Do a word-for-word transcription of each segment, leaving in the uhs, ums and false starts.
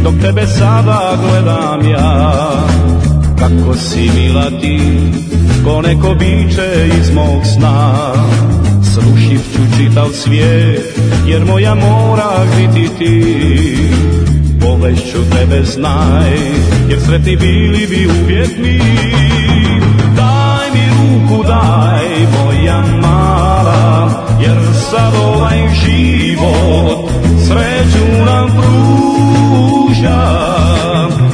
Dok tebe sada gledam ja, kako si mila ti, ko neko biće iz mog sna. Srušit ću čitav svijet, jer moja mora biti ti. Povešću tebe, znaj, jer sretni bili bi uvijek mi. Daj mi ruku, daj, moja mala, jer sad ovaj život sreću nam pruža.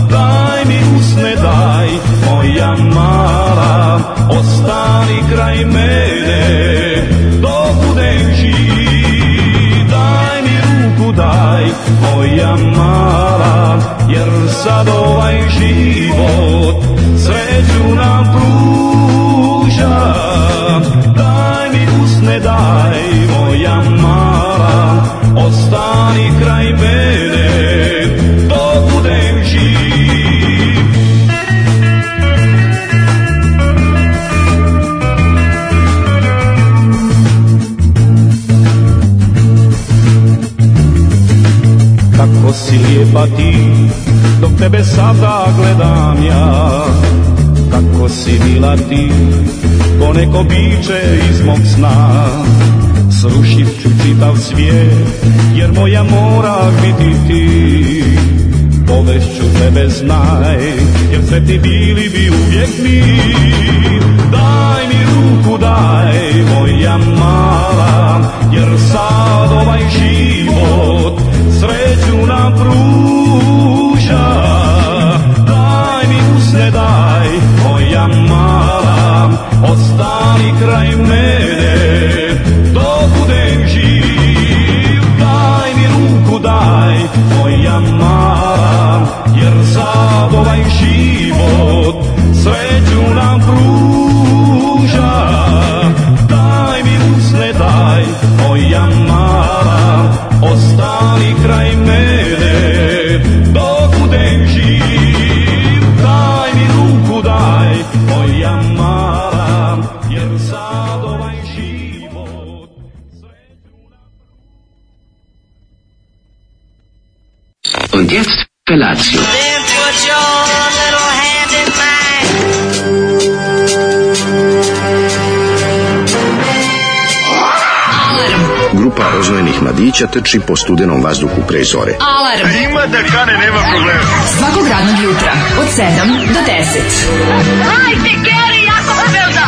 Daj mi usne, daj, moja mala, ostani kraj mene dok budem živ. Daj mi ruku, daj, moja mala, jer sad ovaj život sreću nam pruža. Daj mi usne, daj, moja mala, ostani kraj mene dok budem živ. Kako si lijepa ti, dok tebe sada gledam ja. Kako si mila ti, ko neko biće iz mog sna. Srušit ću čitav svijet, jer moja mora biti ti. Povešću tebe, znaj, jer sretni bili bi uvijek mi. Daj mi ruku, daj, moja mala, jer sad ovaj život sreću nam pruža. Daj mi usne, daj, moja mala, ostani kraj mene dok budem živ. Daj mi ruku, daj, moja mala, jer sad ovaj život sreću nam pruža. Daj mi usne, daj, moja mala, ostani kraj mene dok budem živ. Daj mi ruku, daj, moja mala, jer sad ovaj život sreću nam... Und jetzt Felatio. Then put your little hand in mine. Grupa roznojenih mladića trči po studenom vazduhu pre zore. Alarm. Ima da kane, nema problema. Svakog radnog jutra od sedam do deset. Hajde, Geri, jako se velda.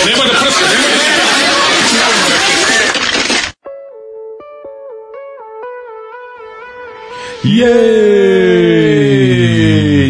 Nema da prska, nema da prska. Jej!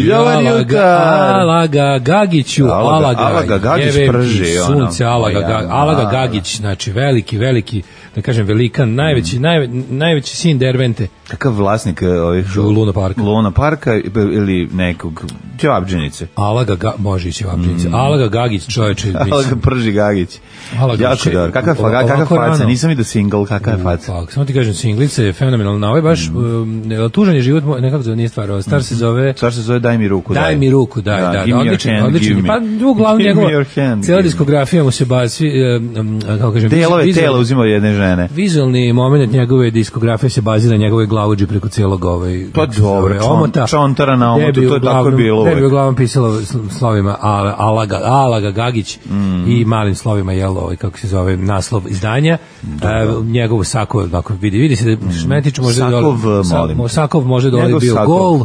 Dobar jutar! Alaga Gagiću, Alaga, Alaga Gagić prži, sunce, ono. Alaga, Ga, Alaga Gagić, znači veliki, veliki, da kažem velikan, najveći, mm. najve, najveći sin Dervente. Kakav vlasnik ovih Luna Parka? Luna Parka ili nekog Ćevabdžinice? Alaga Ga, može i Ćevabdžinice. Mm. Alaga Gagić, čoveče. Alaga prži Gagić. Alaga jako dobro. Kakav kakav faca? Nisam vidio single, kakav je faca. Pa, samo ti kažem, singlica je fenomenalna. Ovo je baš mm. um, tužan je život, nekako zove, nije stvar. Star se zove... Star se zove Daj mi ruku, daj. Daj mi ruku, daj, da. Give me your hand, odličan. give me. Pa, uglavnom njegova, cijela diskografija mu se bazi, um, kako kažem... Delove tela uzimao jedne žene. Vizualni moment njegove diskografije se bazira na njegovoj glavuđi preko cijelog ovaj... Pa dobro, omota. Čontara na omotu, to je tako je bilo. Tebi uglavnom pisalo slovima Alaga, Alaga Gagić mm. i malim slovima, jel, ovaj, kako se zove, naslov izdanja. Uh, njegov Sakov, dakle, vidi, vidi se da Šmetić može Sakov, da molim. Sakov može da ovaj bio Sakov. gol,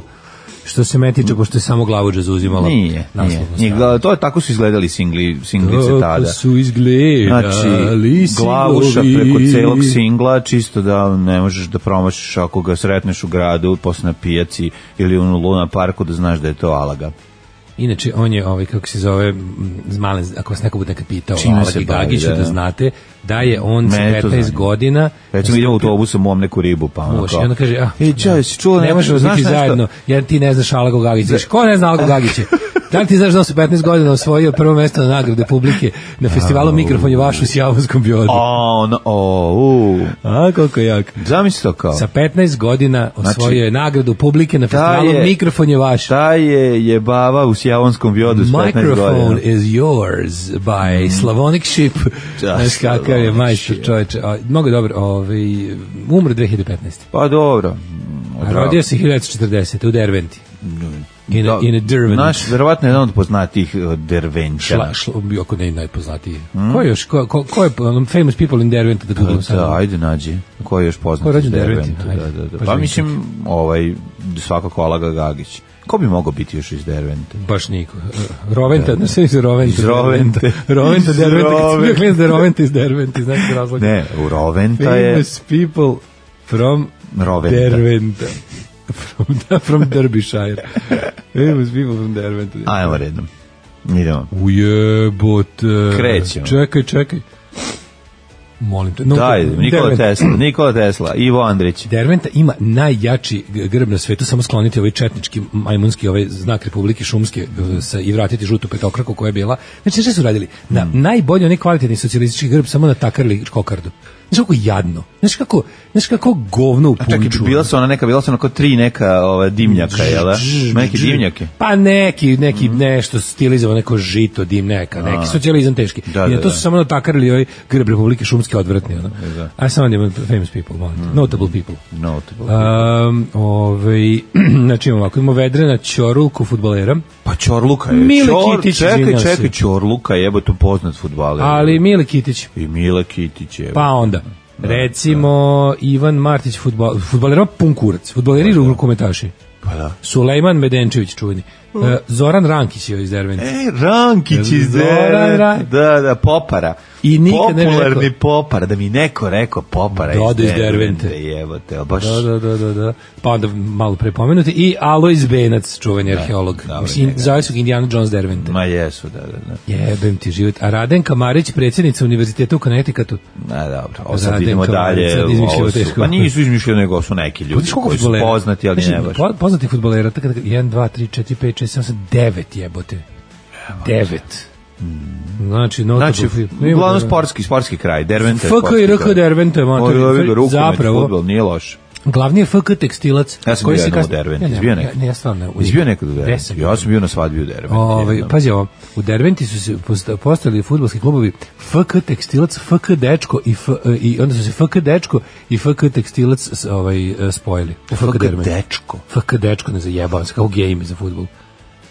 što se Metiče, pošto je samo glavuđa zauzimala. Nije, nije, nije. To je tako su izgledali singli, singlice tada. Tako su izgledali znači, glavuša preko celog singla, čisto da ne možeš da promašiš ako ga sretneš u gradu, posle na pijaci ili u Luna Parku, da znaš da je to Alaga. Inače, on je, ovaj, kako se zove, zmalen, ako vas neko bude nekad pitao o Alagi Gagiću, da. da znate, da je on sa petnaest godina... Recimo, idemo u autobusom, mom neku ribu, pa ono kao... I onda kaže, ah, ej, čao, si čuo... Ne možemo biti zajedno, jer ti ne znaš Alago Gagića. Znaš, ko ne zna Alago Gagića? Da li ti znaš da se petnaest godina osvojio prvo mesto na nagrade publike na festivalu Mikrofon je vaš u Sjavonskom Bjodu? O, no, o, u. A, koliko je jak. Zamisli to kao. Sa petnaest godina osvojio Znači, je nagradu publike na festivalu je- Mikrofon je vaš. Ta je jebava u Sjavonskom Bjodu s petnaest godina. Microphone is yours by Slavonic Ship. Da, Znaš kakav je Slavonic majstor Ship. čoveče. A, mnogo je dobro. Ovaj, umro dve hiljade petnaeste. Pa dobro. A rodio se hiljadu devetsto četrdesete u Derventi. In a, in a Dervent. Naš, verovatno je jedan od poznatijih uh, Dervenčana. Šla, šla, bio ako ne najpoznatiji. Mm. Ko je još, ko, ko, ko je um, famous people in Derwent da googlam Da, sad? ajde nađi. Ko je još poznat Ko je rođen iz u Derventu? Derventu? Ajde, Da, da, da. baš Pa vidim mislim, ovaj, svakako Alaga Gagić. Ko bi mogao biti još iz Dervente? Baš niko. Uh, Roventa, ne sve iz Roventa. Iz Rovente. Roventa, Iz Derventa, kad sam bio Rovente. klinac da je Roventa iz Derventa, znaš se razloga. Ne, u Roventa je... Famous people from Roventa. Derventa. From, da, from Derbyshire. Famous people from Derventa. Ajmo redom. Idemo. Ujebote. Krećemo. Čekaj, čekaj. Molim te. No, Daj, Nikola Derventa. Tesla, Nikola Tesla, Ivo Andrić. Derventa ima najjači g- grb na svetu, samo skloniti ovaj četnički majmunski ovaj znak Republike Šumske eh, sa, i vratiti žutu petokraku koja je bila. Znači, šta su radili? Na najbolji onaj kvalitetni socijalistički grb samo natakarili kokardu. Znaš kako jadno? Znaš kako, znaš kako govno u A čekaj, punču? bila su ona neka, bila su onako tri neka ova, dimnjaka, jel da? Neki dimnjake. Pa neki, neki nešto stilizovano, neko žito, dim, neka, neki socijalizam teški. Da, I na da, to da. su samo natakarili ovaj grb Republike Šumske odvratni. Ono. Da. A samo imamo famous people, molim te. Notable people. Notable. Um, ovaj, znači imamo ovako, imamo Vedrana Ćorulku fudbalera, Pa Ćorluka je. Mile Ćor- Kitić, Čekaj, izvinjam se. čekaj, Ćorluka je, jebo to poznat fudbaler. ali Mile Kitić. I Mile Kitić je. Pa onda, recimo Ivan Martić, fudbal, fudbalera pun kurac, fudbaleri i rukometaši. Pa da. Sulejman Medenčević, čuveni. E, Zoran Rankić je iz Derventa. E, Rankić iz Zoran Derventa. Rankić. Da, da, Popara. I nikad ne bi Popularni rekao. Popara, da mi neko rekao Popara Dodo iz iz Dervente. Dervente. Jebote, ali baš... Da, da, da, da, da. Pa onda malo pre pomenuti i Alojz Benac, čuveni arheolog. dobro, Mislim, njega. zove su ga Indiana Jones Dervente. Ma jesu, da, da, da. Jebem ti život. A Radenka Marić, predsjednica univerziteta u Connecticutu. Na, dobro, ovo sad Radenka idemo Marić, dalje. sad izmišljamo ovo su- teško. Pa nisu izmišljeni, nego su neki ljudi Vidiš koliko koji su fudbalera? poznati, ali Znači, ne baš. po- Poznati fudbalera, tako da jedan, dva, tri, četiri, pet, šest, sedam, osam, devet jebote. Devet. Znači, notable Znači, film. uglavnom sportski, sportski kraj, Dervente. F K i R K Dervente, Zapravo. zapravo. Fudbal, nije loš. Glavni je F K tekstilac. Ja sam koji bio se jednom u kasnije- Derventi, Ja ne, izbio ja- nekad. Ne, ja stvarno. u- Izbio nekad u Gde Derventi. sam Ja sam bio na svadbi u Derventi. Ovaj, jednom. pazi ovo, u Derventi su se posta- postavili fudbalski klubovi F K tekstilac, F K dečko i, F, i onda su se F K dečko i F K tekstilac s- ovaj, e, spojili. U F K Derventi. dečko. F K dečko, ne zajebavam se, kao game za fudbal.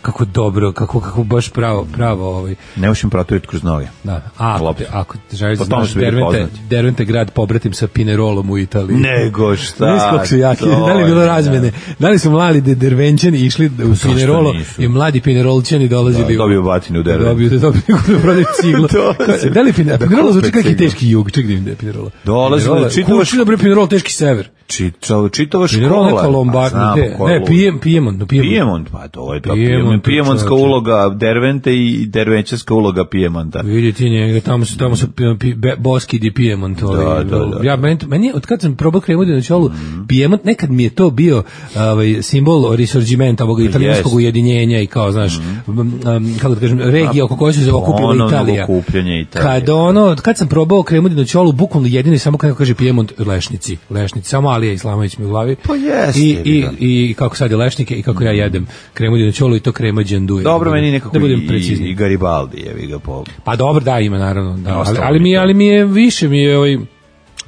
Kako dobro, kako, kako baš pravo, pravo ovaj, Ne možem proturiti kroz noge. da. A ako Loptu. te, ako te želiš da Po tome znaš su bili Dervente, poznati. Dervente je grad pobratim sa Pinerolom u Italiji. Nego šta? Znaš kako su jaki, to da li je bilo je, razmene? Da li su mladi de- dervenčani išli u što Pinerolo nisu? i mladi Pinerolčani dolazili Da, dobiju batine u da Derventu. dobiju, da dobiju da prodaju ciglu. Dolazi. Da li Pinerolo? Da Pinerolo kupe zvuči kako ciglu. teški jug, ček da im da je Pinerolo. Dolazi, Pinerolo, čitavaš- kući da bre Pinerolo teški sever. Čitava, čitava škola. Pinerolo neka A Lombard, znamo ne, ko je ne, lud. Pijem, Pijemont, no Pijemont. Pijemont, pa to je ta Pijemont, Pijemont, Pijemontska čovječe. uloga Dervente i dervenčarska uloga Pijemonta. Vidi ti njega, tamo su, tamo su pi, pi, be, Boski di Pijemont. Ovaj, da, da. Ja, meni, meni, je, od kad sam probao kremu na čolu, Pijemont, nekad mi je to bio ovaj, simbol risorgimenta, ovog italijanskog jest. ujedinjenja i kao, znaš, um, um, kako da kažem, regije oko koje su se okupila Ponovnog Italija. okupljanja Italije. Kad ono, kad sam probao kremu na čolu, bukvalno jedino i samo kako kaže Pijemont, lešnici, lešnici, samo Alija Islamović mi u glavi. Pa jeste, I, i, da. i kako sad je lešnike i kako ja jedem kremu na čolu i to krema đanduje. Dobro, Da budem- meni nekako da budem i, precizniji. i Garibaldi, jevi ga po... Pa dobro, da, ima naravno, da, ali, Ostalo ali mi mi je, to. ali mi je više mi je ovaj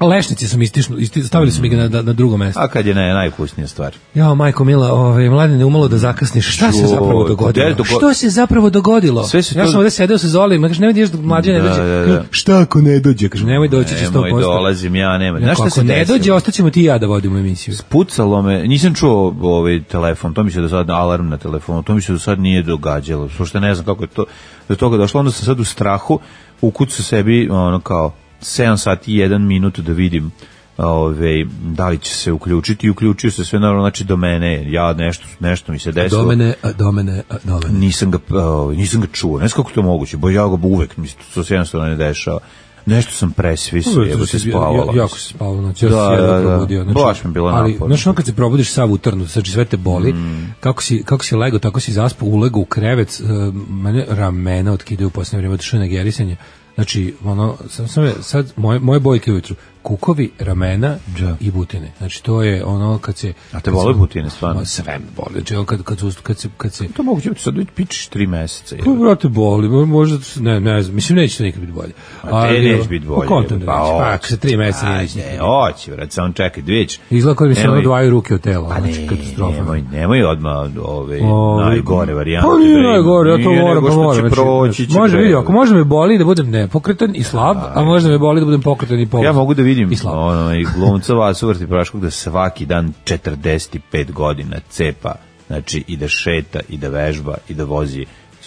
lešnici su mi istišnu, isti, stavili su mi ga na, na, na drugo mesto. A kad je ne, najvkusnija stvar. Jao, majko mila, ovaj mladine umalo da zakasniš. Šta se Joj, zapravo gde dogodilo? dogo- Što se zapravo dogodilo? Sve se ja to- sam ovde sedeo sa Zolim, kaže ne vidiš da mlađe ne Da, dođe. da, da. Kažem, šta ako ne dođe? Kaže nemoj doći će sto Nemoj, posto. dolazim, ja nema. Znaš Ako šta se ne desilo? dođe, ostaćemo ti i ja da vodimo emisiju. Pucalo me, nisam čuo ovaj telefon, to mi se do sad alarm na telefonu, to mi se do sad nije događalo, što ne znam kako je to do toga došlo, onda sam sad u strahu, ukucao sebi ono kao sedam sati i jedan minut da vidim ove, da li će se uključiti i uključio se sve naravno, znači do mene, ja nešto, nešto mi se desilo. Do mene, a, do mene, a, do mene. Nisam ga, ovaj, nisam ga čuo, ne znam kako to moguće, bo ja ga uvek, mi se to se jednostavno ne dešava. Nešto sam presvisao, jebo se spavala. Ja, jako se spavalo, znači ja Da, se jedno da, da. probudio. Znači, Baš mi je bilo ali, naporno. znaš, ono kad se probudiš sav utrnu, znači sve te boli, Mm. kako si, kako si legao, tako si zaspao, ulegao u krevet, uh, mene ramena otkidaju u posljednje vrijeme, otišao na gerisanje. Znači, ono, sam, sam, sad, moje, moje bojke ujutru, kukovi, ramena Da. i butine. Znači, to je ono kad se... A te kad bole se- butine, stvarno? Ma, sve me boli. Znači, ono kad, kad, su, kad, se, kad se... To moguće biti sad već pičiš tri meseca. Pa, brate, boli, mo- možda, ne, ne znam, mislim, neće to nikad biti bolje. A te neće biti bolje. Pa, kontam da Pa, neće, pa, hoće. ako se tri meseca Aj, neće. ne, hoće, vrat, samo čekaj, dvić. Izgleda koji mi se Nemoj- ono dvaju ruke od tela, Pa znači, ne, katastrofa. nemoj, nemoj odmah ove Ove, najgore varijante. Pa nije bre. najgore, ja to Nije, moram, nego pa što moram. će Znači, proći, će može bre. vidi, ako može me boli da budem nepokretan i slab, a može me boli da budem pokretan i poluslab. Ja mogu da vidim i slab. ono, i glumca Vasu Vrti Praškog da svaki dan četrdeset pet godina cepa, znači i da šeta, i da vežba, i da vozi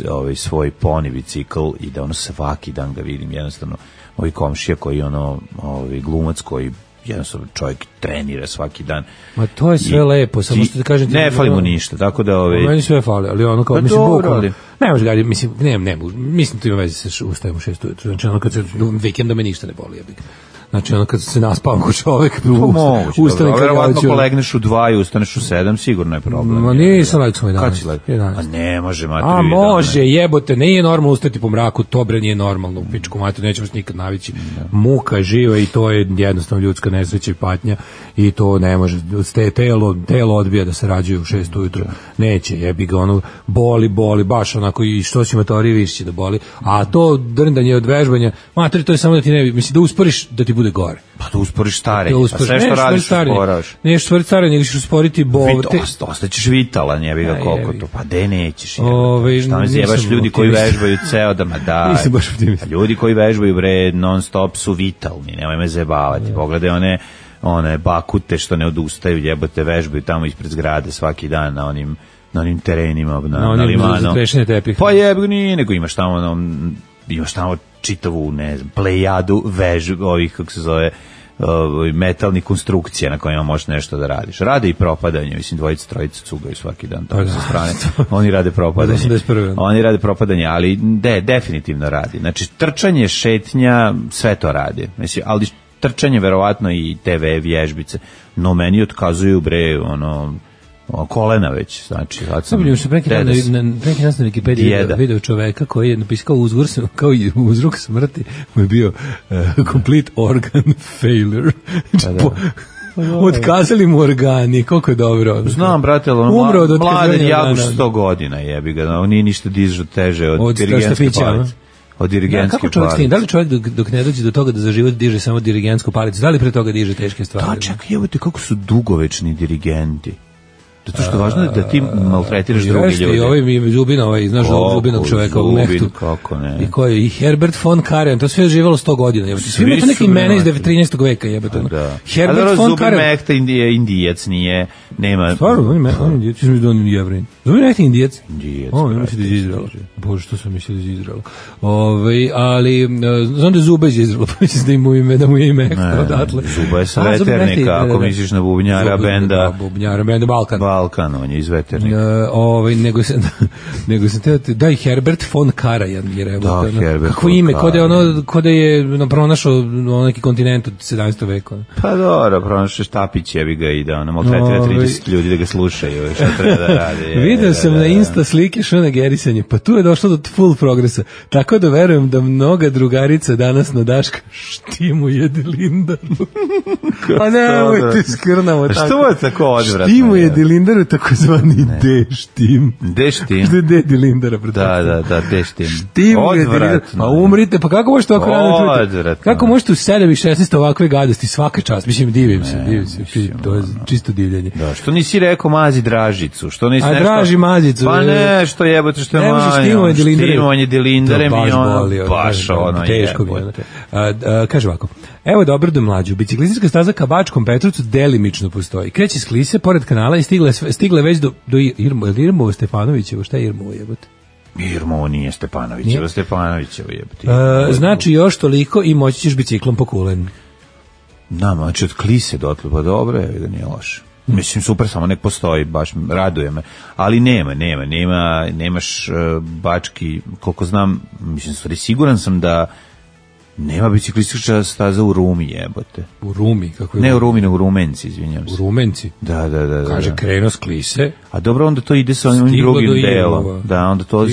ovaj, svoj poni bicikl i da ono svaki dan ga vidim, jednostavno ovi komšija koji ono, ovaj, glumac koji jednostavno čovjek trenira svaki dan. Ma to je sve I lepo, samo ti- što da kažem ti- ne fali mu ništa, tako da ovaj, Meni sve fali, ali ono kao, Pa mislim, dobro, bukvalno, ali- ne može ga, mislim, ne, ne, mislim, to ima veze sa š- ustajem u šest ujutru, znači ono kad se, vikenda me ništa ne boli, ja bih. Znači ono kad se naspavam ko čovek, to moguće, ustane dobro, a kad ja verovatno hoću. polegneš u dva i ustaneš u sedam, sigurno je problem. Ma nisam legao sam u Kad jedanaest. si legao? jedanaest. A ne može, materi. A može, jebote, nije normalno ustati po mraku, to bre nije normalno u pičku mater, nećemo se nikad navići. Muka je živa i to je jednostavno ljudska nesreća i patnja i to ne može, ste telo, telo odbija da se rađaju u šest ujutru. Neće, jebi ga, ono, boli, boli, baš onako i što si matori više će da boli. A to drndanje od vežbanja, mater, to je samo da ti ne, mislim da usporiš da ti bude gore. Pa da usporiš stare, Da a usporiš, sve što nećeš radiš stvariti starenje. usporavaš. Nećeš stvariti starenje, nego ćeš usporiti bol. Vito, osta- ostaćeš vitalan, jebi ga A, koliko jebi ga. to, pa de nećeš. jebote. Ovaj, Šta me nisam zjebaš ljudi koji optimista. vežbaju ceo dan, ma daj. Nisam baš optimista. Pa ljudi koji vežbaju bre non stop su vitalni, nemoj me zajebavati. Pogledaj one one bakute što ne odustaju, jebote, vežbaju tamo ispred zgrade svaki dan na onim na onim terenima na, Na na, onim limanu. za krešenje tepiha. Pa jebi ga, nije, nego imaš tamo ono, imaš tamo čitavu, ne znam, plejadu vež, ovih, kako se zove, ovaj, metalnih konstrukcija na kojima možeš nešto da radiš. Rade i propadanje, mislim, dvojica, trojica cugaju svaki dan tamo sa strane. Oni rade propadanje. osamdeset prve. Oni rade propadanje, ali de, definitivno radi. Znači, trčanje, šetnja, sve to radi. Mislim, ali trčanje, verovatno, i te ve vježbice, no meni otkazuju, bre, ono, o, kolena već, znači, sad sam... Sabljujem se preki dan dedas. na, na, preki dan na Wikipediji Dijeda. video, video čoveka koji je napisao uzgor, kao i uzrok smrti, mu je bio uh, complete organ failure. Pa da. Po- Otkazali mu organi, koliko je dobro. Znam, brate, ali ono, Umro od mla- mladen otkazivanja jako organa. sto godina, jebi ga, on nije ništa dižo teže od, Od dirigentske štapića, palice. Od Da, dirigentske kako čovjek stigne? palice. Da li čovjek dok, dok ne dođe do toga da za život diže samo dirigentsku palicu? Da li pre toga diže teške stvari? Da, čekaj, evo te kako su dugovečni dirigenti. Zato što je važno da ti maltretiraš druge Jeste, ljude. i ovaj mi je Zubina, ovaj, znaš Kako, Zubinog čoveka u Zubin, Mehtu. kako ne. I ko je? I Herbert von Karajan, to sve je živelo sto godina. Jebote. Svi ima to Svi neki su imena iz vjerovatno. trinaestog veka, jebote. ono. Da. A Herbert dobro, von Zubin Karajan. Mehta je indijac, nije, nema... Stvarno, on je, on je indijac, mislim da on je jevrin. Zubin Mehta je indijac. Indijac, O, ja brate, mislim da je iz Izraela. Bože, što sam mislio da je iz Izraela. Ove, ali, e, znam da je Zuba iz Izraela, pa mislim da, mu ime, da mu je ime Ne, odatle. Zuba je sa A, Zubin Mehta je- Veternika, da, da, ako da. misliš na bubnjara Zuba- benda da, Bubnjara benda Balkan. Balkan, on je iz Veternika. E, ovaj nego se nego se teo ti- da i Herbert von Karajan je rekao Da, Herbert kako von ime kod je ono Karajan. kod je ono, pronašao ono, neki kontinent od sedamnaestog veka. Pa dobro, pronašao Štapić, jebi ga i da ono maltretira Ovaj. trideset ljudi da ga slušaju, šta treba da radi. je, Video sam da, na da. Insta slike Šona Gerisanja, pa tu je došlo do full progresa. Tako da verujem da mnoga drugarica danas na Daška štimu jede Lindaru. Pa nemojte skrnavo A tako. što je tako odvratno? Štimu je? jede Lindaru, takozvani D-štim. Gde štim? Što je Dedi Lindara, Da, pretpostavljam. da, da, gde štim? Timu je Odvratno. pa umrite, pa kako možete ovako rano čuti? Odvratno. Kako možete u sedam i šesnaest ovakve gadosti, svaka čast, mislim, divim se, divim se, mislim, to je čisto divljenje. Da, što nisi rekao mazi Dražicu? Što nisi A nešto... draži mazicu. Pa ne, što jebote, što je Ne možeš manje. štimovanje dilindare. Štimovanje dilindare To mi baš ono, boli, ono, baš kažem, ono teško mi je. ono. jebote. A, a, kaže ovako, evo dobro do mlađu, biciklistička staza ka Bačkom Petrovcu delimično postoji. Kreće s Klise, pored kanala i stigle, sve- stigle već do, do Irmo, je li Irmovo Stefanovićevo, šta je Irmovo jebote? Irmo nije Stepanovićevo, Nije? Stepanovićevo jebote. A, znači još toliko i moći ćeš biciklom po Kulen. Da, znači od Klise dotle, pa dobro je da nije loše. Mislim, super, samo nek postoji, baš raduje me. Ali nema, nema, nema, nemaš uh, bački, koliko znam, mislim, stvari, siguran sam da Nema biciklistička staza u Rumi, jebote. U Rumi, kako je? Ne u Rumi, nego u Rumenci, izvinjam se. U Rumenci? Da, da, da. Kaže, da. krenuo s Klise. A dobro, onda to ide sa onim Stigo drugim do delom. Irmova. Da, onda to,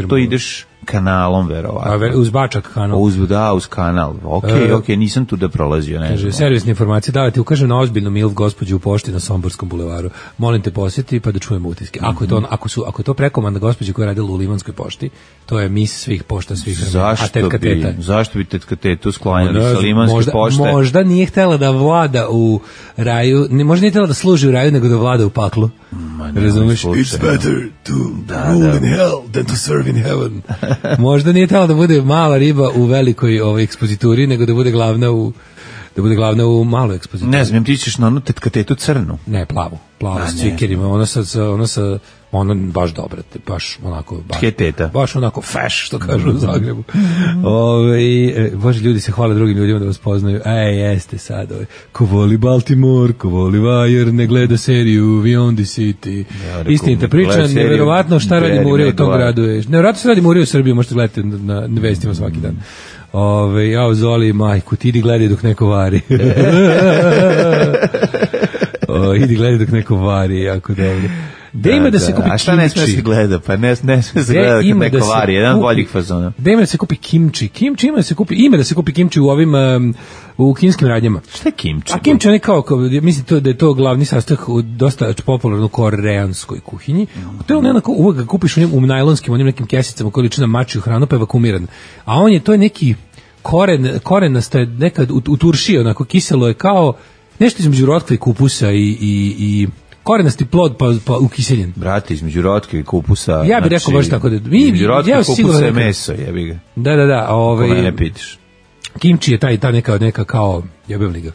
to ideš kanalom, verovatno. A ve, uz Bačak kanal. Uz, da, uz kanal. Ok, E, ok, nisam tu da prolazio. Ne kaže, znam. servisne informacije, da ti ukažem na ozbiljnu milf gospođu u pošti na Somborskom bulevaru. Molim te posjeti pa da čujemo utiske. Ako je to, ako su, ako je to prekomanda gospođe koja je radila u Limanskoj pošti, to je mis svih pošta, svih vremena. A Zašto tetka bi, teta? zašto bi tetka tetu sklanjali Ne sa znam, Limanske možda, pošte? Možda nije htjela da vlada u raju, ne, možda nije htjela da služi u raju, nego da vlada u paklu. Ma ne, Razumeš? slučajno. It's better to Da, rule da. in hell than to serve in heaven. Možda nije htjela da bude mala riba u velikoj ovaj, ekspozituri, nego da bude glavna u da bude glavna u maloj ekspozituri. Ne znam, ti ćeš na onu tetka tetu crnu. Ne, plavu. Plavu A, s ne. cvikerima. Ona sa, sa, ona sa ona baš dobra, te, baš onako baš, Tje teta. baš onako feš, što kažu u Zagrebu. Ove, e, bože, ljudi se hvale drugim ljudima da vas poznaju. Ej, jeste sad. Ove. Ko voli Baltimore, ko voli Wire, ne gleda seriju Beyond the City. Ja, rekao, Istinita ne priča, gleda seriju nevjerovatno šta radi Barry Murija u tom Maguire. gradu. Je. Nevjerovatno šta radi Murija u Srbiji, možete gledati na, na vestima svaki dan. Ove, jao, Zoli, majku, ti idi gledaj dok neko vari. O, idi gledaj dok neko vari, jako dobro. Gde ima da se kupi A šta ne smije kimči? se gleda? Pa ne, ne smije se Gde gleda kad ima neko da se vari, jedan kupi- boljih fazona. Gde ima da se kupi kimči? Kimči ima da se kupi, ima da se kupi kimči u ovim um, u kineskim radnjama. Šta je kimči? A kimči je kao, kao mislim to da je to glavni sastojak u dosta popularnoj koreanskoj kuhinji. To je on onako uvek ga kupiš u njim u najlonskim onim nekim kesicama koji liči na mačju hranu, pa je vakumiran. A on je to je neki koren, korenasta je nekad u, u turšiji, onako kiselo je kao nešto između rotkve i kupusa i, i, i korenasti plod pa, pa ukiseljen. Brate, između rotke i kupusa. Ja bih rekao baš tako da- mi- Između rotke ja i sigurno kupusa je nekad- meso, jebi ga. Da, da, da. Ko Ovaj, mene pitiš. kimči je taj, ta neka, neka kao, jebem ga.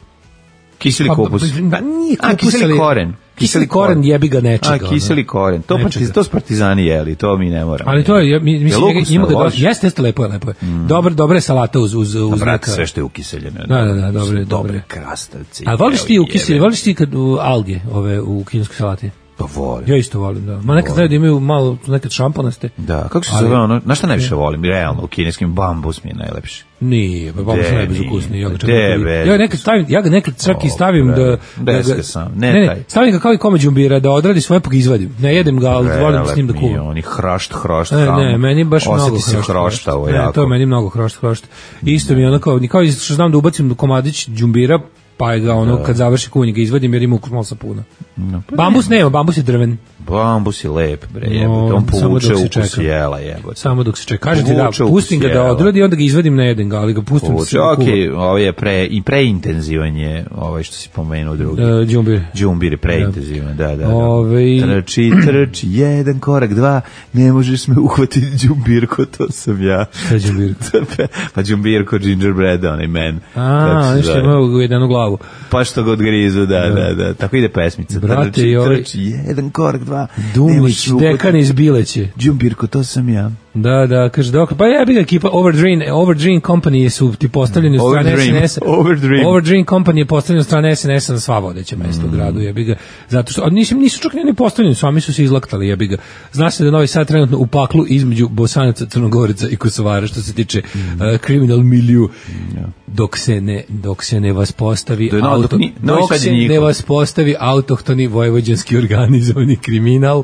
Kiseli Pa, kupus. ba, nije A, kupus, kiseli ali- koren. Kiseli koren jebi ga nečega. A, kiseli koren. To, Nečega. partiz, to s partizani jeli, to mi ne moramo. Ali to je, ja, mi- mislim, Jel njega- ukusno, ima ga loš? dosta, jeste, jeste, lepo je, lepo je. Dobar, dobra je salata uz, uz, uz Brate, neka... sve što je ukiseljeno. Da, da, da, dobro je, dobro Dobre je. krastavci. A voliš ti evo, ukiselje, jebe. voliš ti kad u, alge, ove, u kineskoj salati? Pa volim. Ja isto volim, da. Ma nekad znaju da imaju malo, nekad šamponaste. Da, kako se Ali- zove ono? Na šta najviše volim? Realno, u kineskim bambus mi je najlepši. Nije, pa babo De, su najbezukusniji. Ja ga čak de, nekad- be. ja ga nekad stavim, ja ga nekad čak i O, stavim da bre, da deska ga sam, ne ne, taj. ne, stavim ga kao i komad đumbira da odradi svoje pa ga izvadim. Ne jedem ga, ali volim s njim da Prelep mi je, kuvam. oni hrašt, hrašt, Ne, ham. ne, meni baš mnogo Osjeti se hrošt, hroštavo Ne, jako. to je meni mnogo hrošt, hrošt. Isto mi je ono kao, kao što znam da ubacim komadić đumbira, pa je ga ono, kad završi kuvanje ga izvadim jer ima ukus malo sapuna. No, pa Bambus nema, bambus je drven. Bambus je lep, bre, No, jebote. On samo povuče dok se ukus čeka. jela, jebote. Samo dok se čeka. Kažem ti da, Povuče ukus pustim ga da jela. odradi, onda ga izvadim, ne jedem ga, ali ga pustim Povuče, da ok, kuva. ovo je pre, i preintenzivan je, ovaj što si pomenuo drugi. E, đumbir. Đumbir je preintenzivan, da, da, da. Ovaj- Trči, trči, jedan korak, dva, ne možeš me uhvatiti đumbirko, to sam ja. Šta je đumbir? Pa đumbirko, gingerbread, onaj men. A, Kako se nešto zove? ima u jednu glavu. Pa što ga odgrizu, da, da, da. Tako ide pesmica. Brate, trči, i ovaj- trči, jedan korak, dva, ne Dumlić, možeš me uhvatiti. dekan iz Bileće. Đumbirko, to sam ja. Da, da, kaže dok, pa ja bih ga ekipa Overdream, Overdream Company su ti postavljeni od strane Overdream, S N S-a. Overdream. Overdream Company je postavljen od strane S N S-a na sva vodeća mesta u gradu, jebi ga. Zato što, a nisu, nisu čak ni oni postavljeni, sami su se izlaktali, jebi ga. Zna se da je Novi Sad trenutno u paklu između Bosanaca, Crnogoreca i Kosovara što se tiče uh, criminal milieu. Dok se ne, dok se ne vas postavi Do je no- auto, dok ni- Novi dok Sad je se ne njihov. vas postavi autohtoni vojvođanski organizovani kriminal,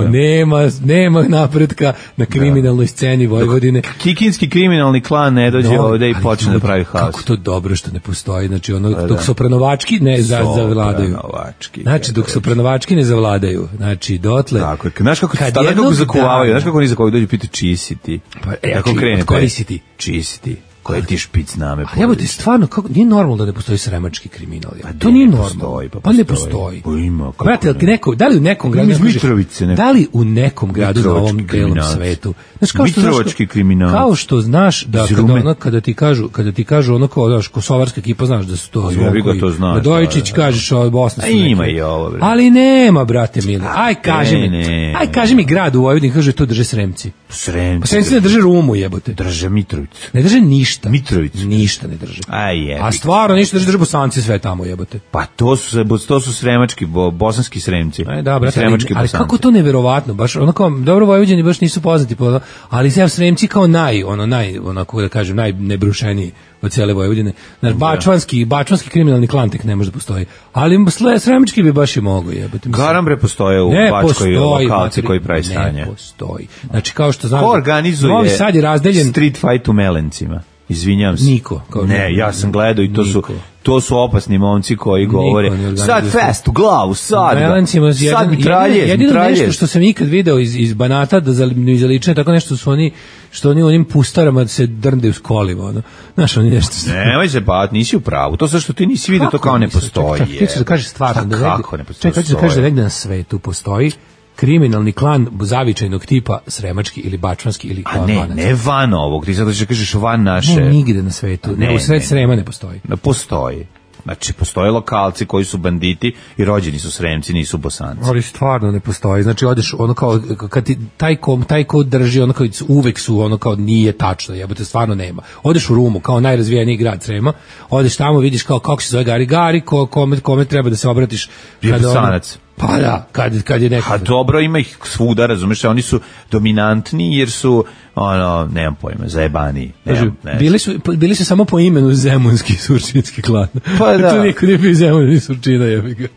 nema, nema napretka na kriminalnoj sceni Vojvodine. Kikinski kriminalni klan ne dođe No, ovde i ali počne da ljudi, pravi haos. Kako to dobro što ne postoji, znači ono, Pa dok da. sopranovački ne za, zavladaju. Sopranovački, Znači, dok sopranovački ne zavladaju, znači, dotle... Tako je. Znaš kako, kad tada kako jednog zakuvavaju, dana- znaš kako oni zakuvavaju, dođu pitaju čiji si ti. Pa, e, Tako čiji- krene. od koji pe- si ti? Čiji si ti? Koji ti špic name A jebote, stvarno, kako, nije normalno da ne postoji sremački kriminal. Pa to ne, nije ne normalno. postoji, pa pa ne postoji. postoji. Pa ima, kako Brate, jel ti ne? neko, da li u nekom gradu... iz kaže- Mitrovice neko. Da li u nekom gradu na Mitrovački ovom belom kriminalac. svetu? Znaš, kao što, znaš, Mitrovački kriminalac. kao što znaš da Iz kada, Rume. ono, kada ti kažu, kada ti kažu ono kao, znaš, kosovarska ekipa, znaš da su to Pa Zvonko jebi ga, i to znaš, Radojičić, da, da. kažeš, ovo Bosna A su ima neki. i ovo, bre. Ali nema, brate mili. Aj, kaži mi. ne, Aj, kaži mi grad u Vojvodini, kaže, to drže Sremci. Sremci. Pa Sremci ne drže Rumu, jebote. Drže Mitrovicu. Ne drže ništa. ništa. Mitrovicu. Ništa ne drže. Aj je. A stvarno ništa drže, drže Bosanci sve tamo, jebote. Pa to su to su sremački, bo, bosanski Sremci. Aj da, brate, sremački ali, ali Bosanci. kako to neverovatno, baš ono kao dobro Vojvođani baš nisu poznati po, ali sve Sremci kao naj, ono naj, onako da kažem, najnebrušeniji od cele Vojvodine. Znači bačvanski, bačvanski kriminalni klan tek ne može da postoji. Ali sremački bi baš i mogo, jebote. Garambre postoje u ne Bačkoj postoji, lokalci koji pravi ne stanje. Ne postoji. Znači kao što znam, ko organizuje Novi Sad je razdeljen street fight u Melencima? Izvinjavam se. Niko. Kao ne, ne, ja sam gledao i to niko. su to su opasni momci koji govore sad fest u glavu, sad ga, sad mi traljez, jedino nešto što sam ikad video iz, iz Banata da zaličene, tako nešto su oni, što oni u onim pustarama se drndaju s kolima, ono. Znaš, oni nešto... Nemoj se bat, nisi u pravu, to sve što ti nisi vidio, to kao ne postoji. Čekaj, ti ću da kažeš stvarno, da kako ne postoji? Čekaj, ti ću da kažeš da negde na svetu postoji kriminalni klan zavičajnog tipa sremački ili bačvanski ili a ne, vanac. Ne van ovog, ti zato što kažeš van naše. Ne, nigde na svetu, ne, ne u sred Srema ne postoji. Ne postoji. Znači, postoje lokalci koji su banditi i rođeni su Sremci, nisu Bosanci. Ali stvarno ne postoji. Znači, odeš, ono kao, kad ti taj ko, taj ko drži, ono kao, uvek su, ono kao, nije tačno, jebote, stvarno nema. Odeš u Rumu, kao najrazvijeniji grad Srema, odeš tamo, vidiš kao, kako se zove Gari Gari, ko, kome, kome treba da se obratiš. Je Bosanac. Pa da, kad, kad je neko... A dobro, ima ih svuda, razumeš, oni su dominantni jer su, ono, nemam pojma, zajebani. Nemam, ne bili, su, bili su samo po imenu Zemunski surčinski klan. Pa da. To niko nije bio Zemun ni Surčina, jebi ga.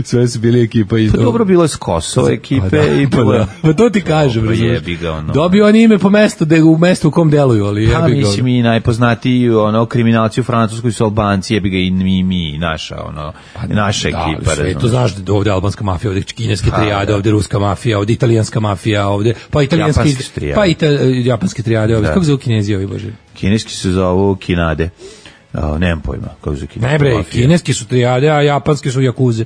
Sve su bili ekipa. Pa dobro, bilo je s Kosova ekipe. Pa da, i pa bilo... da. Pa to ti kažem, dobro, jebi ga, ono. Dobio oni ime po mestu, de, u mestu u kom deluju, ali jebi ga. Pa mislim i najpoznatiji, ono, kriminalci u Francuskoj su Albanci, jebi ga i mi, mi, naša, ono, pa, naša da, ekipa. Sve, to znaš da ovde albanska mafija, ovde kineske trijade, ovde ruska mafija, ovde italijanska mafija, ovde pa italijanski pa ita, japanske trijade, ovde. Kako zove Kinezi ovi, bože? Kineski se zovu Kinade. Oh, nemam pojma kako zove kineski. Ne bre, kineski su trijade, a japanski su jakuze.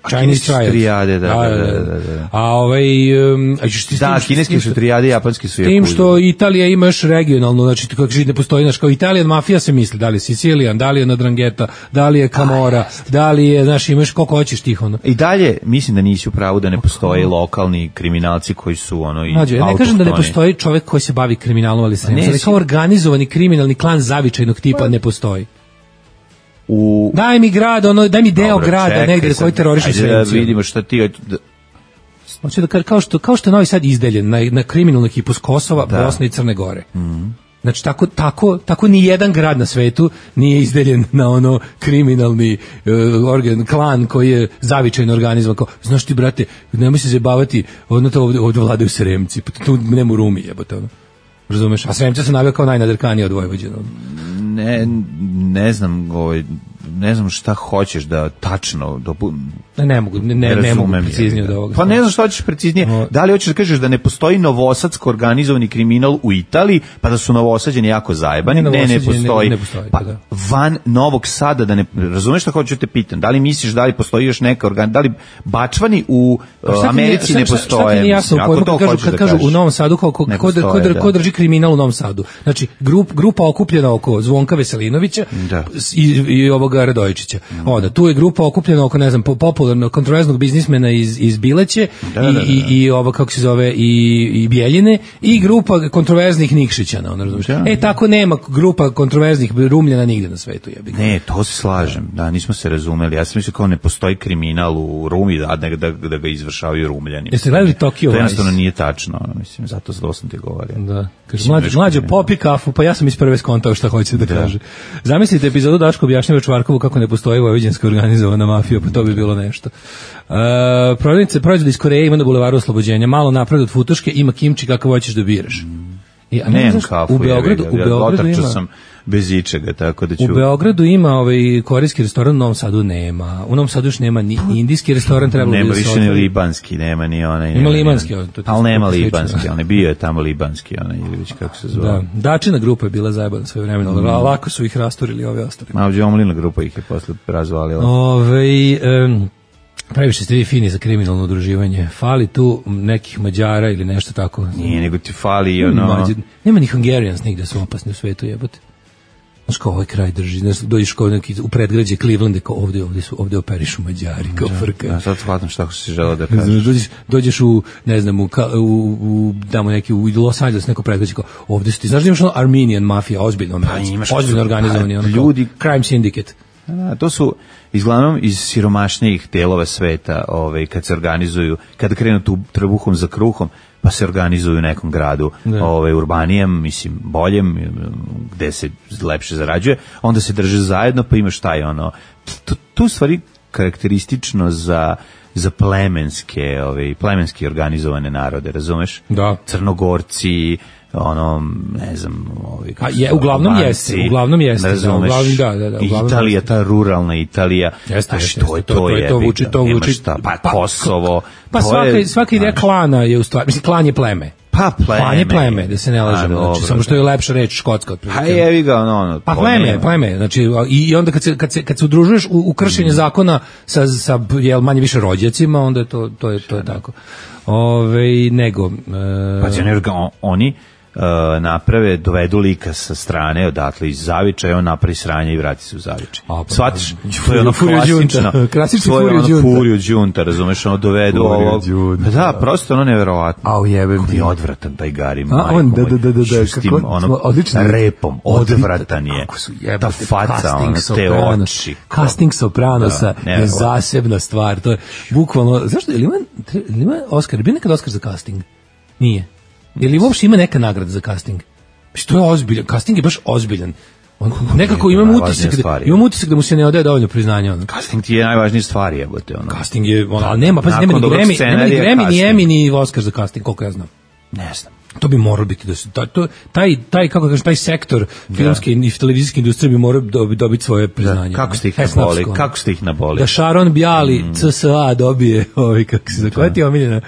Chinese trijade, da, da, da, da, da. A ovaj um, a što da, kineski su trijade, japanski su jakuze. Tim što Italija ima još regionalno, znači kako živi ne postoji, znači kao Italijan mafija se misli, da li je Sicilijan, da li je Nadrangheta, da li je Camorra, da li je, znači imaš koliko hoćeš tih ono. I dalje mislim da nisi u pravu da ne postoje lokalni kriminalci koji su ono i Mađo, ja ne kažem da ne postoji čovjek koji se bavi kriminalom, ali se ne, kao organizovani kriminalni klan zavičajnog tipa ne postoji. U... Daj mi grad, ono, daj mi deo Dobro, grada čekaj, negde koji teroriše Sremci. Ajde da vidimo šta ti... Hoću da kažem, kao što, kao što je Novi Sad izdeljen na, na kriminalnu ekipu s Kosova, da. Bosne i Crne Gore. Mm. Znači, tako, tako, tako ni jedan grad na svetu nije izdeljen na ono kriminalni uh, organ, klan koji je zavičajno organizovan. Kao, znaš ti, brate, nemoj se zabavati, ono to ovde, ovde vladaju Sremci, pa tu nema u Rumi, jebote, ono. Razumeš? A Sremci se navio kao najnadrkaniji od Vojvođana. Ne, ne znam, ovaj, ne znam šta hoćeš da tačno dopu... Ne, ne mogu, ne, ne, ne mogu preciznije od ovoga. Pa ne znam šta hoćeš preciznije. No. Da li hoćeš da kažeš da ne postoji novosadsko organizovani kriminal u Italiji, pa da su Novosađani jako zajebani? Ne, ne, ne postoji. Ne, ne postoji pa da. Van Novog Sada, da ne, razumeš šta hoću da te pitam? Da li misliš da li postoji još neka organ, da li Bačvani u uh, Americi nije, ne postoje? Šta ti nije jasno, ako to kažu, kad da kažu u Novom Sadu, kao, ko, ko, ko, ko drži kriminal u Novom Sadu? Znači, grup, grupa okupljena oko Zvonka Veselinovića da. i, i ovoga Radojičića. Mm. Onda, tu je grupa okupljena oko, ne znam, popularno kontroverznog biznismena iz, iz Bileće da, da, da, da. i, i, i ovo, kako se zove, i, i Bjeljine i grupa kontroverznih Nikšićana, ono, razumiješ? Da. E, tako nema grupa kontroverznih Rumljana nigde na svetu, jebi ga. Ne, to se slažem, da, nismo se razumeli. Ja sam mislio kao ne postoji kriminal u Rumi, da, da, da, da ga izvršavaju Rumljani. Jeste gledali Tokyo Vice? To jednostavno nije tačno, mislim, zato zlo sam ti govorio. Da. Kaže, mlađo, mlađo, popi kafu, pa ja sam iz prve skontao šta hoće da, da kaže. Zamislite epizodu Daško objašnjava Čvarkovu kako ne postoji vojvođanska organizovana mafija, pa to bi bilo nešto. Uh, prodavnice proizvodi iz Koreje ima na bulevaru Oslobođenja, malo napred od Futoške, ima kimči kakav hoćeš da biraš. I, a ne, nemam kafu, u Beogradu, ja, u Beogradu ima, sam bez ičega, tako da ću... U Beogradu ima ovaj korejski restoran, u Novom Sadu nema. U Novom Sadu još nema ni indijski restoran, trebalo nema bi da se više ni libanski, nema ni onaj... Ima libanski, on, to ali nema libanski, on je bio je tamo libanski, onaj, ili već kako se zvao. Da, Dačina grupa je bila zajebana svoje vremena, mm. ali lako su ih rasturili ove ostali. Mavđe Omlina grupa ih je posle razvalila. Ove, um, previše ste vi fini za kriminalno udruživanje. Fali tu nekih Mađara ili nešto tako. Nije, nego ti fali ono... Mađar, nema ni Hungarians nigde su opasni u svetu, jebote. Znaš kao ovaj kraj drži, znaš, dođeš kao neki, u predgrađe Clevelanda, kao ovde, ovde, su, ovde operišu Mađari, kao frka. Ja sad shvatam šta si želeo da kažeš. Dođeš, dođeš u, ne znam, u, u, u damo neki, u Los Angeles, neko predgrađe, kao ovde su ti, znaš da imaš ono Armenian mafija, ozbiljno, pa, imaš, ozbiljno organizovani, ono, ljudi, crime syndicate. Da, to su izglavnom iz siromašnijih delova sveta, ovaj, kad se organizuju, kada krenu tu trbuhom za kruhom, pa se organizuju u nekom gradu, ovaj, urbanijem, mislim, boljem, gde se lepše zarađuje, onda se drže zajedno, pa imaš taj, ono, tu, tu stvari karakteristično za za plemenske, ovaj, plemenski organizovane narode, razumeš? Da. Crnogorci, ono, ne znam, ovaj, a je, uglavnom Albanci, jeste, uglavnom jeste, razumeš, da, uglavnom, da, da, da, uglavnom Italija, ta ruralna Italija, jeste, a što je to, to, je, to vuči, to vuči, pa, pa Kosovo, pa svaka, svaka ideja klana je u stvari, mislim, klan je pleme. Pa pleme. Klan je pleme, da se ne lažemo, znači, samo što je lepša reč škotska otprilike. Pa jevi ga, ono, ono. Pa pleme, pleme, znači, i onda kad se, kad se, kad se udružuješ u, u kršenje mm. zakona sa, sa, jel, manje više rođacima, onda je to, to je, to je tako. Ove, nego... E... Pa će oni Uh, naprave, dovedu lika sa strane odatle iz Zaviča i on napravi sranje i vrati se u Zavičaj. Svatiš? To je ono klasično. Klasično to je ono džunta. furiju džunta, razumeš, ono dovedu ovo. Da, prosto ono neverovatno. Au jebem. Kako je odvratan taj Gari. A on, da, da, da, da. S tim, ono, repom, odvratan je. Kako su jebate. Ta faca, ono, te oči. Casting Sopranosa je zasebna stvar. To je bukvalno, zašto, ili ima, ili ima Oscar, bi nekad Oscar za casting? Nije. Ili uopšte ima neka nagrada za casting? Što je ozbiljan, casting je baš ozbiljan. On, nekako imam utisak, da, imam utisak da mu se ne odaje dovoljno priznanja. Ono. Casting ti je najvažnija stvar, jebote. Ono. Casting je, ono, ali nema, pa nema ni Grammy, nema ni Grammy, ni Emmy, ni Oscar za casting, koliko ja znam. Ne znam. To bi moralo biti da se to, taj taj kako kažeš taj sektor filmske i televizijske industrije bi morao dobiti svoje priznanje. Da. Kako ste ih naboli? Kako ste ih naboli? Da Sharon Bjali mm. C S A dobije, ovaj kako se zove, ti omiljena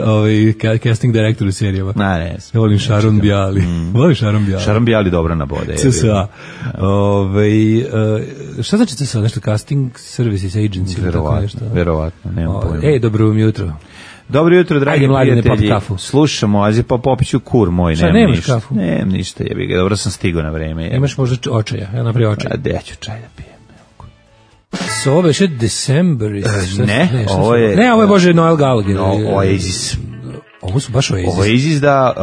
ovaj casting director u serijama. Na, ne. Ja volim Sharon Bjali. Mm. Volim Sharon Bjali. Sharon Bjali dobro nabode. C S A. Ovaj šta znači C S A, nešto casting services agency ili tako nešto? Verovatno, nemam pojma. Ej, dobro jutro. Dobro jutro, dragi Ajde, prijatelji. Slušamo, azi pa popiću kur moj, šta, nemam ništa. Kafu? Nemam ništa, jebi ga, dobro sam stigao na vreme. Jebi. Imaš možda očaja, ja napravi očaj. A gde ću čaj da pijem? So, ovo je še December. E, ne, ne, ovo je... Ne, ovo je Bože Noel Gallagher. No, Oasis. Ovo su baš Oasis. Oasis da...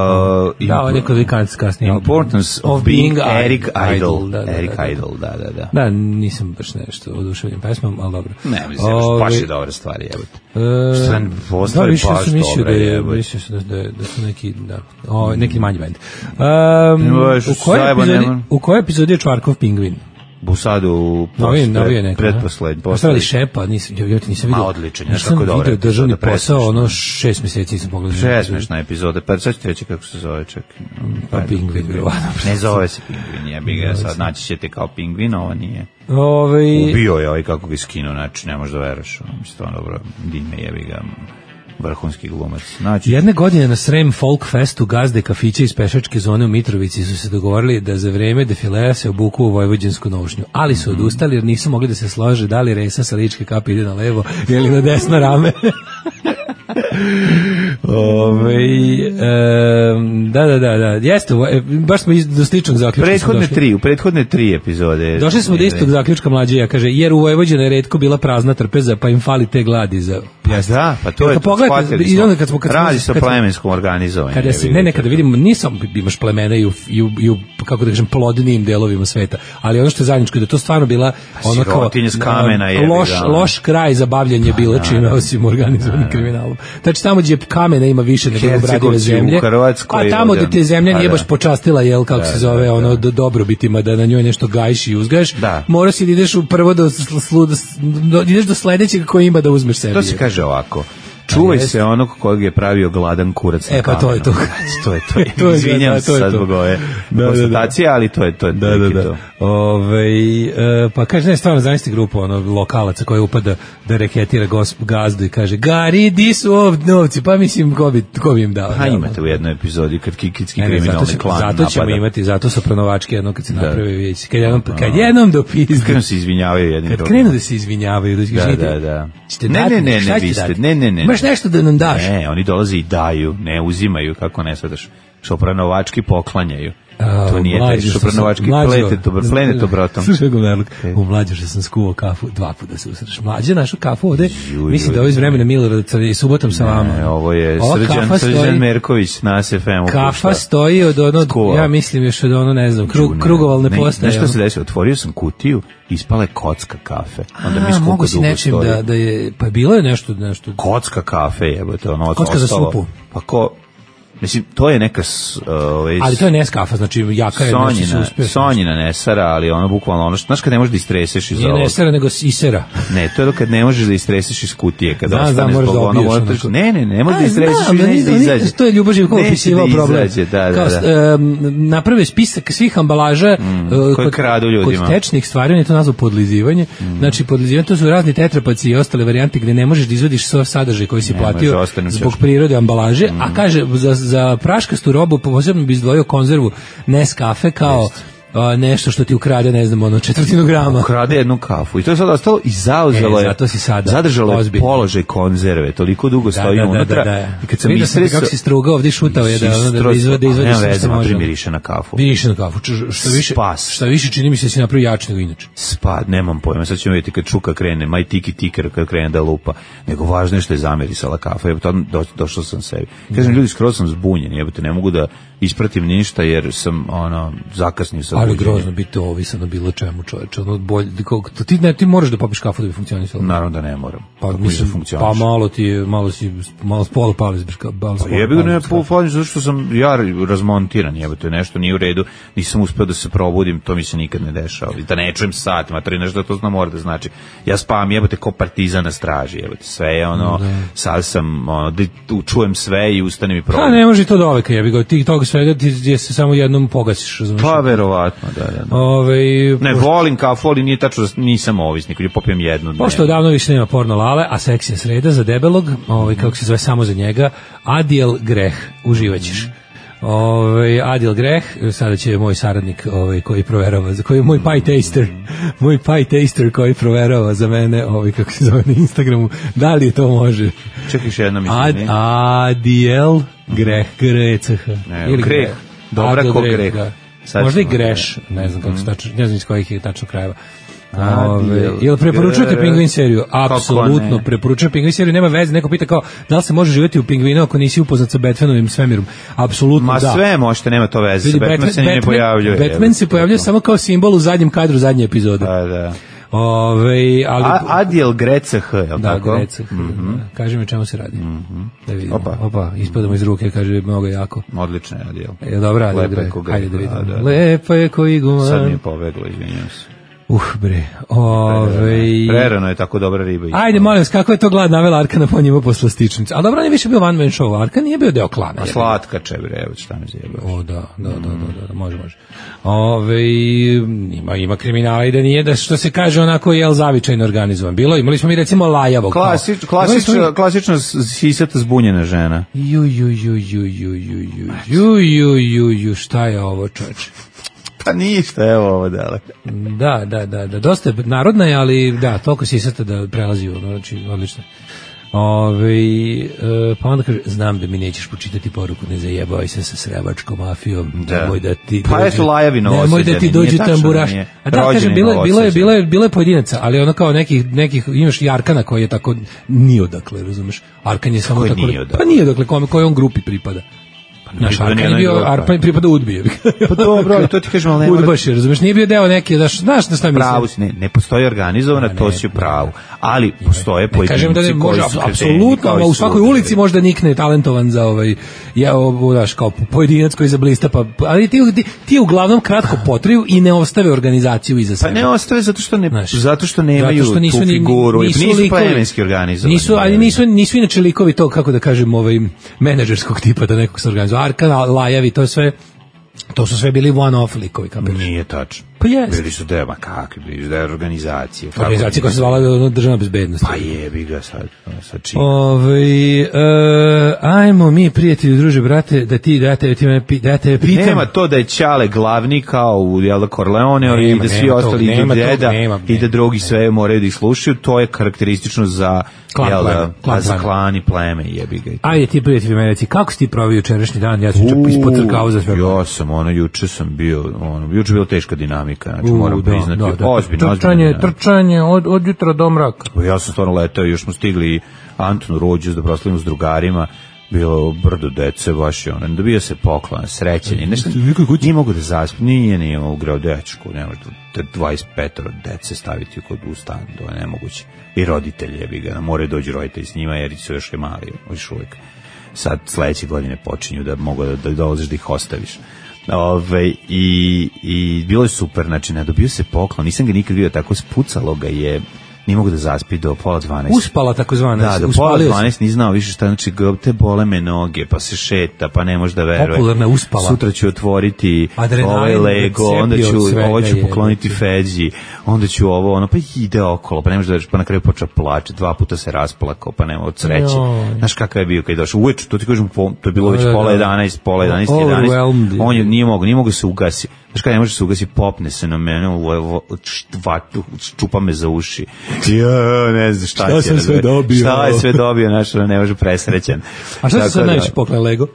Uh, da, ovo je neko kasnije. Importance of, of being, being Eric Idle. Idol. Da, da, Eric da, da. Idle, da, da, da. Da, nisam baš nešto oduševljen pesmom, ali dobro. Ne, mislim, Ove, baš je dobre stvari, jebote. E, Što sam postali da, baš dobre, jebote. Mislio sam da, da, da su neki, da, o, neki manji band. Um, u, kojoj epizodi, u kojoj epizodi je Čvarkov pingvin? U sadu u pretposlednji. Postavili Šepa, nisam, ja ti nisam vidio. A odličan, znaš kako dobro. Nisam vidio državni posao, ono šest mjeseci nisam pogledao. Presmešna epizoda, pa sad ću reći kako se zove, čak. Pa pingvin, vjerovatno. Ne zove se pingvin, ja bih ga sad, naći ćete kao pingvin, ovo nije. Ove... Ubio je ovaj kako ga skinuo, znači ne možeš da veraš, mislim, dobro, dime jebi ga. Vrhunski glumac. Znači, jedne godine na Srem Folk Festu gazde kafića iz pešačke zone u Mitrovici su se dogovorili da za vreme defilea se obuku u vojvođansku nošnju, ali su odustali jer nisu mogli da se slože da li resa sa ličke kape ide na levo ili na desno rame. Ove, um, da, da, da, da, jeste, baš smo do sličnog zaključka. Prethodne tri, u prethodne tri epizode. Došli smo do istog zaključka mlađija, kaže, jer u Vojvođani je retko bila prazna trpeza, pa im fali te gladi za... Ja, da, pa to je to, shvatili smo. Kad smo, kad radi se o plemenskom organizovanju. Kada se, ne, ne, kada vidimo, nisam, imaš plemena i u, i u, i u kako da kažem, plodnijim delovima sveta, ali ono što je zajedničko, da to stvarno bila ono kao kamena je loš, loš kraj za bavljanje bilo čime, osim organizovanim kriminalom. Znači, tamo gdje kamena ima više nego obradive zemlje, a tamo gdje te zemlja nije baš počastila, jel, kako se zove, ono, dobrobitima, da na njoj nešto gajiš i uzgaš, moraš si da ideš prvo do, do, ideš do sledećeg koji ima da uzmeš sebi. To se kaže ovako. Čuvaj se onog kojeg je pravio gladan kurac na e, pa to je to. to je to. to je, Izvinjam da, se sad zbog ove da, konstatacije, ali to je to. Da, da, da. Ove, e, pa kaže, ne, stvarno zamisli grupu ono, lokalaca koja upada da reketira gos, gazdu i kaže, Gari, di su ovdje novci? Pa mislim, ko bi, ko bi im dao? Pa imate u jednoj epizodi kad kikitski kriminalni zato klan napada. Zato ćemo napada. Imati, zato su pronovački jedno kad se da. Naprave vijeci. Kad jednom, kad jednom dopizdu. Kad se izvinjavaju jednim Kad krenu da se izvinjavaju. Da, da, da. Ne, ne, ne, ne, vi ste, ne, ne, ne. Imaš nešto da nam daš? Ne, oni dolaze i daju, ne uzimaju, kako ne svetaš. Što pranovački poklanjaju. To nije taj Šupranovački plenet obrotom. Slušaj go, Merluk, u Mlađoša sam skuvao kafu, dva puta se usreš. Mlađe našu kafu ovde, mislim da ovo iz vremena Milorada i subotom sa vama. Ne, ovo je Srđan, Srđan Merković na S F M-u. Kafa stoji od ono, ja mislim još od ono, ne znam, krug, krugovalne postaje. Nešto se desilo, otvorio sam kutiju, ispala je kocka kafe. Onda mi mogu si nečim da, da je, pa bilo je nešto, nešto. Kocka kafe, jebote, ono kocka ostalo. Za supu. Pa ko, mislim, to je neka... Uh, ali to je Neskafa, znači jaka je... Sonjina, Sonjina Nesara, ali ono bukvalno ono... Znaš kad ne možeš da istreseš iz ovog... Nije Nesara, nego Isera. Ne, to je kad ne možeš da istreseš iz kutije. Kad znam, znam, moraš da obiješ. Ono, ne, ne, ne možeš da istreseš i neće da izađe. To je Ljubo Živkov opisivao problem. Izađe, da, kao, da, da. Um, napravio spisak svih ambalaža mm, uh, koji kradu ljudima. Kod tečnih stvari, on je to nazvao podlizivanje. Mm. Znači, podlizivanje, to su razni tetrapaci i ostale varijante gde ne možeš da izvadiš sav sadržaj koji si platio zbog prirode ambalaže, a kaže, za praškastu robu posebno bi izdvojio konzervu Nescafe kao a, nešto što ti ukrade, ne znam, ono četvrtinu grama. Ukrade jednu kafu i to je sad ostalo i zauzelo e, je, zato si sada zadržalo je položaj konzerve, toliko dugo da, stoji da, unutra. Da, da, da. I kad sam istresao... kako si strugao ovdje šutao je da, da, da izvade, izvade sve što može. Miriše na kafu. Miriše na kafu. Što više, Spas. Što više čini mi se da si napravio jače nego inače. Spad, nemam pojma. Sad ćemo vidjeti kad čuka krene, maj tiki tiker kad krene da lupa. Nego važno je što je zamirisala kafa. Jebote, do, došao sam sebi. Kažem, ljudi, skroz sam zbunjen. Jebote, ne mogu da ispratim ništa jer sam ono zakasnio sa ali grozno biti ovisan na bilo čemu, čoveče, ono bolje, kako ti ne ti moraš da popiš kafu da bi funkcionisalo. Naravno da ne moram. Pa mislim, pa malo ti malo si malo spola pali zbiš kao bal. Pa jebi ga ne pofalim zato što sam ja razmontiran, jebote, nešto nije u redu, nisam uspeo da se probudim, to mi se nikad ne dešava. Da ne čujem satima, tri nešto to zna mora da znači. Ja spavam jebote kao partizan na straži, jebote, sve je ono, sad sam ono, da čujem sve i ustanem i probudim. Pa ne može to doveka, jebi ga, ti toga svega ti je se samo jednom pogasiš, razumiješ? Pa verovatno, da, da. da. Ove, ne, pošto... volim kafu, ali nije tačno da nisam ovisnik, ili popijem jednu. Pošto odavno više nema porno lale, a seks je sreda za debelog, ovaj, kako se zove samo za njega, Adil Greh, uživaćeš. Ovaj Adil Greh, sada će moj saradnik ovaj koji proverava, za koji je moj pie taster, moj pie taster koji proverava za mene, ovaj kako se zove na Instagramu, da li to može. Čekaj još jedno mislim. Ad, Adil Greh, Greh, ili Greh. Dobra ko Greh. Možda i Greš, ne znam kako se tačno, ne znam iz kojih je tačno krajeva. Ove, jel preporučujete Pingvin seriju? Apsolutno preporučujem Pingvin seriju, nema veze, neko pita kao da li se može živjeti u Pingvinu ako nisi upoznat sa Batmanovim svemirom. Apsolutno Ma, da. Ma sve možete, nema to veze. Vidi, Batman, Batman se ne pojavljuje. Batman se pojavljuje samo kao simbol u zadnjem kadru zadnje epizode. Da, da. Ove, ali A, Adil Greceh, je li da, tako? Greceh, mm-hmm. da. Kaži mi čemu se radi. Mm-hmm. Da vidimo. Opa, Opa ispadamo iz ruke, kaže mnogo jako. Odlično je Adil. Je dobro, Adil. Lepo je ko Greh. Hajde da vidimo. Da, da. Lepo je ko iguman. Sad mi je pobeglo, izvinjam se. Uh, bre. Ove... Prerano je tako dobra riba. Ajde, molim vas, kako je to glad navela Arkana po njima posle stičnice? A dobro, on je više bio one man show. Arkan nije bio deo klana. A slatka če, bre, evo šta mi zjebaš. O, da, da, da, da, da, može, može. Ove, ima, ima kriminala i da nije, da što se kaže onako jel zavičajno organizovan. Bilo, imali smo mi recimo Lajavog. Klasič, klasično, klasično sisata zbunjena žena. Ju, ju, ju, ju, ju, ju, ju, ju, ju, ju, ju, šta je ovo, čoveče? Pa ništa, evo ovo dale. Da, da, da, da, dosta je narodna je, ali da, toliko sisata da prelazi, ono, znači, odlično. Ove, e, pa onda kaže, znam da mi nećeš počitati poruku, ne zajebavaj se sa srebačkom mafijom, da. Nemoj da ti pa dođu, Lajavi nemoj da ti dođu tamburaš. A da, kažem, bilo, bilo, je, bilo, je, bilo je pojedinaca, ali ono kao nekih, nekih imaš i Arkana koji je tako, nije odakle, razumeš? Arkan je samo tako, pa nije odakle, kome, kojoj on grupi pripada. Naš Arkan je bio, Arpan pripada Udbije. Pa dobro, to ti kažem, ali ne Udbaš je, razumeš, nije bio deo neke, da znaš da šta mislim. Pravo si, ne, ne postoji organizovana, to si u pravu, ali postoje pojedinci kažem da ne može, apsolutno, u svakoj ulici možda nikne talentovan za ovaj, ja, znaš, kao pojedinac koji zablista, pa, ali ti, ti, ti uglavnom kratko potriju i ne ostave organizaciju iza sebe. Pa ne ostave zato što, ne, znaš, zato što nemaju zato što nisu, tu figuru, nisu, nisu, nisu plemenski organizovani. Nisu, ali nisu, nisu inače likovi to, kako da kažem, ovaj, menadžerskog tipa da nekog se organizuje. Arkan, Lajavi, to je sve, to su sve bili one-off likovi, kapiraš? Nije tačno. Pa jest. Bili su dema, kakvi bili, da je organizacije. Organizacija koja se zvala državna bezbednost. Pa jebi ga sad, sad čim. Ove, uh, ajmo mi, prijatelji, druže, brate, da ti, da te, da te pitam. Nema to da je Ćale glavni kao u Jel Corleone i da svi ostali idu deda i da drugi sve moraju da ih slušaju, to je karakteristično za klan, jel, pleme, klan, za klan i pleme, jebi ga. Ajde ti, prijatelji, meni reci, kako si ti provio jučerašnji dan? Ja sam čak ispod crkao za sve. Ja sam, ono, juče sam bio, ono, juče bila teška dinamika, znači moram da, priznati, da, da. ozbiljno, trčanje, ozbiljno. Trčanje od, od jutra do mraka. Ja sam stvarno letao, još smo stigli Antonu Rođus da proslavimo s drugarima, bilo brdo dece, baš je ono, dobio se poklon, srećenje, nešto, nije mogu da zaspi, nije, nije ugrao dečku, ne može dvadeset pet dece staviti kod u stan, to je nemoguće. I roditelji, jebi ga, moraju dođi roditelji s njima, jer su još je mali, još uvijek. Sad sledeće godine počinju da mogu da, da dolaziš da ih ostaviš. Ove, i, i bilo je super, znači ne dobio se poklon, nisam ga nikad vidio tako, spucalo ga je, nije mogu da zaspi do pola dvanaest. Uspala takozvana. Da, do pola dvanaest nije znao više šta, znači te bole me noge, pa se šeta, pa ne može da veruje. Popularna uspala. Sutra ću otvoriti ovaj Lego, onda ću, ovo ću pokloniti Feđi, onda ću ovo, ono, pa ide okolo, pa ne može da veruješ, pa na kraju počeo plače, dva puta se rasplakao, pa nema od sreće. Znaš kakav je bio kad je došao, uveč, to ti kažem, to je bilo već pola jedanaest, pola jedanaest, jedanaest, on je, nije mogo, nije mogo se ugasi. Znaš kada ne može se ugasi, popne se na mene, čupa me za uši. Ja, ne znam šta, šta sam sve dobio. Šta je sve dobio, znaš, ne može presrećen. A šta se sad najviše poklon Lego?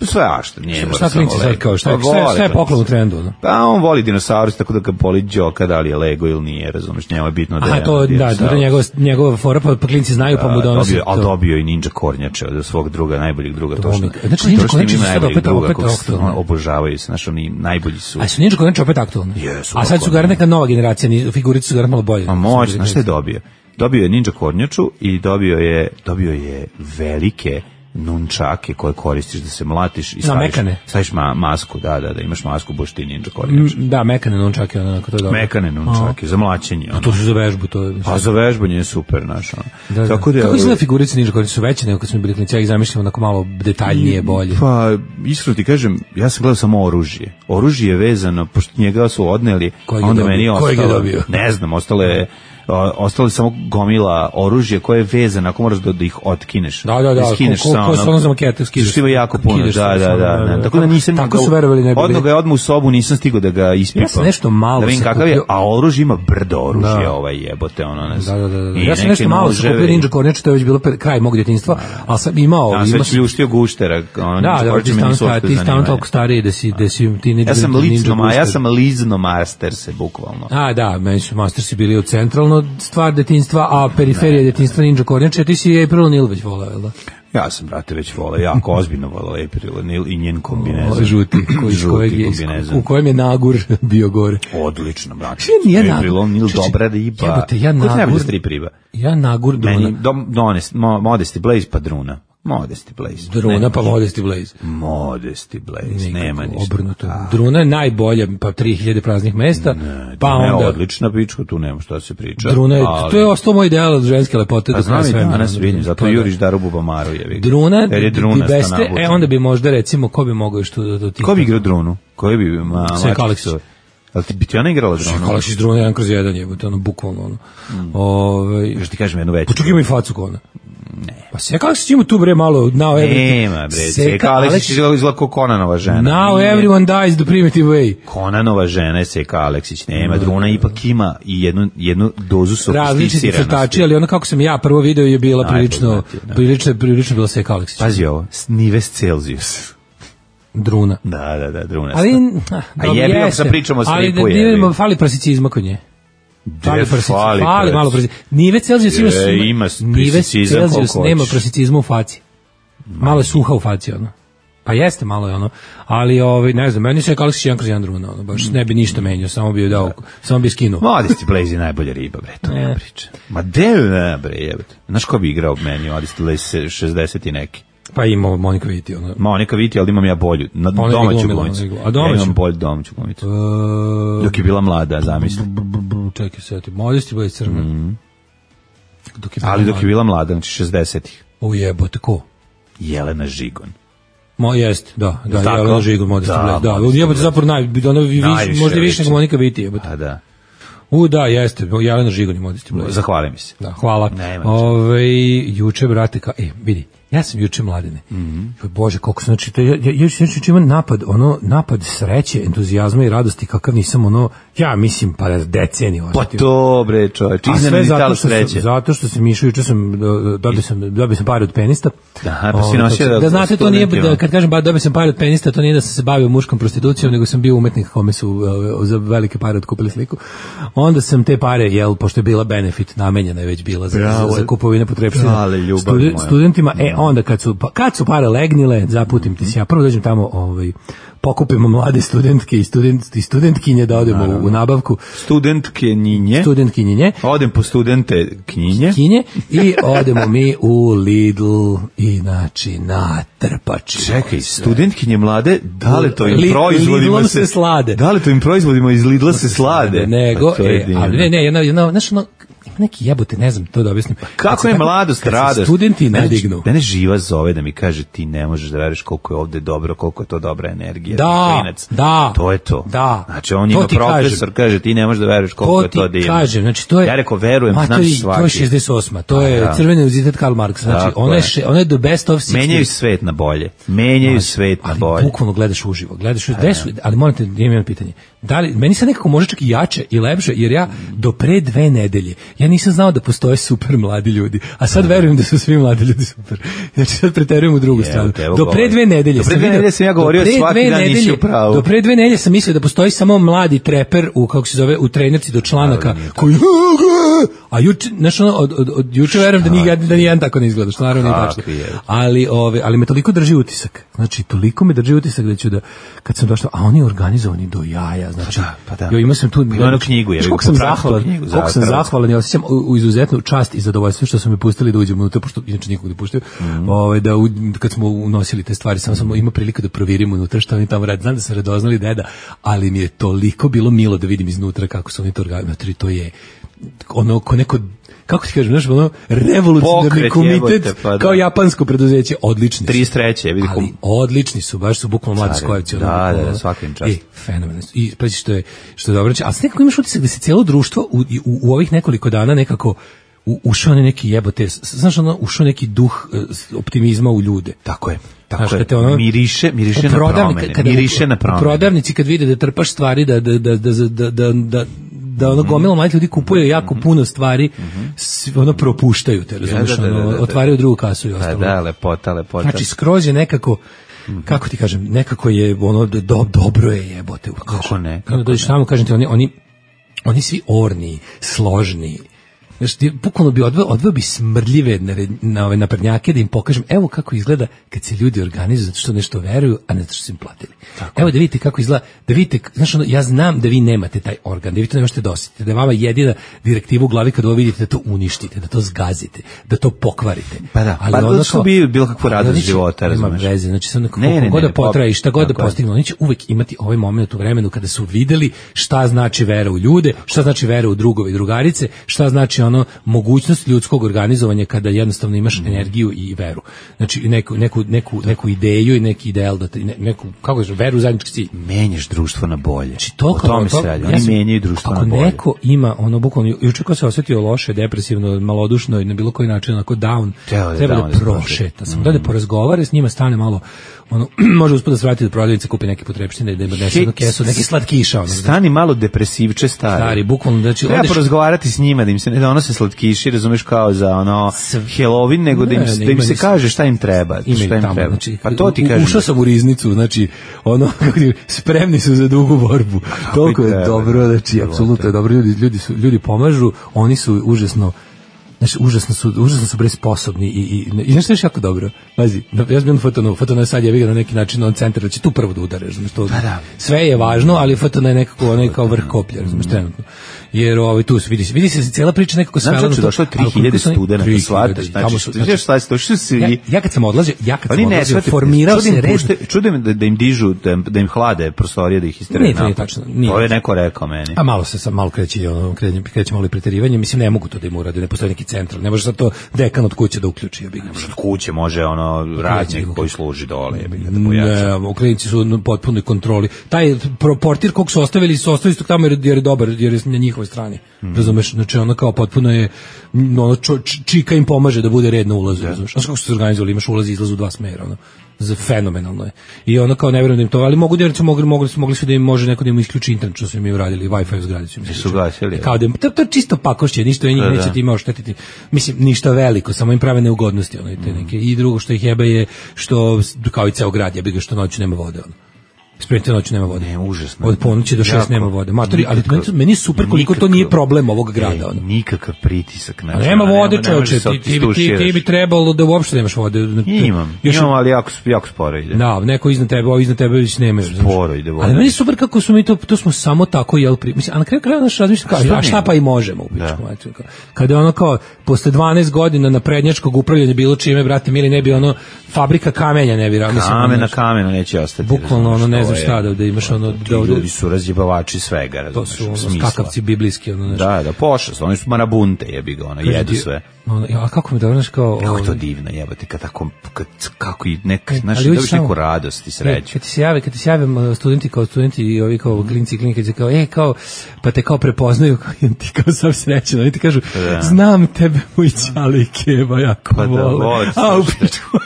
Sve ašto, nije mora samo Lego. Šta klinci sad kao, šta, šta, šta je poklon u trendu? No? Pa on voli dinosaurus, tako da ga boli Đoka, da li je Lego ili nije, razumiješ, njemu je bitno da je... Aha, to, da, to je njegova, njegova fora, pa, pa klinci znaju, pa mu donose to. Ali dobio i Ninja Kornjače od svog druga, najboljeg druga. To što, znači, Ninja Kornjače su sad opet, opet aktualni. Obožavaju se, znaš, oni najbolji su. A su Ninja Kornjače opet aktualni? Jesu. A sad su gar neka nova generacija, figurice su gar malo bolje. A moć, znaš šta je dobio? Dobio je Ninja Kornjaču i dobio je, dobio je velike nunčake koje koristiš da se mlatiš i staviš, staviš ma, masku, da, da, da, imaš masku, boš ti Ninja Kornjač. Da, mekane nunčake, onako, to je dobro. Mekane nunčake, za mlaćenje. A to su za vežbu, to je... A za vežbanje je super, znaš, ono. Da, da. Tako da, kako izgleda figurice Ninja Kornjač, su veće nego kad smo bili klinici, ja ih zamišljam onako malo detaljnije, bolje. Pa, iskreno ti kažem, ja sam gledao samo oružje. Oružje je vezano, pošto njega su odneli, onda meni je ostalo, ne znam, ostalo je ostalo samo gomila oružja koje je vezano, ako moraš da, da ih otkineš. Da, da, da, skineš ko, ko, ko su ono za makete, skidaš. Što ima jako puno, da, da, da, da, da. Tako da nisam... Tako su verovali ne bi. Odno ga je odmah u sobu, nisam stigao da ga ispipam. Ja sam nešto malo da vidim kakav je, a oružje ima brdo oružje, da. Ovaj jebote, ono, ne znam. Da, da, da. Ja sam nešto malo sa kupio Ninja Kornjača, to je već bilo kraj mog djetinjstva, ali sam imao... Ja sam već pljuštio guštera. Da, da, ti stavno toliko stariji da si ti Ninja Kornjača. Ja sam lizno master se, bukvalno. A, da, meni su mastersi bili u centralno stvar detinjstva, a periferija detinjstva Ninja Kornjača, ti si je April O'Neil već volao, jel da? Ja sam, brate, već volao, jako ozbiljno volao April O'Neil i njen kombinezon. Žuti, koji, žuti kombinezon. U kojem je Nagur bio gore. Odlično, brate. Nije April O'Neil, dobra riba. Jebote, ja Nagur... Koji najbolji strip riba? Ja Nagur, Druna. Donest, Modesty Blaze pa Druna. Modesty Blaze. Druna pa Modesty Blaze. Modesty Blaze, nema ništa. Obrnuto. Druna je najbolja, pa tri hiljade praznih mesta. Ne, pa onda... je odlična pička, tu nema šta se priča. Druna je, ali... to je ostao moj ideal od ženske lepote. A znam i danas vidim, zato juriš Darubu Bamaru. Je Druna, je Druna i beste, e onda bi možda recimo, ko bi mogao što da do tih... Ko bi igrao Drunu? Ko bi ma, Sve Aleksić. Ali ti bi ti ona igrala Drunu? Sve Aleksić Druna jedan kroz jedan jebote, ono bukvalno ono. Mm. Ove, još ti kažem jednu veću. Počuk ima i facu kona. Ne. Pa Seka Aleksić ima tu bre malo now everything. Nema bre, Seka Aleksić izgleda kao Konanova žena. Now nije. Everyone dies the primitive way. Konanova žena je Seka Aleksić, nema. No, Druna ipak ima i jednu, jednu dozu sofisticiranosti. Različiti crtači, ali ono kako sam ja prvo video je bila prilično, prilično, prilično bila Seka Aleksić. Pazi ovo, Nives Celsius. Druna. Da, da, da, Druna. Ali, a jebi ako sad pričamo o stripu, jebi. Ali fali prosicizma kod nje. Fali, fali, fali malo prosicizma. Nive Celsius ima, ima Nive Celsius nema prosicizma u faci. Malo je suha u faci, ono. Pa jeste, malo je ono. Ali, ovaj, ne znam, meni se je Aleksić jedan kroz jedan Druna, ono. Baš ne bi ništa menio, samo bi dao, samo bi skinuo. Modesty Blaze je najbolja riba, bre, to ne priča. Ma de, ne, bre, jebate. Znaš ko bi igrao meni, Modesty Blaze šezdeset i neki? Pa ima Monika Viti, ona. Monika Viti, ali imam ja bolju, na ona domaću glumila, glumicu. A domaću? Ja imam bolju domaću glumicu. Uh, Dok je bila mlada, zamisli. Čekaj se, ti Modesty Blaze crna. Mm. Dok ali dok je bila mlada, znači šezdesetih. O jebote, ko? Jelena Žigon. Mo jest, da, da, Tako? Jelena Žigul, Modesty Da, Blaise. Da, Modesty jebote Blaise. zapravo naj, ono, viš, Najviše možda više liči. nego Monika Viti, jebote. A da. U, da, jeste, Jelena Žigul i Modesty Blaise. Zahvalim mi se. Da, hvala. Nema Ove, juče, brate, ka, e, vidi, ja sam juče Mladene. Mm -hmm. Bože, koliko sam, znači, to, ja, ja, ja juče imam napad, ono, napad sreće, entuzijazma i radosti, kakav nisam, ono, ja mislim, pa deceniju. Pa to, bre, čovječ, A sve iznenadni zato talo što sam, sreće. zato što sam išao, juče sam, do- dobio sam, dobio sam pare od penista. Aha, pa si Ovaj, nosio da, da- da znate, to nije, studentima. da, kad kažem ba, dobio sam pare od penista, to nije da sam se bavio muškom prostitucijom, nego sam bio umetnik kome su uh, za velike pare otkupili sliku. Onda sam te pare, jel, pošto je bila benefit, namenjena je već bila za, za, za kupovine potrepština Ale, ljubav moja. studentima. E, onda kad su, pa, kad su pare legnile, zaputim ti se ja, prvo dođem tamo, ovaj, pokupimo mlade studentke i, student, i studentkinje da odemo u, u nabavku. Studentke njinje. Studentkinje. Odem po studente knjinje. Kinje i odemo mi u Lidl i znači na trpači. Čekaj, studentkinje mlade, da li to im Li- proizvodima Lidlom se, se slade. Da li to im proizvodima iz Lidla se slade? Nego, Pa to je e, divno. ali ne, ne, jedna, jedna, znaš, ono, neki jebote, ne znam to da objasnim. Kako Kad se je tako- mladost, kad se radost? studenti Mene- nadignu. Mene živa zove da mi kaže ti ne možeš da veruješ koliko je ovde dobro, koliko je to dobra energija. Da, klinac. da, To je to. da. Znači on To ima ti profesor, kaže ti ne možeš da veruješ koliko To je to ti divno. kažem, znači to je... Ja rekao verujem, Ma, znam to je- svaki. To je šezdeset osma, to A, je ja. Crveni univerzitet Karl Marx, znači Tako ono je, je. še- ono je the best of sixties. Menjaju svet na bolje. Menjaju Znači, svet na ali bolje. bukvalno gledaš uživo, gledaš uživo. Gde su, ali morate, imam jedno pitanje. Da li, meni sad nekako može čak i jače i lepše, jer ja do pre dve nedelje, ja nisam znao da postoje super mladi ljudi, a sad verujem da su svi mladi ljudi super. Znači sad preterujem u drugu Evo stranu. te, evo Do pre govorim. dve nedelje Do pre sam dve video- nedelje sam ja do govorio pre svaki dve dan nisi nedelje- u pravu. Do pre dve nedelje sam mislio da postoji samo mladi treper u, kako se zove, u trenerci do članaka, koji, a juče, znaš, ono, od, od, od juče verujem da nije, da nijedan tako ne izgleda, što naravno nije tačno. Kakvi je? Ali, ove, ali me toliko drži utisak. Znači, toliko me drži utisak da ću da, kad sam došao, a oni organizovani do jaja, znači, Pa da, pa da. jo, imao sam tu, Ima onu knjigu, je, znaš koliko sam popratim tu zahvalan, knjigu za koliko sam Hrvatsku. zahvalan i osjećam u, u izuzetnu čast i zadovoljstvo što su me pustili da uđem unutra, pošto inače nikog ne puštaju, Mhm. ovaj, da u, kad smo unosili te stvari, samo sam imao priliku da provirim unutra šta oni tamo rade. Znam da su radoznali deda, ali mi je toliko bilo milo da vidim iznutra kako su oni to organizovali. To je ono ko neko, kako ti kažem, znaš, ono revolucionarni Pokret, komitet, jebote, pa da. kao japansko preduzeće, odlični su. trideset treće vidi Ali kom. odlični su, baš su bukvalno mladi Cari, skojevici. da, da, da, svaka im čast. I fenomenalno. I pazi što je, što je dobro. Ali sad nekako imaš utisak da se cijelo društvo u, u, u ovih nekoliko dana nekako u, ušao je neki jebote, znaš, ono, ušao neki duh eh, optimizma u ljude. Tako je. Tako Znaš, je. kad te ono- miriše, miriše U na prodavni- promene. kada u- Miriše na U promene. prodavnici kad vide da trpaš stvari, da, da, da, da, da, da, da da ono gomila mladih ljudi kupuje jako puno stvari, s- ono propuštaju te, razumiješ, da, da, da, ono, da, da. otvaraju drugu kasu i Da, ostalo. da, lepota, lepota. Znači skroz je nekako, kako ti kažem, nekako je ono do, dobro je jebote. Kako ne, Kako kako dođeš tamo, kažem ti, oni, oni, oni svi orni, složni. Znači, ti bukvalno bi odveo, odveo bi smrdljive na, na ove naprednjake da im pokažem, evo kako izgleda kad se ljudi organizuju zato što nešto veruju, a ne zato što su im platili. Evo da vidite kako izgleda, da vidite, znaš, ono, ja znam da vi nemate taj organ, da vi to ne možete dosjetiti, da je vama jedina direktiva u glavi kad ovo vidite da to uništite, da to zgazite, da to pokvarite. Pa da, Ali pa ono da su kao- bi bilo kakvu ali radost oni će- života, nema razumeš? veze, znači sad neko, Ne, ne, koliko god ne, da potraje i šta god da tako je. postignu, oni će uvek imati ovaj moment u vremenu kada su videli šta znači vera u ljude, šta znači vera u drugove i drugarice, šta znači ono mogućnost ljudskog organizovanja kada jednostavno imaš energiju i veru. Znači neku, neku, neku, neku ideju i neki ideal, da te, ne- neku, kako kažeš, veru u zajednički cilj. Menjaš društvo na bolje. Znači to o kao tome to- se radi. ja Oni sam- menjaju društvo ako na bolje. neko ima ono bukvalno juče ko se osjetio loše, depresivno, malodušno i na bilo koji način onako down, Treba da je treba down da da se prošeta, sam da da porazgovara s njima, stane malo ono može usput da se vrati do prodavnice, kupi neke potrepštine, da ima donese jednu kesu, neki slatkiša, ono. Stani malo depresivče stari. Stari, bukvalno, znači, treba odeš- porazgovarati s njima, da im se ne donose slatkiši, razumeš, kao za ono Halloween, nego da im, Ne, se- ne, da im ima se nis- kaže šta im treba. Ima šta ih im tamo, treba. znači, Pa to ti u- kažem. Ušao sam u riznicu, znači, ono, kako ti- spremni su za dugu borbu. Toliko je treba, dobro, znači, treba, apsolutno je treba. dobro, ljudi, ljudi, su, ljudi pomažu, oni su užasno, znači, užasno su, užasno su bre sposobni i, i, i nešto je još jako dobro. Pazi, ja sam bio na Fotonu, Fotona je sad je na neki način on centar, da će tu prvo da udare, znači, to, da. sve je važno, ali Fotona je nekako, onaj kao vrh koplja, znači, trenutno. Jer ovaj, tu se vidi, se- vidi se cijela priča nekako Znam svela na čoče, to, došlo je ali koliko tri hiljade su oni- studenta, tri hiljade, shvataš, tamo znači, su- što znaš šta se, došli su ja, svi. ja kad sam odlazio, ja kad Oni sam ne odlazio, shvataju, formirao čudim se red. pušte- čudim da, da im dižu, da, im- da im hlade prostorije, da ih istere. Nije, to nije napad. tačno, nije. To je neko rekao meni. A malo se sam malo kreće, ono, kreće, kreće malo i preterivanje, mislim ne mogu to da im urade, ne postoji neki central. Ne može sad to dekan od kuće da uključi. Ja bih. Od kuće može ono radnik koji služi dole, ja bih da pojača. Ne, u klinici su u potpunoj kontroli. Taj portir kog su ostavili, su ostavili su tamo jer, jer je dobar, jer je na njihovoj strani. Mm. Razumeš, znači ono kao potpuno je, ono čo, čika im pomaže da bude red na ulazu. Yeah. Razumeš, kako su se organizovali, imaš ulaz i izlaz u dva smera, ono. Fenomenalno je. I ono kao ne vjerujem da im to, ali mogu da su mogli, mogli su mogli su da im može neko da im isključi internet, što su im uradili, Wi-Fi u zgradi su im su gasili. Kao da im, to, to je čisto pakošće, ništa je njih da, neće da. Time oštetiti. Mislim, ništa veliko, samo im prave neugodnosti, ono, i te neke. I drugo što ih jebe je što, kao i ceo grad, jebi ga što noću nema vode, ono. Spremite noću nema vode. Ne, užasno. Od ponoći do šest nema vode. Matori, ali meni, meni je super koliko nikakav, to nije problem ovog grada. Ono. Nikakav pritisak. Znači, nema vode, čovječe. Ti, ti, ti, ti bi trebalo da uopšte nemaš vode. Imam, još, imam, ali jako, jako sporo ide. Da, neko iznad tebe, ovo iznad tebe već nema. Sporo ide vode. Ali meni je super kako smo mi to, to smo samo tako jel pri... Mislim, a na kraju kraja naš razmišljam kao, a šta pa i možemo u pičku. Kada je ono kao, posle dvanaest godina naprednjačkog upravljanja bilo čime, brate, mili, ne bi ono, fabrika kamenja ne bi. Kamen na kamenu neće ostati. Bukvalno ono, ne znam šta da imaš ono ti ljudi su razjebavači svega, razumeš, to su ono, skakavci biblijski, ono nešto. Da, da, pošast, oni su marabunte, jebi ga, ono, jedu sve. Ono, a kako mi da znaš kao... Kako je to divno, jebate, kad tako, kad, kako i nek, znaš, dobiš neku radost i sreću. Kad ti se jave, kad ti se jave studenti kao studenti i ovi kao klinci i klinike, kad kao, e, kao, pa te kao prepoznaju, ti kao sam srećan, oni ti kažu, znam tebe, moj ćali keba, jako pa da, vole. A, u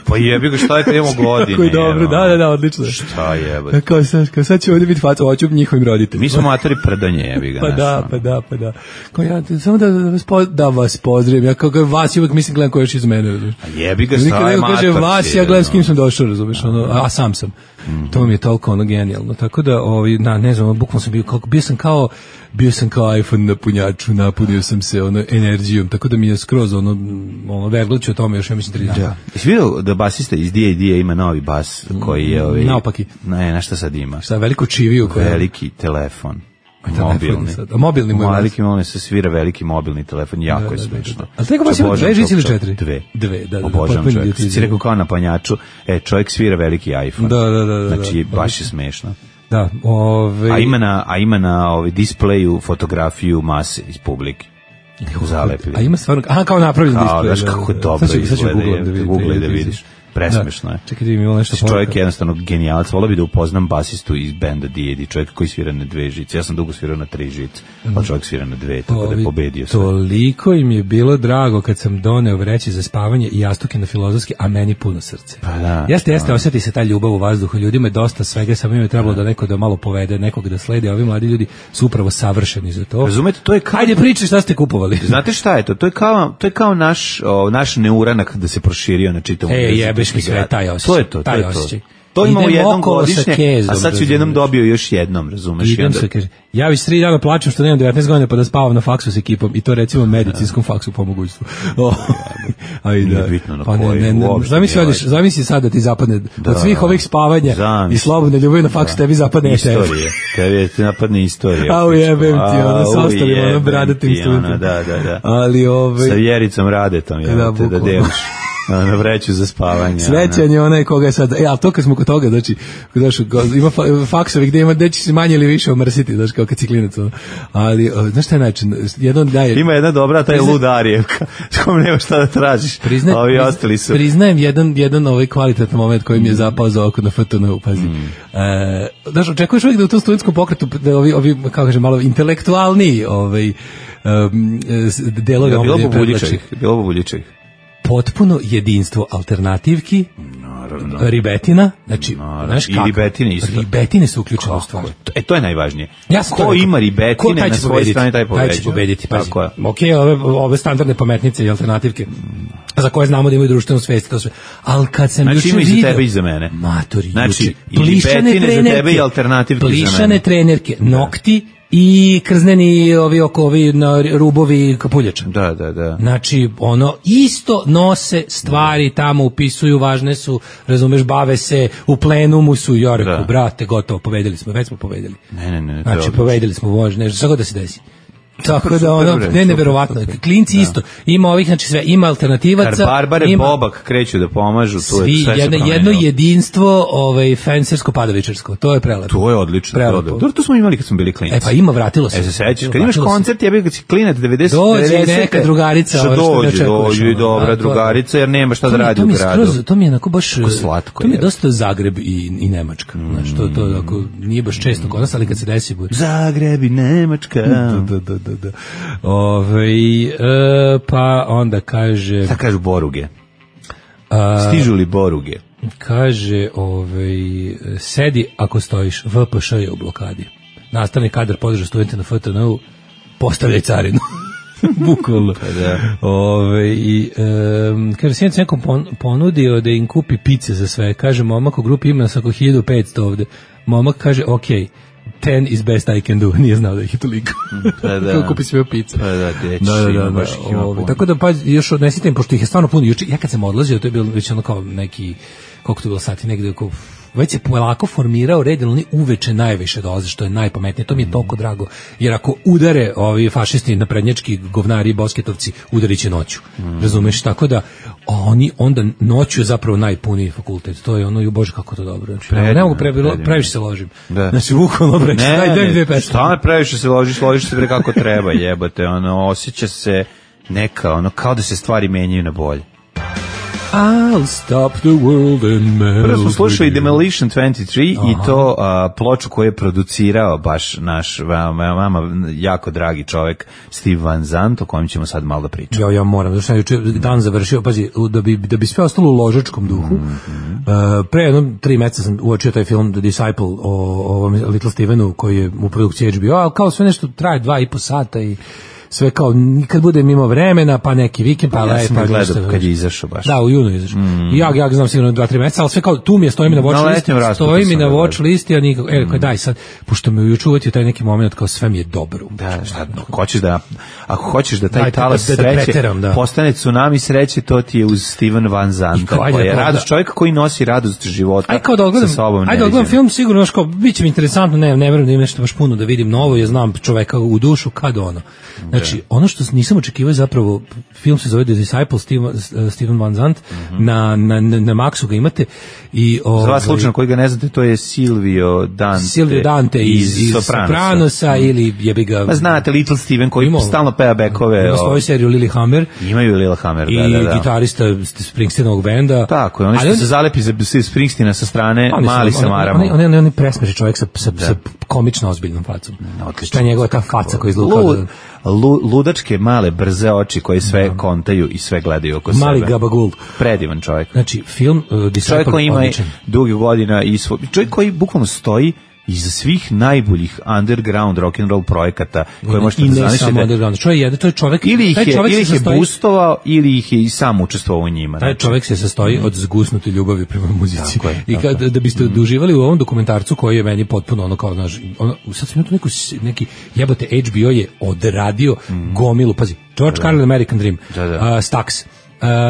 pa jebi ga, šta je te imamo godine? Koji dobro, da, da, da, odlično. Šta jebate? Kao sad, kao sad će ovdje biti faca, hoću njihovim roditeljima. Mi smo matori predanje, jebi ga. Pa da, pa da, pa da. Kao ja, samo da vas, po, da vas pozdravim, ja kao vas uvijek mislim gledam ko još iz mene, razumiješ. A jebi ga, šta je mator. Kaže vas, ja gledam s kim sam došao, razumiješ, ono, a, a sam sam. Mm-hmm. To mi je toliko ono genijalno. Tako da, ovi, na, ne znam, bukvalno sam bio, kako, bio sam kao, bio sam kao iPhone na punjaču, napunio sam se ono energijom, tako da mi je skroz ono, ono vergluću o tome još, ja mislim, tri dana. Da. Jesi vidio da basista iz D A D ima novi bas koji je... Ovaj, naopaki. Ne, na šta sad ima? Šta, veliku čiviju? Koja... Veliki telefon. Mobilni. A mobilni mu veliki mobilni se svira veliki mobilni telefon, jako da, je smešno. A tako baš ima dve žice ili četiri? Dve. Dve, da, da. Obožavam čovjek. Si rekao kao na panjaču, e, čovjek svira veliki iPhone. Da, da, da. Znači, baš je smešno. Da, ove... A ima na, a ima na ovaj displeju fotografiju mase iz publike. U zalepili. A ima stvarno, aha, kao napravljen displej. Znaš kako je dobro izgleda, Google da vidiš. Presmešno je. Čekaj, mi imamo nešto. Čovjek je jednostavno genijalac. Volao bi da upoznam basistu iz benda D A D, čovjek koji svira na dve žice. Ja sam dugo svirao na tri žice, pa čovjek svira na dve, tako da je pobedio sve. Toliko im je bilo drago kad sam doneo vreće za spavanje i jastuke na Filozofski, a meni puno srce. Pa da. Jeste, jeste, osjeti se ta ljubav u vazduhu. Ljudima je dosta svega, samo im je trebalo da neko da malo povede, nekog da sledi, a ovi mladi ljudi su upravo savršeni za to. Razumete, to je kao... Ajde priči šta ste kupovali. Znate šta je to? To je kao, to je kao naš, o, naš neuranak da se proširio na čitavom. E, jebeš mi sve taj osjećaj. To je to, to je to. To imamo jednom godišnje, kezom, a sad si jednom dobio još jednom, razumeš? Idem se, kaže, ja već tri dana plačem što nemam devetnaest godina pa da spavam na faksu s ekipom i to recimo medicinskom faksu po mogućstvu. Nije bitno na koji. Zamisli sad da ti zapadne, od svih ovih spavanja i slobodne ljubavi na faksu tebi zapadne istorije. Tebi ti napadne istorija. Au jebem ti, ono, sa ostalim, ono, bradatim studentom. Da, da, da. Ali ove... Sa Vjericom Radetom, ja, te da deliš. Na vreću za spavanje. Srećan je onaj koga je sad, e, ali to kad smo kod toga, znači, znaš, ima faksovi gde ima, gde će se manje ili više omrsiti, znaš, kao kad si klinac, ali, znaš šta je način, jedno daje... Ima jedna dobra, taj Prizna... lud Arijevka, s kom nema šta da tražiš, Prizna... ovi ostali su. Priznajem jedan, jedan ovaj kvalitetan moment koji mi je zapao za oko na F T N-u, pazi. Mm. E, znaš, očekuješ uvijek da u tom studentskom pokretu, da ovi, ovi, kako kažem, malo intelektualniji, ovaj, um, delove omladine predlači. Bilo Bubuljiček. Potpuno jedinstvo alternativki, naravno. Ribetina, znači, znaš kako? I ribetine isto. Ribetine su uključene u stvari. E, to je najvažnije. Ja ko ima ribetine na svojoj strani, taj pobeđuje. Taj će pobediti, pazi. Ok, ove, ove standardne pametnice i alternativke, za koje znamo da imaju društvenu svest, to sve. Ali kad sam znači, juče vidio... Znači, ima i za tebe i za mene. Matori, znači, i ribetine za tebe i alternativke za mene. Plišane trenerke, nokti, i krzneni ovi oko ovi na rubovi kapuljača. Da, da, da. Znači, ono, isto nose stvari tamo, upisuju, važne su, razumeš, bave se, u plenumu su, ja reku, brate, gotovo, pobedili smo, već smo pobedili. Ne, ne, ne. Znači, pobedili smo, može, nešto, šta god da se desi. Tako da ono, ne, neverovatno. Klinci isto. Ima ovih, znači sve, ima alternativaca. Kad Barbare ima, Bobak kreću da pomažu, to je sve jedno, jedno jedinstvo, ovaj, fensersko padovičarsko. To je prelepo. To je odlično. Prelepo. To, to smo imali kad smo bili klinici. E pa ima, vratilo se. E se sećaš, kad imaš koncert, ja bih kad si klinac devedeset dođe neka drugarica. Što dođe, dođe i dobra drugarica, jer nema šta da radi u gradu. To mi je onako baš, slatko. To mi je dosta Zagreb i, i Nemačka. Znači, to, to ako, nije baš često kod nas, ali kad se desi bude. Zagreb i Nemačka. Da, da, da, da, da. Ove, e, pa onda kaže... Šta kažu boruge? A, Stižu li boruge? Kaže, ovaj, sedi ako stojiš, V P Š je u blokadi. Nastavni kadar podrža studente na F T N-u, postavljaj carinu. Bukvalno. Da. Ove, i, um, kaže, sjednic nekom pon, ponudio da im kupi pice za sve. Kaže, momak u grupi ima nas oko hiljadu petsto ovde. Momak kaže, ok, ten is best I can do. Nije znao da ih je toliko. Pa da. Kako kupi sve pice. Pa da, deći, da, da, da, baš da, ih ima ove, puno. tako da, pa, još odnesite im, pošto ih je stvarno puno. Juče, ja kad sam odlazio, to je bilo već ono kao neki, koliko to bilo sati, negde oko, već se polako formirao red, jer oni uveče najviše dolaze, što je najpametnije. To mi je toliko drago, jer ako udare ovi fašisti naprednjački govnari i bosketovci, udarit će noću. Mm. Razumeš? Tako da oni onda noću je zapravo najpuniji fakultet. To je ono, ju bože kako to dobro. Znači, predivno, ne mogu pre, previše se ložim. Da. Znači, bukvalno bre, daj daj dve pesme. Šta me previše se ložiš, ložiš se bre kako treba, jebote, ono, osjeća se neka, ono, kao da se stvari menjaju na bolje. I'll stop the world and melt. Prvo smo slušali Demolition dvadeset tri. Aha. I to a, ploču koju je producirao baš naš vama, vama jako dragi čovjek Steve Van Zandt, o kojem ćemo sad malo da pričamo. Ja, ja moram, znači juče dan završio, pazi, da bi, da bi sve ostalo u ložačkom duhu, mm-hmm. uh, pre jedno tri meseca sam uočio taj film The Disciple o, o ovom Little Stevenu koji je u produkciji H B O, ali kao sve nešto traje dva i po sata i sve kao, nikad bude mimo vremena, pa neki vikend, pa, pa ja sam pa gledao kad je izašao baš. Da, u junu je izašao. Mm. Ja, ja znam sigurno dva, tri meseca, ali sve kao, tu mi je, stoji mi na watch listi, stoji mi na watch listi, a nikako, e, kao, daj sad, pošto me juče uvatio taj neki moment, kao sve mi je dobro. Da, šta, no, hoćeš da, ako hoćeš da taj daj, talas da, da, sreće, da preteram, da. postane tsunami sreće, to ti je uz Steven Van Zandt, koji je radost, čovjek koji nosi radost života aj kao da odgledam, sa sobom. Ajde da odgledam film, sigurno, znaš kao, bit će mi interesantno, ne, ne verujem da ima nešto baš puno da vidim novo, ja znam čoveka u dušu, kad ono. Znači, ono što nisam očekivao zapravo, film se zove The Disciple, Steven, Steven Van Zandt, mm-hmm. na, na, na Maxu ga imate. I, o, za vas slučajno koji ga ne znate, to je Silvio Dante, Silvio Dante iz, iz Sopranosa, Sopranosa mm. ili jebi ga... Ma znate, Little Steven koji imao, stalno peva bekove. Ima svoju seriju Lilyhammer. Imaju Lilyhammer, da, da, da. I gitarista Springsteenovog benda. Tako je, oni što se zalepi za Springsteena sa strane, oni mali sa maramo. On je on presmeši čovjek sa, sa, sa komično ozbiljnom facom. Šta je njegova ta faca koja izluka? Ludačke male brze oči koji sve da. Kontaju i sve gledaju oko mali sebe. Gabagul. Predivan čovjek. Znači film uh, čovjek koji ima dugi godina i svo... čovjek koji bukvalno stoji iza svih najboljih underground rock and roll projekata koje možete da zamislite. I ne samo underground. Čovjek je, to je čovjek, ili ih taj je, ili ih je sastoji, boostovao ili ih je i sam učestvovao u njima. Taj znači. Čovjek se sastoji mm. od zgusnute ljubavi prema muzici. Tako je, I kad, da biste mm. uživali u ovom dokumentarcu koji je meni potpuno ono kao, znaš, ono, sad sam imao tu neku, neki, jebote, H B O je odradio mm. gomilu, pazi, George Carlin, American Dream, da, da. Uh, Stax,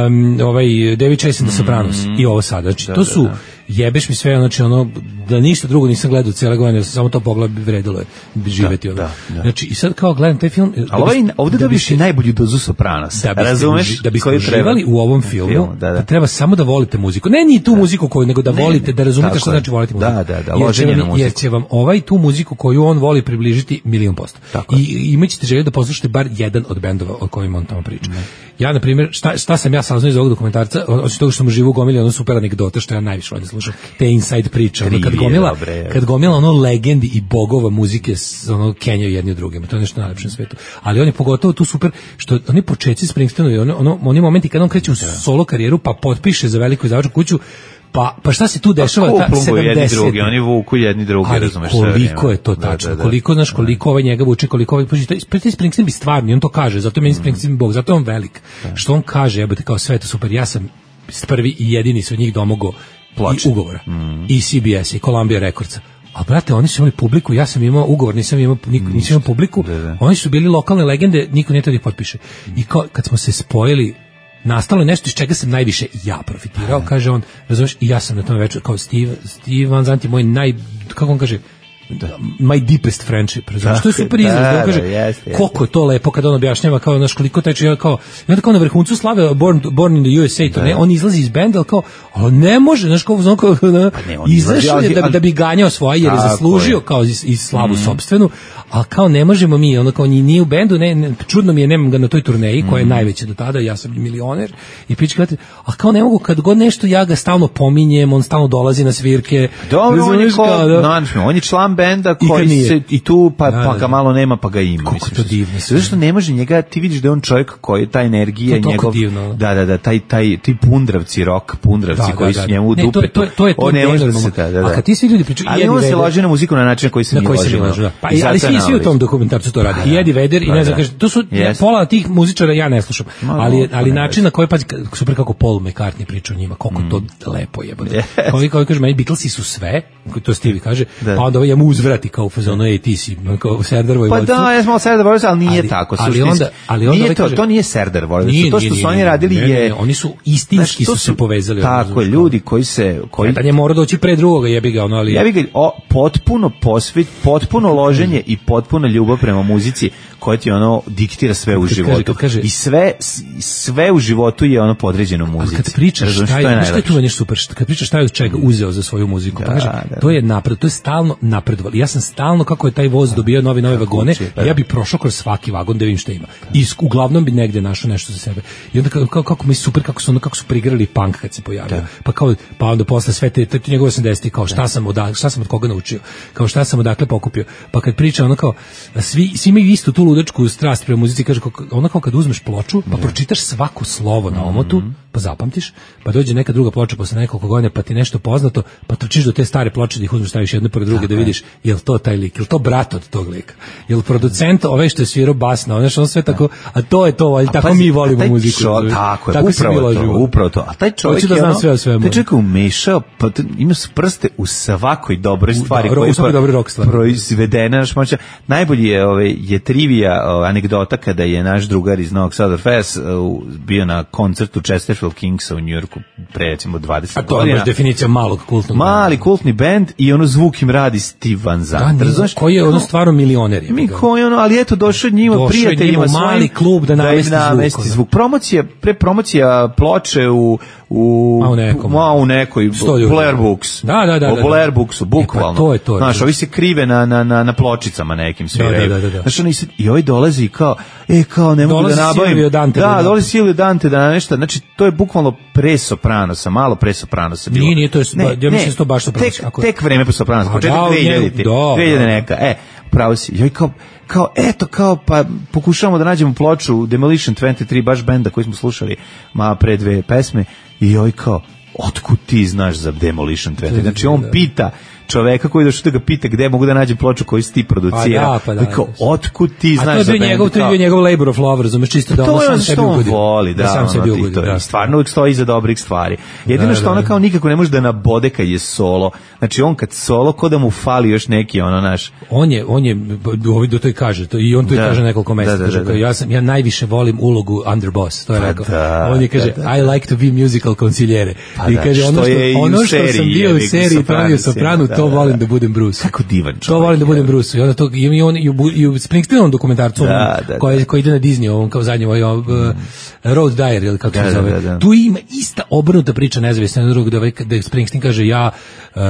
um, ovaj David Chase and the Sopranos mm. i ovo sad, znači, da, to su, da, da. jebeš mi sve, znači ono, da ništa drugo nisam gledao cijele godine, samo to pogled bi vredilo je živeti. Da, ono. da, da. Znači, i sad kao gledam taj film... Ali ovaj, ovdje da dobiš i najbolju dozu Sopranosa, da razumeš? Da biste uživali u ovom filmu, film, da, da. treba samo da volite muziku. Ne ni tu da. muziku koju, nego da ne, volite, da razumete šta znači voliti muziku. Da, da, da, loženje na muziku. Jer će vam ovaj tu muziku koju on voli približiti milion posto. Tako. I imaćete želju da poslušate bar jedan od bendova o kojima on tamo priča. Ne. Ja, na primjer, šta, šta sam ja saznao iz ovog dokumentarca, osim toga što sam živu gomili ono super anegdote, što ja najviše volim slušam, te inside priče, ono, kad gomila, kad gomila ono legendi i bogova muzike ono kenjaju jedni od drugima, to je nešto najlepše na svetu. Ali on je pogotovo tu super, što oni početci Springsteenovi, ono, ono, oni momenti kad on kreće u solo karijeru, pa potpiše za veliku izdavačku kuću, Pa, pa šta se tu dešava ta sedamdeset? Drugi, oni vuku jedni drugi, ali razumeš sve. Koliko je to tačno, da, da, da. koliko, znaš, koliko ovaj njega vuče, koliko ovaj, pa taj Springsteen bi stvarni, on to kaže, zato je meni Springsteen bog, zato je on velik. Da. Što on kaže, jebote, kao sve to super, ja sam prvi i jedini su od njih domogo i ugovora, mm. i C B S, i Columbia Recordsa. A brate, oni su imali publiku, ja sam imao ugovor, nisam imao, niko, nisam imao publiku, da, da. Oni su bili lokalne legende, niko nije to da ih potpiše. I kao, kad smo se spojili, nastalo je nešto iz čega sam najviše ja profitirao, kaže on, razumiješ, i ja sam na tom večer, kao Steve, Steve Van Zandt je moj naj, kako on kaže, my deepest friendship, razumiješ, to je super izraz, da, on kaže, da, jeste, jeste. koliko je to lepo kada on objašnjava, kao, znaš, koliko teče, ja kao, i onda kao na vrhuncu slave Born, Born in the U S A, to ne, on izlazi iz benda, ali kao, ali ne može, znaš, kao, znam, kao, ne, izašao je da, da bi ganjao svoje, jer je zaslužio, kao, iz, iz slavu mm. sopstvenu, ali kao, ne možemo mi, ono, kao, nije u bendu, ne, ne, čudno mi je, nemam ga na toj turneji, koja je najveća do tada, ja sam milioner, i pička, a kao, ne mogu, kad god nešto, ja ga stalno pominjem, on stalno dolazi na svirke. Dobro, on je, ko, da, no, on je član benda koji I se i tu pa, da, pa ga malo nema pa ga ima. Kako to divno. Zašto ne može njega, ti vidiš da je on čovjek koji ta energija to njegov divno. Da, da, da, taj taj ti pundravci, rock pundravci da, koji da, da. su njemu u dupe. Ne, to, to, to je to on ne može se da, da. A kad ti svi ljudi pričaju, ali on se loži na muziku na način koji se mi loži. Pa ali svi svi u tom dokumentarcu to radi. I Eddie Vedder i ne znam, kaže, to su pola tih muzičara ja ne slušam. Ali ali način na koji pa super kako Paul McCartney priča o njima, koliko to lepo je. Koji koji kaže meni Beatlesi su sve, to Stevie kaže, pa onda ovaj mu uzvrati kao fazonu ej ti si kao Serdar Vojvodstvo. Pa da, ja smo Serdar Vojvodstvo, ali nije ali, tako. Ali onda, ali onda nije to, to nije Serdar Vojvodstvo. To što su oni radili je... Ne, ne, oni su istinski su se povezali. Tako je, ljudi koji se... Koji... Da je mora doći pre drugoga, jebi ga, ono, ali... Jebi ga, o, potpuno posvet, potpuno loženje i potpuna ljubav prema muzici koja ti ono diktira sve u životu. Kaže, I sve, sve u životu je ono podređeno muzici. Kad pričaš šta je, šta je, šta je tu nešto super, kad pričaš šta je od čega uzeo za svoju muziku, da, pa kaže, da, to je napred, to je stalno napredovalo. Ja sam stalno, kako je taj voz dobio novi nove vagone, ja bi prošao kroz svaki vagon da vidim šta ima. I uglavnom bi negde našao nešto za sebe. I onda kako, kako mi super, kako su ono, kako su prigrali punk kad se pojavio. Da. Pa kao, pa onda posle sve te, te njegove osamdesetih, kao šta sam, od, šta sam od koga naučio, kao šta sam odakle pokupio. Pa kad priča ono kao, svi, svi imaju istu tu ludačku strast prema muzici, kaže, ono kao kad uzmeš ploču, pa pročitaš svako slovo na omotu, pa zapamtiš, pa dođe neka druga ploča posle nekoliko godina, pa ti nešto poznato, pa trčiš do te stare ploče da ih uzmeš, staviš jednu pored druge da vidiš jel to taj lik, jel to brat od tog lika, jel producent ovaj što je svirao bas na ono, on sve tako, a to je to, ali tako mi volimo muziku. Čo, tako je, tako upravo to, upravo to. A taj čovjek da je ono, sve o svemu. Taj čovjek je umešao, pa ima su prste u svakoj dobroj stvari koja je proizvedena. Najbolji je, ovaj, je trivija, anegdota kada je naš drugar iz Novog Sada Fest bio na koncertu Chesterfield Kingsa u Njujorku pre recimo dvadeset godina. A to je baš definicija malog kultnog benda. Mali kultni bend i ono zvuk im radi Steve Van Zandt. Da, znaš, koji je ono stvarno milioner. Je mi koji ono, ali eto došao njima došao prijateljima svojim. Mali klub da namesti da zvuk. zvuk. Promocija, pre promocija ploče u u ma u, nekom, ma u nekoj Blair Books. Da, da, da. U Blair Booksu, bukvalno. E, pa to je to. Znaš, ovi se krive na, na, na, na pločicama nekim sviraju. Da, da, da, da. Znaš, oni se, i ovaj dolazi kao, e, kao ne mogu dolazi da nabavim. Silvio Dante. Da, dolazi Silvio Dante da nešto, znači, to je bukvalno pre Sopranosa, malo pre Sopranosa bilo. Nije, nije, to je, ne, ja mislim da to baš Sopranos. Tek, tek vreme pre Sopranosa, početak dve hiljadite. dve hiljade neka, e, pravo si. Joj, kao, kao, eto, kao, pa pokušavamo da nađemo ploču Demolition dvadeset tri, baš benda koji smo slušali malo pre dve pesme, i joj kao, otkud ti znaš za Demolition dvadeset tri? Znači, on pita čoveka koji došao da ga pita gde mogu da nađem ploču koju si ti producirao. Pa da, pa da. Kao, otkud ti znaš za bend? A to je njegov labor of love, razumeš, čisto da ono sam sebi ugodio. To je on voli, da, sam sebi ugodio. Stvarno uvijek stoji iza dobrih stvari. Jedino što ona kao nikako ne može da nabode kad je solo. Znači, on kad solo, ko da mu fali još neki, ono, naš... On je, on je, ovdje do to i kaže, to, i on to i kaže nekoliko mesta. Ja sam, ja najviše volim ulogu underboss, to je rekao. On je kaže, I like to be musical consigliere. I kaže, ono što sam bio u seriji pravio Sopranu, to volim da budem Bruce. Kako divan čovjek. To volim da budem Bruce. I onda to i on i u Springsteenovom dokumentarcu da, da, koji koji ide na Disney, on kao zadnji ovaj uh, Road Diary ili kako se zove. Da, da, da. Tu ima ista obrnuta priča nezavisna od drugog, da da Springsteen kaže ja uh,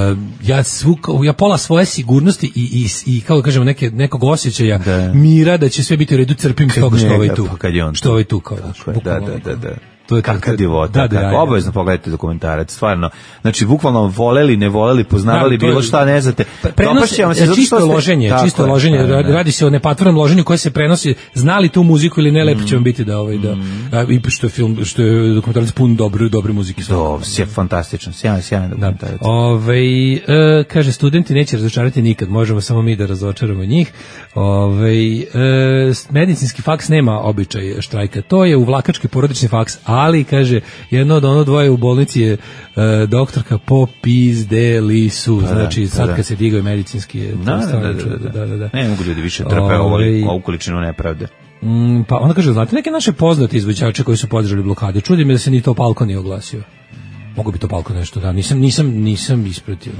ja svu, ja pola svoje sigurnosti i i i kako kažemo neke nekog osjećaja da. Mira da će sve biti u redu, crpim s toga što ovaj tu. Pa što ovaj tu kao. Da, da, da, da. To je kakva divota, da, kako obavezno pogledajte dokumentarac, stvarno. Znači, bukvalno voleli, ne voleli, poznavali da, bilo šta, ne znate. Dopašćemo se, čisto ste, loženje, čisto loženje, da, da. Radi se o nepatvornom loženju koje se prenosi, znali tu muziku ili ne, lepo će vam biti da ovaj, da, a, i što je film, što je dokumentarac pun dobre, dobre muzike. To je fantastično, sjajan, sjajan dokumentarac. Da. Ove, e, kaže, studenti neće razočarati nikad, možemo samo mi da razočaramo njih. Ove, e, medicinski faks nema običaj štrajka, to je uvlakački porodični faks, ali, kaže, jedno od ono dvoje u bolnici je uh, doktorka popizdeli su, pa znači da, sad da. Kad se digao medicinski je da, to da, da, da, da, da, da. Ne mogu ljudi više trpe ovaj, ovu količinu nepravde. Mm, pa onda kaže, znate neke naše poznate izvođače koji su podržali blokade, čudi me da se ni to Palko nije oglasio. Mogu bi to Palko nešto, da, nisam, nisam, nisam ispratio.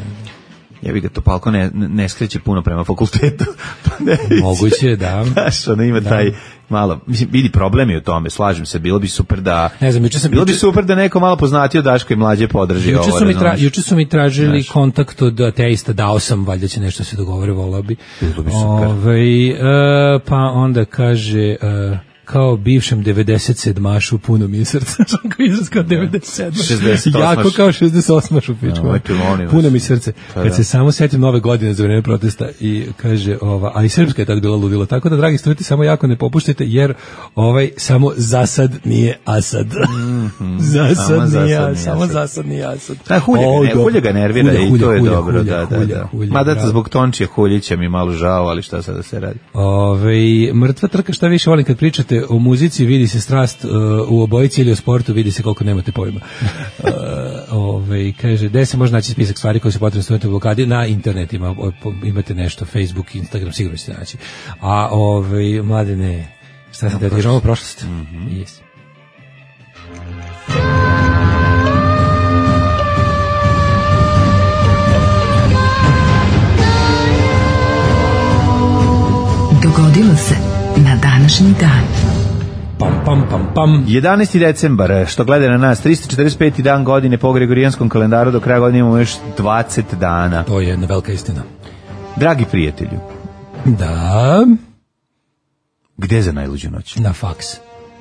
Ja bih ga Topalko ne, ne skreće puno prema fakultetu. Pa ne, moguće, da. Znaš, ono ima da. taj malo, mislim, vidi problemi u tome, slažem se, bilo bi super da, ne znam, juče sam, bilo juče, bi super da neko malo poznatio Daško i mlađe podrži juče ovo. Su mi tra, juče su mi tražili znaš. kontakt od ateista, dao sam, valjda će nešto se dogovore, volao bi. Bilo bi super. Ove, uh, pa onda kaže... Uh, kao bivšem devedeset sedmašu puno mi je srce, kako izraz kao devedeset sedmaš, šezdeset osam jako kao šezdeset osmašu pičku, no, puno mi srce, pa, kad da. se samo setim nove godine za vreme protesta i kaže, ova, a i srpska je tad bila ludila, tako da dragi studenti samo jako ne popuštajte, jer ovaj samo zasad nije Asad. Mm-hmm. zasad samo nije, zasad samo zasad nije Asad. Da, hulja, o, ga, ne, hulja ga nervira hulja, hulja, i to je hulja, dobro. Hulja, da, da, hulja, da. hulja, Mada bravo. zbog Tončija Huljića mi malo žao, ali šta sada se radi? Ove, mrtva trka, šta više volim kad pričate o muzici, vidi se strast uh, u obojici ili o sportu, vidi se koliko nemate pojma. Uh, ove, kaže, gde se može naći spisak stvari koje su potrebne studenti u blokadi? Na internetima, imate nešto, Facebook, Instagram, sigurno ćete naći. A ove, mladene, šta sam da dižamo prošlost? Mm-hmm. Yes. Dogodilo se na današnji dan. Pam, pam, pam, pam. jedanaesti decembar, što gleda na nas, tristo četrdeset peti dan godine po gregorijanskom kalendaru, do kraja godine imamo još dvadeset dana. To je jedna velika istina. Dragi prijatelju. Da. Gde za najluđu noć? Na faks.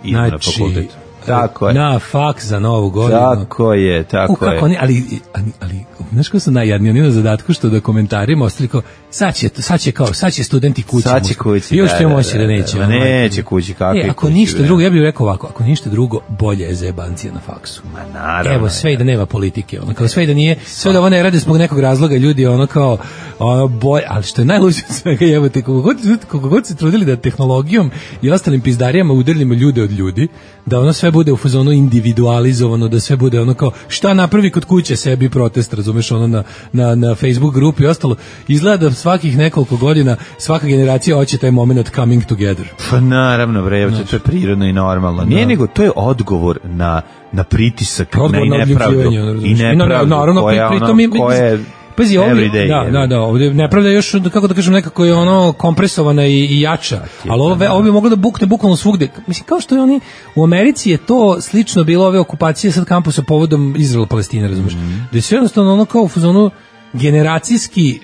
Idemo znači, na fakultet. Tako je. Na faks za novu godinu. Tako je, tako U, kako je. Oni, ali, ali, ali, znaš ko su najjadniji, oni na zadatku što da komentarima ostali kao, sad će, sad će kao, sad će studenti kući. Sad će kući, još da, će da, moći da, da neće. Da, neće kući, kakve e, ako kući, ništa da. drugo, ja bih rekao ovako, ako ništa drugo, bolje je zajebancija na faksu. Ma naravno. Evo, sve i da nema politike, ono, kao sve i da nije, sve da ovo ne rade zbog nekog razloga, ljudi, ono kao, ono, bolje, ali što je najluđe od svega, evo te, koliko god, koliko god se trudili da tehnologijom i ostalim pizdarijama udarljimo ljude od ljudi, da ono sve bude u fazonu individualizovano, da sve bude ono kao šta napravi kod kuće sebi protest, razumeš, ono na, na, na Facebook grupi i ostalo, izgleda da svakih nekoliko godina svaka generacija hoće taj moment coming together. Pa naravno, bre, znači, to je prirodno i normalno. Nije da. Nego, to je odgovor na, na pritisak, odgovor na na nepravdu. I nepravdu naravno, koja, pri, pri, ono, mi, koja je pazi, ovdje, everyday. Da, da, da, ovdje nepravda je još, kako da kažem, nekako je ono kompresovana i, i jača, ali ovo, ovo bi moglo da bukne bukvalno svugde. Mislim, kao što je oni, u Americi je to slično bilo ove okupacije sad kampusa povodom Izraela-Palestine, razumiješ? Mm-hmm. Da je sve jednostavno ono kao u fazonu generacijski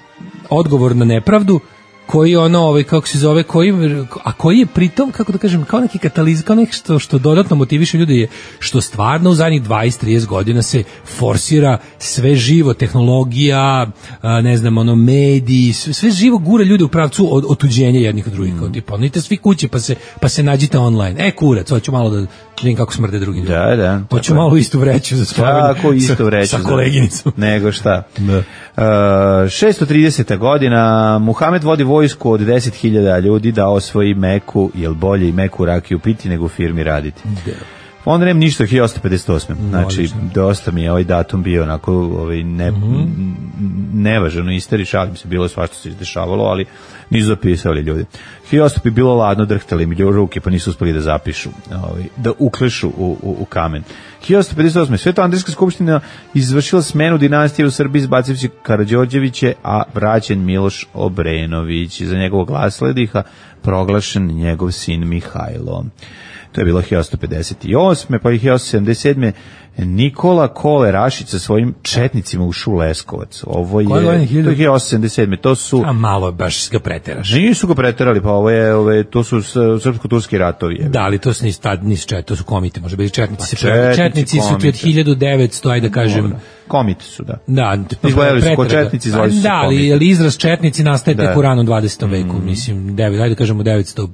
odgovor na nepravdu, koji ono, ovaj, kako se zove, koji, a koji je pritom, kako da kažem, kao neki kataliz, kao nešto što dodatno motiviše ljude je što stvarno u zadnjih dvadeset trideset godina se forsira sve živo, tehnologija, a, ne znam, ono, mediji, sve, sve živo gura ljude u pravcu od, otuđenja jednih od drugih, mm. kao tipa, nite svi kuće pa se, pa se nađite online, e kurac, hoću malo da vidim kako smrde drugi ljudi. Da, da. Hoću malo istu vreću za spavanje. Tako, istu vreću. Sa, sa koleginicom. Nego šta. Da. Uh, šesto trideseta godina, Muhamed vodi vojsku od deset hiljada ljudi da osvoji Meku, jel bolje i Meku rakiju piti nego u firmi raditi. Da. Onda nema ništa od hiljadu osamsto pedeset osme. Znači, Odlično. dosta mi je ovaj datum bio onako ovaj, ne, mm-hmm. nevažano isteri, šalim se, bilo je svašta se izdešavalo, ali nisu zapisali ljudi. hiljadu osamsto bi bilo ladno, drhtali mi ruke, pa nisu uspeli da zapišu, ovaj, da uklešu u, u, u kamen. hiljadu osamsto pedeset osme. Sveto-Andrijska skupština izvršila smenu dinastije u Srbiji, izbacivši Karađorđeviće, a vraćen Miloš Obrenović. Za njegovog naslednika proglašen njegov sin Mihajlo. To je bilo hiljadu osamsto pedeset osme. Pa i hiljadu osamsto sedamdeset sedme. Nikola Kole Rašić sa svojim četnicima ušao u Leskovac. Ovo je, to je hiljadu osamsto sedamdeset sedme. To su... A malo baš ga preteraš. Nisu ga preterali, pa ovo je, ove, to su srpsko-turski ratovi. Je. Da, ali to su nisu, nisu čet, to su komite, može biti četnici. Pa se četnici, četnici su ti od hiljadu devetsto, ajde da kažem. Dobre. Komite su, da. Da, izgledali su ko četnici, zvali su se da, ali, ali izraz četnici nastaje da. tek u ranom dvadesetom veku, mm. mislim, devet, ajde da kažemo devetsto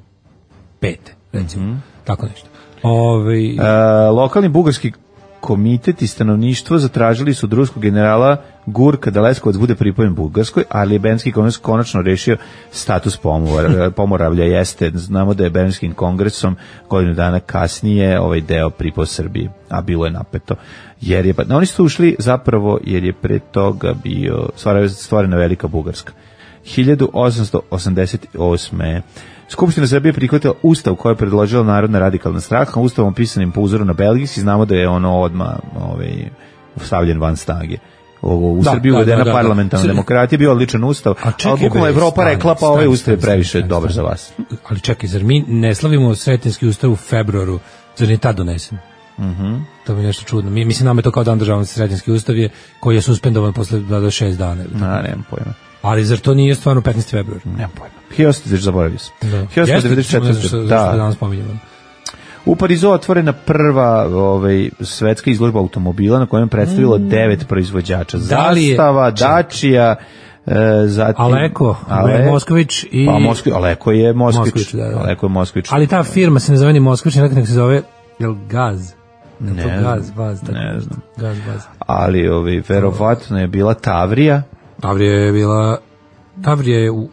pete, recimo, mm-hmm. tako nešto. Ove... E, lokalni bugarski komitet i stanovništvo zatražili su od ruskog generala Gurka da Leskovac bude pripojen Bugarskoj, ali je Berlinski kongres konačno rešio status pomor, Pomoravlja. Jeste, znamo da je Berlinskim kongresom godinu dana kasnije ovaj deo pripao Srbiji, a bilo je napeto. Jer je, no, oni su ušli zapravo jer je pre toga bio stvorena Velika Bugarska. hiljadu osamsto osamdeset osme. Skupština Srbije prihvatila ustav koji je predložila Narodna radikalna stranka, ustavom pisanim po uzoru na belgijski, znamo da je ono odmah ovaj, stavljen van snage. ovo, u Da, Srbiji da, uvedena da, da, da. parlamentarna Srbi- demokratija, bio odličan ustav, A čekaj, ali bukvalno bre, Evropa stani, rekla, pa stani, ovaj ustav je stani, previše stani, dobar za stani. vas. Ali čekaj, zar mi ne slavimo Sretenjski ustav u februaru, zar nije tad donesen? Mhm. To mi je nešto čudno. Mi, mislim, nam je to kao dan državnosti, Sretenjski ustav je, koji je suspendovan posle do šest dana. ili tako. Na, nemam pojma. Ali zar to nije stvarno petnaesti februar? Nemam pojma. hiljadu osamsto, zaboravio sam. Da. hiljadu osamsto devedeset četvrte. Jeste, ne znam što- Da. zašto danas pominjamo. U Parizu otvorena prva ovaj, svetska izložba automobila na kojem je predstavilo devet proizvođača. Da li je- Zastava, Dacia, e, zatim... Aleko, Ale- Moskvić i... Pa Moskvi, Aleko je Moskvić. Moskvić, da, da. Aleko je Moskvić. Ali ta firma se ne zove ni Moskvić, nego se zove, jel Gaz? Jel to Ne Gaz, znam, Vaz, tako ne nešto? znam. Gaz, Vaz. Ali ovaj, verovatno je bila Tavrija. Tavrija je bila... Tavrija je u... u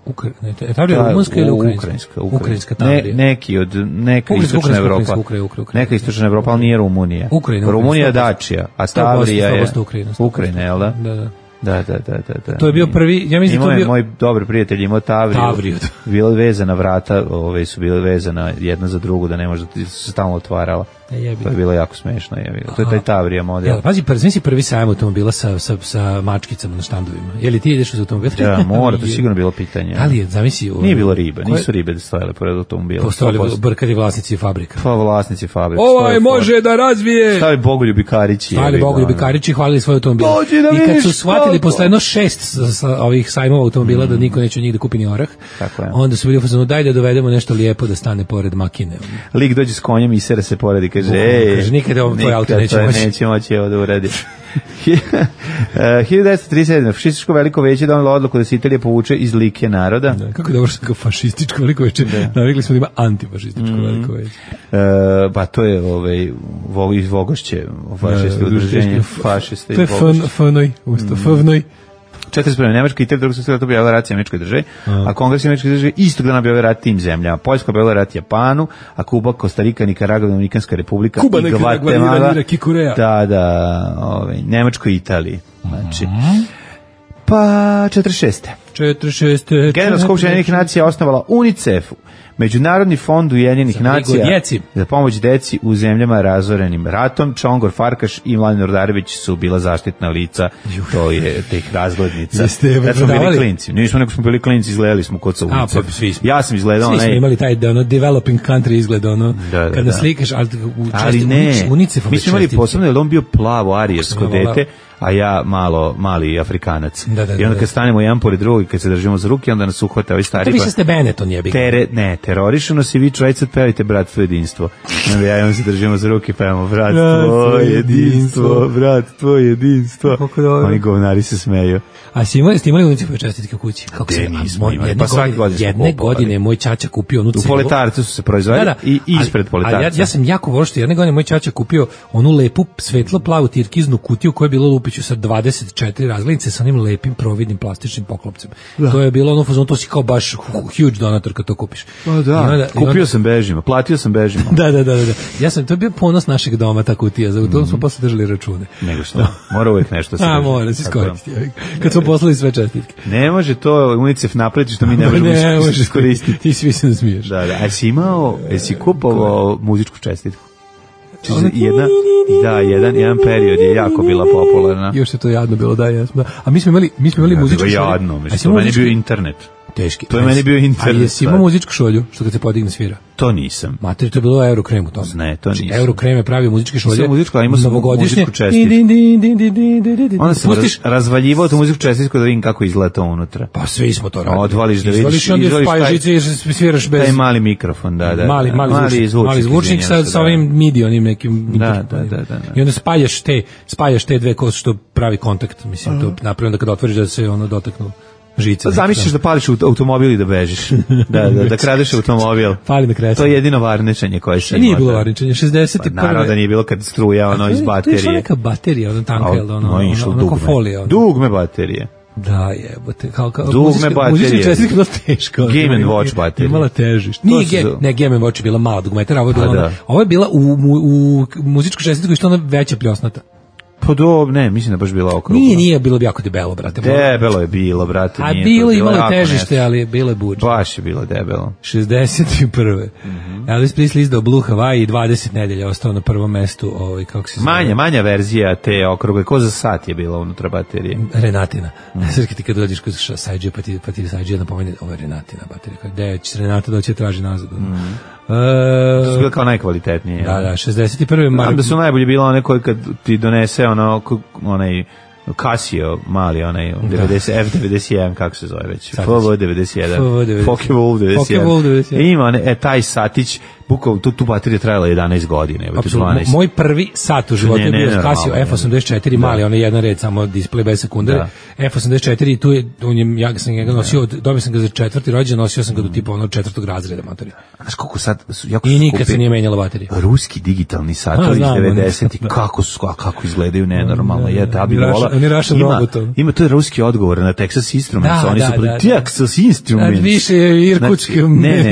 Ukra... ne, Tavrija je Ta- rumunska ili u- ukrajinska? Ukrajinska. Ukrajinska Ne, Tavrija. neki od, neka Ukrajinska, istočna ukrajinska, Evropa. ukrajinska, ukrajinska, ukrajinska. Neka istočna Evropa, ali nije Rumunija. Ukrajina, Rumunija je Ukrajina, Dacia, a sto posto, Tavrija je... sto posto Ukrajina, sto posto. Ukrajina, jel da? Da, da. Da, da, da, da, da. To je bio prvi, ja mislim da Imao to je bio... moj dobar prijatelj, imao Tavriju. Tavriju. Bila je vezana vrata, ove su bile vezana jedna za drugu, da ne može da se stalno otvarala. Da jebi. To je bilo jako smešno. Jebi. To je taj Tavrija model. Jel, pazi, prvi si prvi sajam automobila sa, sa, sa mačkicama na štandovima. Je li ti ideš uz automobil? Da, mora, to je sigurno bilo pitanje. Da li je, zamisli... Nije bilo ribe, koje- nisu ribe da stojale pored automobila. Postojali sto posto. brkati vlasnici fabrika. Pa vlasnici fabrike. Ovaj stoje može da razvije! Stavi Bogoljubi Karići. Stali Bogoljubi Karići hvalili svoj automobil. Dođi da I kad vidiš su shvatili koliko. posle jedno šest sa, sa ovih sajmova automobila da niko neće od njih da kupi ni orah, Tako je. onda su bili u fazonu, daj da dovedemo nešto lijepo da stane pored makine. Lik dođe s konjem i sere se pored i kaže, Bukvalno, ej, kaže, nikad ovo tvoj auto nikad neće to moći." neće moći ovo da uradi. hiljadu devetsto trideset sedme. Fašističko veliko veće donelo odluku da se Italija povuče iz Like naroda. Da, kako je dobro što kao fašističko veliko veće. Navikli smo da ima antifašističko veliko veće. E, pa to je ovaj, vo, iz Vogošće, fašisti udruženje, fašiste To je iz Vogošće. fnoj, usto, fnoj. četrdeset prve. Nemačka i Italija drugog svjetskog rata objavila rat američkoj državi, a Kongres američke države istog dana objavio rat tim zemljama. Poljska objavila rat Japanu, a Kuba, Kostarika, Nikaragva, Dominikanska republika Kuba, i Nikaragva, Gvatemala. Iran, Irak i Koreja. Da, da, ovaj, Nemačkoj i Italiji. Znači, pa četrdeset šeste. četiri šest Generalna skupština Ujedinjenih nacija osnovala UNICEF, Međunarodni fond Ujedinjenih Za brigu o nacija djeci. za pomoć deci u zemljama razorenim ratom. Čongor Farkaš i Mladen Ordarević su bila zaštitna lica, to je tih razglednica. Jeste je Kad smo bili prodavali? klinci. Nismo, nego smo bili klinci, izgledali smo kod sa A, UNICEF. pa svi smo. Ja sam izgledao Svi smo onaj... imali taj da ono developing country izgled ono Da, da, kada da. slikaš ali u Ali česti- ne, unic- unicefove mi smo imali čestice. posebno, jer on bio plavo arijersko Kako sam ja dete, a ja malo, mali Afrikanac. Da, da, I onda da. kad stanemo jedan pored drugog i kad se držimo za ruke, onda nas uhvata ovaj To stari... više ste Benetton jebi. Tere, ne, terorišu nas i vi čovjeca pevajte bratstvo jedinstvo. I onda ja i on se držimo za ruke i pevamo bratstvo Bratstvo, jedinstvo, jedinstvo. bratstvo jedinstvo. Kako dobro. Oni govnari se smeju. A si imali, ste imali unicefove čestitke u kući? Kako Gde se- a nismo moj- imali? jedne Pa svake godine- godine smo Jedne kupovali. godine je moj ćaća kupio onu U celu- Poletarcu su se proizvodili i ispred ali- Poletarca. ali Ja, ja sam jako volio što jedne godine moj ćaća kupio onu lepu svetlo plavu tirkiznu kutiju koja je bila lupiću sa dvadeset četiri razglednice sa onim lepim providnim plastičnim poklopcem. To je bilo ono fazon, to si kao baš huge donator kad to kupiš. Pa I da, onda- i kupio onda- sam bežima, platio sam bežima. Da, da, da, da, da. Ja sam, to je bio ponos našeg doma, ta kutija, za to smo posle držali račune. Nego što, mora uvijek nešto se A, drži. mora se Tako da. iskoristiti. Kad smo poslali sve čestitke. Ne može to UNICEF napraviti što mi ne možemo ne, is- možeš iskoristiti. Ti svi se ne smiješ. Da, da. A jesi imao, jesi kupovao muzičku čestitku? Čiže jedna, da, jedan, jedan period je jako bila popularna. Još je to jadno bilo, da, jesmo. Da. A mi smo imali, mi smo imali Ja, muzičku bilo šolju. jadno, A mislim, jesi to imao meni je muzičku- bio internet. Teški. To je meni bio internet, A jesi imao sad. muzičku šolju, što kad se podigne svira? To nisam. Mater, to je bilo Eurokrem u tome. Ne, to nisam. Eurokrem je pravio muzičke šolje. Nisam muzičku, ali imao sam novogodišnje. muzičku čestitku. Din, din, din, din, din, din, din. Onda sam Pustiš, raz, razvaljivao tu muzičku čestitku da vidim kako izgleda to unutra. pa svi smo to radili. Odvališ da vidiš- Izvališ i onda izvališ spajaš taj- žice i sviraš bez... Taj mali mikrofon, da, da. mali, da. mali, zvučnik, mali zvučnik sa, izvinjam se, sa da. ovim midi, onim nekim Da, mikrofonima. da, da, da, da. I onda spajaš te, spajaš te dve kose što pravi kontakt, mislim, to napravljeno da kad otvoriš da se ono dotaknu žice. Pa zamisliš da pališ u automobil i da bežiš. Da, da, da kradeš automobil. Pali na kresu. To je jedino varničenje koje se E, nije ima, bilo da. varničenje, šezdeset Pa, naravno da nije bilo kad struja ono iz To je išla baterije. neka baterija, ono tanka, jel da, ono, No, ono, išlo ono, ono, dugme. folija. Ono. Dugme baterije. Da, jebote, kao kao Dugme muzička- baterije. Muzička čestika je bila teška. ono, Game and ima- Watch baterije. Imala težište. Nije su ge, za- ne, Game and Watch je bila mala dugmetara, ovo je bila, Pa ona, da. ovo je bila u, u, u muzičku čestitku što ona veća pljosnata. Pa do, ne, mislim da je baš bila okrugla. Nije, nije bilo bi jako debelo, brate. Debelo je bilo, brate. A nije bilo to je imalo jako težište, nešto. ali bilo je budžet. Baš je bilo debelo. šezdeset prve. Mhm. Elvis Presley izdao Blue Hawaii i dvadeset nedelja ostao na prvom mestu, ovaj, kako se zove? Manja, manja verzija te okrugle, ko za sat je bila unutra baterije. Renatina. Mm. Srki ti kad dođeš kod Sajđe, pa ti, pa ti Sajđe napomeni, ovo je Renatina baterija. Gde će Renata doći traži nazad? Mm. Uh, to su bile kao najkvalitetnije. Da, da, šezdeset prve Znam da su najbolje bila one koje kad ti donese ono, onaj Casio mali, onaj devedeset, F devedeset jedan, kako se zove već, F V devedeset jedan, Focke-Wulf devedeset jedan. Ima, one, e, taj satić, bukao, tu, tu baterija trajala jedanaest godine. Apsolutno, moj prvi sat u životu je bio Casio F osamdeset četiri, da. Mali, onaj jedan red, samo display bez sekundare. Da. F osamdeset četiri, tu je, on je, ja sam ga nosio, dobio sam ga za četvrti rođendan, nosio sam ga do tipa ono četvrtog razreda motori. Znaš koliko sad, jako i nikad se nije menjala baterija. Ruski digitalni satovi iz devedesetih, kako su, kako izgledaju nenormalno, je, da bi vola. Ima, ima to je ruski odgovor na Texas Instruments, oni su proti Texas Instruments. Više irkutski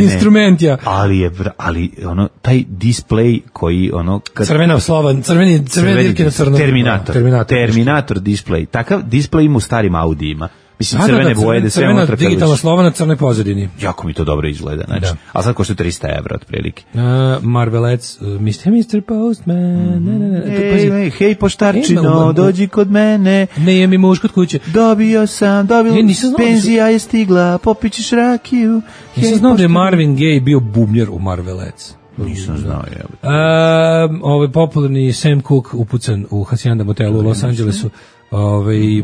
instrument, ja. Ali je, ali ono, taj display koji ono... Kad, crvena slova, crveni, crvene dirke na crno. Terminator, Terminator, Terminator display. Takav display ima u starim Audijima. Mislim, crvene da, boje, da sve crvena digitalna slova na crnoj pozadini. Jako mi to dobro izgleda, znači. Da. A sad košta trista evra otprilike. Uh, Marvelec, uh, mister mister Postman. Mm-hmm. Ne, ne, ne. Hej, hej, hej, poštarčino, dođi kod mene. Ne jem mi muž kod kuće. Dobio sam, dobio, ne, penzija je stigla, popićeš rakiju. Nisam znao da je Marvin Gaye bio bubnjar u Marvelec. Nisam znao, je. Uh, ovaj popularni Sam Cooke upucan u Hacienda motelu u Los Angelesu. Ove, e,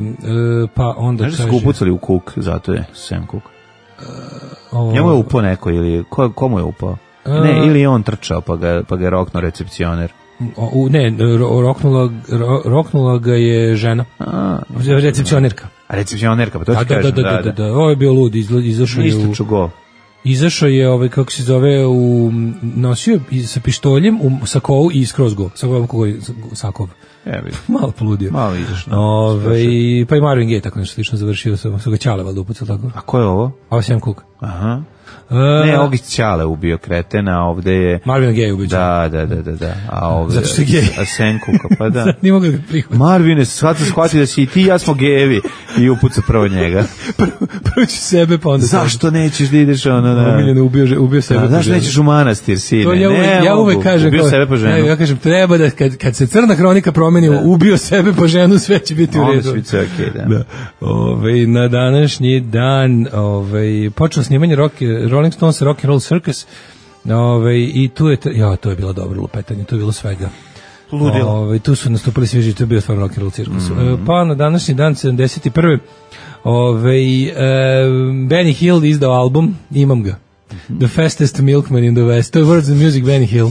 pa onda kaže... Znaš da su upucali u Cook, zato je Sam Cooke. Uh, Njemu je upao neko, ili ko, komu je upao? Uh, ne, ili je on trčao, pa ga, pa ga je roknuo recepcioner. U, ne, ro, roknula, ro, roknula ga je žena. A, recepcionerka. A recepcionerka, pa to ti da, kažem. Da, da, da, da, da. Ovo je bio lud, izašao je u... Isto go. Izašao je, ovaj, kako se zove, u, nosio sa pištoljem u sakovu i skroz go. Sakov, kogoj, sakov. Evi. Malo poludio. Malo izašno. Ove, pa i Marvin Gaye tako nešto slično završio, sam su ga Ćale valjda upucao tako. A ko je ovo? Ovo je Sam Cooke. Aha. Uh, ne, ovdje Ćale ubio kretena, ovde je... Marvin Gaye ubio. Da, da, da, da, da. A ovde... Zato što je gej. A Sam Cooke, pa da. Nije mogu da ga prihvati. Marvine, sad se shvati da si i ti i ja smo gejevi. I upuca prvo njega. prvo, prvo ću sebe, pa onda... Zašto nećeš da ideš ono... Da... Umiljeno, ubio, ubio sebe. Da, zašto nećeš u manastir, sine? To ja uvek, ne, ja uvek kažem... Ubio sebe po ženu. Ja, ja kažem, treba da, kad, kad se crna hronika promeni, da. Ubio sebe po ženu, sve će biti u redu. Ono će biti okej, da. da. Ove, na današnji dan ove, počelo snimanje rock, Rolling Stones Rock and Roll Circus. Ove, i tu je, ja, to je bilo dobro lupetanje, to je bilo svega. Ludilo. Ove, tu su nastupili svi živi, to je bio stvarno rock and roll cirkus. Mm-hmm. E, pa na današnji dan sedamdeset prve Ove, e, Benny Hill izdao album, imam ga. Mm-hmm. The Fastest Milkman in the West. To je Words and Music Benny Hill.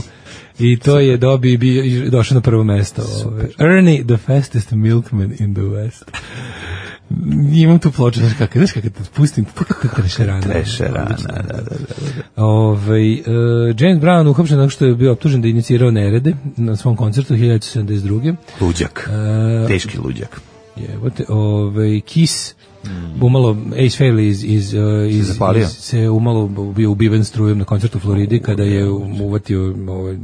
I to je dobi bi došao na prvo mesto. Ove. Ernie, The Fastest Milkman in the West. Imam tu ploču, znaš kako, znaš kako te pustim, trešerana. Trešerana, da, da, da. Ove, uh, James Brown uhapšen nakon što je bio optužen da inicirao nerede na svom koncertu hiljadu sedamdeset druge Luđak, uh, teški luđak. Jebote, ove, Kiss, mm. umalo, Ace Frehley iz, iz, iz, iz, iz, se umalo bio ubiven strujem na koncertu u Floridi kada je uvatio ovaj,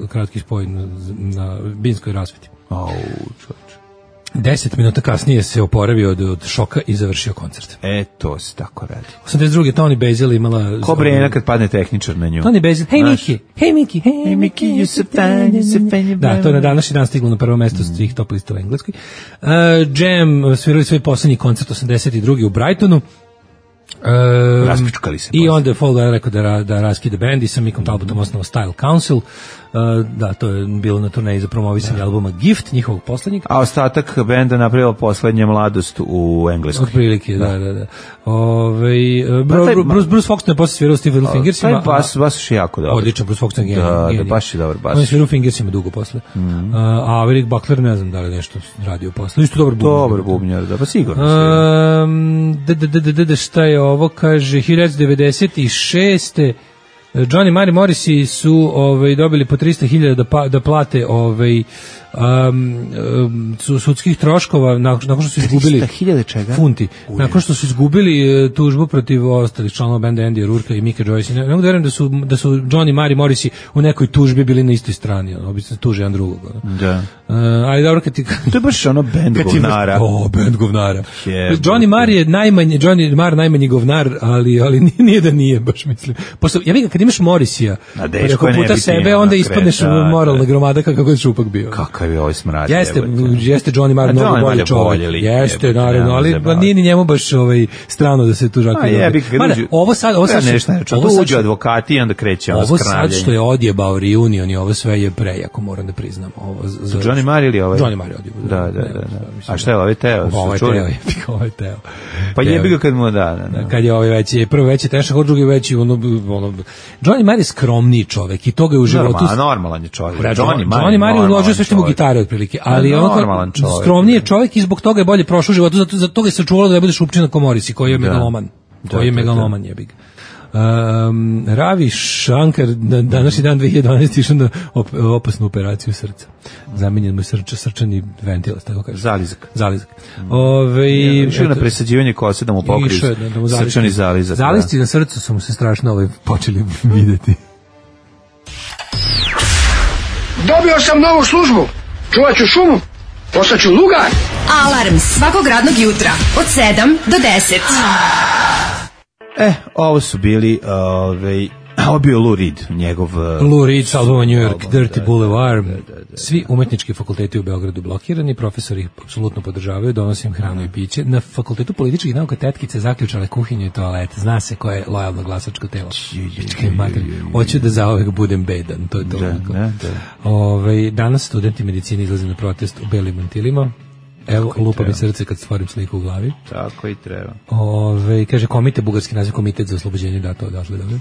kratki spoj na, na binskoj rasveti. Au, čoč. Deset minuta kasnije se oporavio od, od šoka i završio koncert. E, to se tako radi. osamdeset druge Toni Basil imala... Ko Brena kad padne tehničar na nju? Toni Basil, hej Miki, hej Miki, hej Miki, you so fine, you so fine. Da, to je na današnji dan stiglo na prvo mesto s svih top lista u Engleskoj. Uh, Jam svirali svoj poslednji koncert osamdeset druge u Brightonu. Um, Raspičkali se. I onda je Fall Guy rekao da, da raskide band i sa Mickom Talbotom osnovao Style Council. Uh, da, to je bilo na turneji za promovisanje albuma Gift, njihovog poslednjeg. A ostatak benda napravila poslednja mladost u Engleskoj. Od prilike, da, da, da. Ove, Bruce, Bruce, Bruce Foxton je posle svirao s Little Fingersima. Taj bas, bas je jako dobar. Odličan, Bruce Foxton je da, genij. Da, baš je dobar bas. On je svirao Fingersima dugo posle. Mm-hmm. A Eric Buckler, ne znam da li nešto radio posle. Isto dobar bubnjar. Dobar bubnjar, da, pa sigurno. Um, da, da, da, da, šta je ovo, kaže, hiljadu devedeset šeste Johnny Mari Morrissey su ovaj, dobili po trista hiljada da, pa, da plate ovaj, um, um, su- sudskih troškova nakon, nakon što su izgubili hiljada čega? funti. Nakon što su izgubili uh, tužbu protiv ostalih članova benda Andy Rourke i Mika Joyce. Ne, ne mogu da verujem da su, da su Johnny, Marr i Morrissey u nekoj tužbi bili na istoj strani. Ono, obično se tuže jedan drugog. Ono. Da. Uh, ali dobro kad ti... To je baš ono band kad ti- govnara. O, band govnara. Jebote. Johnny Marr je najmanje, Johnny Marr najmanji govnar, ali, ali nije, nije da nije, baš mislim. Pošto, ja bih kad imaš Morrisija, A dečko preko je puta nebitnije, sebe, ono, onda kre- ispadneš da, moralna da. gromada kakav je šupak bio. Kakav je ovaj smrad. Jeste, jebote. jeste Johnny Marr A mnogo Johnny Marr bolji je čovjek. bolji lik, Jeste, jebote, naravno, nema ali zajebavati. nije ni njemu baš ovaj strano da se tu žako. A jebi, kad Mada, uđu- ovo sad, ovo sad, Ja nešto ne ovo ovo sad uđu što- advokati i onda kreće ono ovo sad skravljenje. što je odjebao reunion i ovo sve je prejako, moram da priznam. Ovo za Johnny Marr ili ovaj? Johnny Marr je odjebao. Da, da, da. da. A šta je ovaj Teo? Ovo je Čuli? Teo, jebi ga, ovo je Teo. Pa Teo. jebi ga kad mu da, da, da. Kad je ovaj veći, prvo veći tešak, od drugi veći ono, ono Johnny Marr je skromniji čovek i to ga je u životu. Normal, normalan je čovjek. Johnny, Johnny Marr Johnny Marr je normalan uložio sve što mu čovjek. gitare otprilike, ali Da, ono normalan čovjek. skromniji je čovjek i zbog toga je bolje prošao u životu, zato zato toga je sačuvalo da ne bude šupčina ko Morrissey, koji je Da. megaloman. Da, Koji je da, megaloman jebi ga. Um, Ravi Shankar na današnji dan dve hiljade dvanaeste išao na op, opasnu operaciju srca. Zamenjen mu je srč, srčani ventil, tako kaže. Zalizak. Zalizak. Ove, Išao je na presađivanje kose da mu pokriju Išao je da- da mu zalisti- srčani zalizak. da. Zalisti na srcu su mu se strašno ovaj, počeli videti. Dobio sam novu službu. Čuvat ću šumu. Postaću lugar. Alarm svakog radnog jutra od sedam do deset. E, ovo su bili, ovaj, ovo je bio Lou Reed, njegov... Lou Reed, s albuma New York, album, Dirty da, Boulevard. da, da, da. Svi umetnički fakulteti u Beogradu blokirani, profesori ih apsolutno podržavaju, donosi im hranu i piće. Na fakultetu političkih nauka tetkice zaključale kuhinju i toalet. Zna se ko je lojalno glasačko telo. Pičke mater. Hoću da zaovek budem bedan, to je to. Da, da, da. Ovaj, danas studenti medicine izlaze na protest u belim mantilima. Evo, lupa mi srce kad stvorim sliku u glavi. Tako i treba. Ove, kaže, komite, bugarski naziv komitet za oslobođenje, da, to odatle, dobro.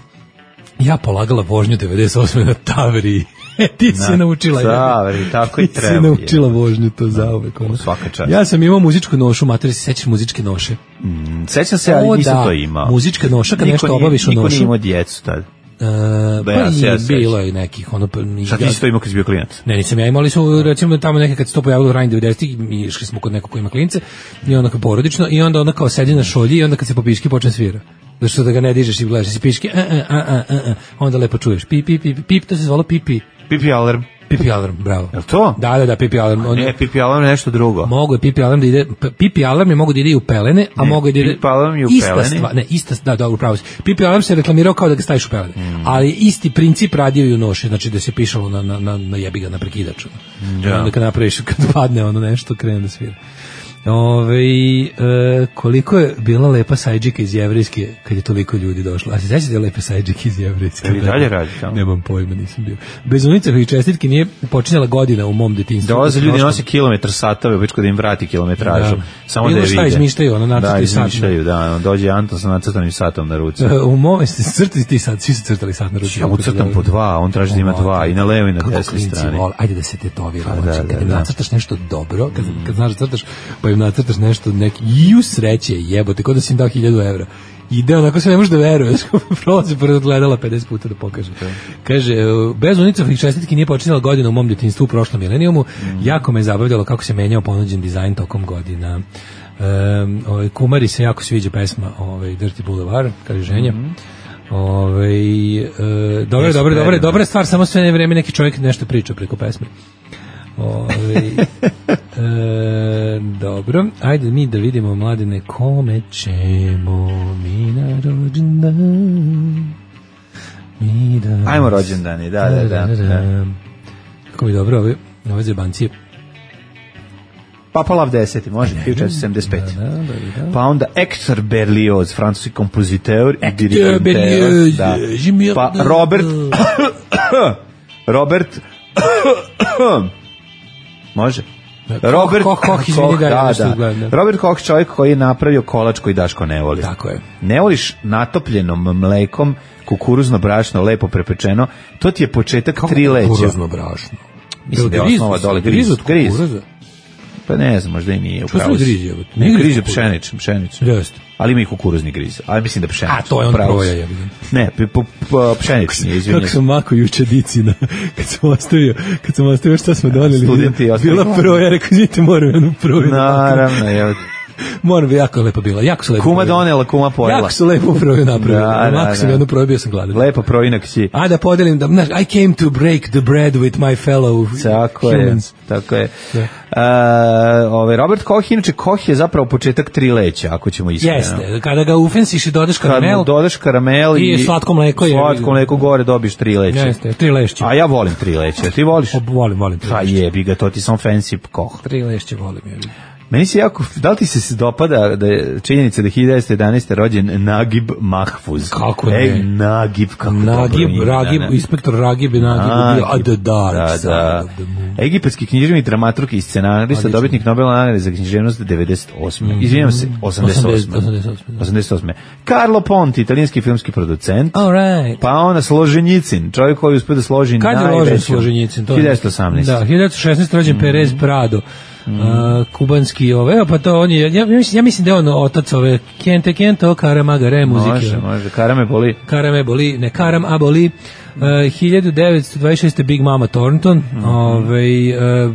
Ja polagala vožnju devedeset osme na Tavriji. E, ti si Na naučila. Tavriji, tako i Ti si treba, naučila vožnju, to zauvek. ono. Svaka čast. Ja sam imao muzičku nošu, mater, se sećaš muzičke noše? Mm, sećam se, ali O, nisam da, to imao. muzička noša, kad Niko nešto nije- obaviš u Niko nošu. nije imao djecu tad. E, Da, pa ja se- i ja se bilo sećam. je nekih, ono, pa, Šta ti si to imao kad si bio klinac? Ne, nisam ja imao, ali su recimo tamo neke kad se to pojavilo u ranim devedesetih, mi išli smo kod nekog ko ima klince i onda kao porodično i onda ona kao sedi na šolji i onda kad se po piški počne svira. Zato što da ga ne dižeš i gledaš si piški, a, a, a, a, a, onda lepo čuješ pip, pip, pip, pip, to se zvalo pipi. Pipi alarm. Pipi alarm, bravo. Jel to? Da, da, da, pipi alarm. On, Ne, pipi alarm je nešto drugo. mogu je pipi alarm da ide, p- pipi alarm je mogu da ide i u pelene, a Ne, mogu da ide... pipi alarm je u ista pelene. Stvar, ne, ista, da, dobro, pravo si. Pipi alarm se reklamirao kao da ga staviš u pelene, Mm. ali isti princip radio i u noši, znači da se pišalo na, na, na, na jebiga, na prekidaču. Da. I onda kad napraviš, kad padne ono nešto, krene da svira. Ove, e, koliko je bila lepa sajđika iz Jevrejske kad je toliko ljudi došlo. A se sećate da je lepa sajđika iz Jevrejske? Jel i dalje radi tamo? Nemam pojma, nisam bio. Bez unicah i čestitke nije počinjala godina u mom detinjstvu. Dolaze ljudi, Prošlom- nose kilometar satove, već kod im vrati kilometražu. Da. Samo Bilo da je šta vide. izmišljaju, ono, nacrtani Da, sat. izmišljaju, da. ono, Dođe Anton sa nacrtanim satom na ruci. U mom, jeste crtali ti sad, svi su crtali sad na ruci. Ja mu crtam po dva, on traži da ima dva, i na levoj i na Kako desnoj klinci strani. vole, ajde da se tetovira. Pa Znači, da, da, kad im da. nacrtaš nešto dobro, kad, kad znaš da crtaš, pa im nacrtaš nešto, neki, ju sreće, jebote, kod da si im dao hiljadu evra. Ide onako se ne može da veruje, prolazi pored odgledala pedeset puta da pokaže. Kaže, bez unicovih čestitki nije počinjala godina u mom djetinjstvu u prošlom milenijumu, jako me je zabavljalo kako se menjao ponuđen dizajn tokom godina. Um, ovaj, Kumari se jako sviđa pesma ovaj, Dirty Boulevard, kaže ženja. Ovaj e, dobro, Jeste dobro, dobro, predivno. dobra stvar, samo sve ne vreme neki čovjek nešto priča preko pesme. Ovaj e, dobro, ajde mi da vidimo, mladine, kome ćemo mi na rođendan. Mi da... Ajmo rođendani, da, da, da. da. Kako mi dobro ove, ove zebancije. Papa Lav deseti, može, hiljadu četiristo sedamdeset pet. Da, da, da, da. Pa onda Hector Berlioz, francuski kompoziteur i Hector dirigent. Berlioz, Da. Jimmy- Pa Robert Robert može? Robert Koch, Koch, izvini, Koch, da, ja da, nešto da. gledam, da. Robert Koch, čovjek koji je napravio kolač koji Daško ne voli. Tako je. Ne voliš natopljenom mlekom, kukuruzno brašno, lepo prepečeno, to ti je početak tri leća. Kukuruzno brašno. Mislim da je Grizu osnova se, dole grizu griz. od Griz. kukuruza. Pa ne znam, možda i nije. Što su griz je? Ne, griz je pšeničan, pšeničan. Jeste. Ali ima i kukuruzni griz. Ali mislim da pšeničan. A to je on proja, ja vidim. Ne, pšenični je, izvinjam. Kako sam mako juče dicina, kad sam ostavio, kad sam ostavio šta smo doneli. Studenti ostavili. Bila proja, rekao, znite, moram jednu proju. Naravno, ja. Moram bi, jako lepo bila, jako su lepo. Kuma donela, kuma pojela. Jako su lepo proju napravili. Da, da, Mako sam da. jednu proju, bio sam gladan. Lepo projinak si. A da podelim, da, znaš, I came to break the bread with my fellow tako humans. Je, tako je. Da. Uh, ovaj Robert Koch, inače Koch je zapravo početak tri leća, ako ćemo iskreno. Jeste, kada ga ufensiš i dodaš Kad karamel. mu dodaš karamel i, i slatko mleko. Je, slatko mleko gore dobiš tri leća. Jeste, tri lešće. A ja volim tri leća, ti voliš? O, volim, volim tri Pa lešće. jebi ga, to ti sam fancy Koch. Tri lešće volim, je. Meni se jako, da li ti se dopada da je činjenica da je hiljadu devetsto jedanaeste. rođen Nagib Mahfuz? Kako ne? Ej, Nagib, kako Nagib, dobro ime, Ragib, da, ne? inspektor Ragib i Nagib je bio a the dark da, side da. of the moon. Egipatski književnik, dramaturg i scenarista, dobitnik Nobelove nagrade za književnost devedeset osme. Mm-hmm. Izvinjam se, osamdeset osme. osamdeset osme, da. osamdeset osme. Carlo Ponti, italijanski filmski producent. All right. Pa ona Složenjicin, čovjek koji uspio da složi Kad je najveću. rođen Složenjicin? hiljadu devetsto osamnaeste. Da, hiljadu devetsto šesnaeste. rođen mm. Perez Prado. Mm. Uh, kubanski ove, evo pa to on je, ja, ja, mislim, ja mislim da je on otac ove Kente Kento, Karamagare muzike. Može, može, Karame boli. Karame boli, ne Karam, a boli. Uh, hiljadu devetsto dvadeset šeste. Big Mama Thornton, mm-hmm. ovaj, uh,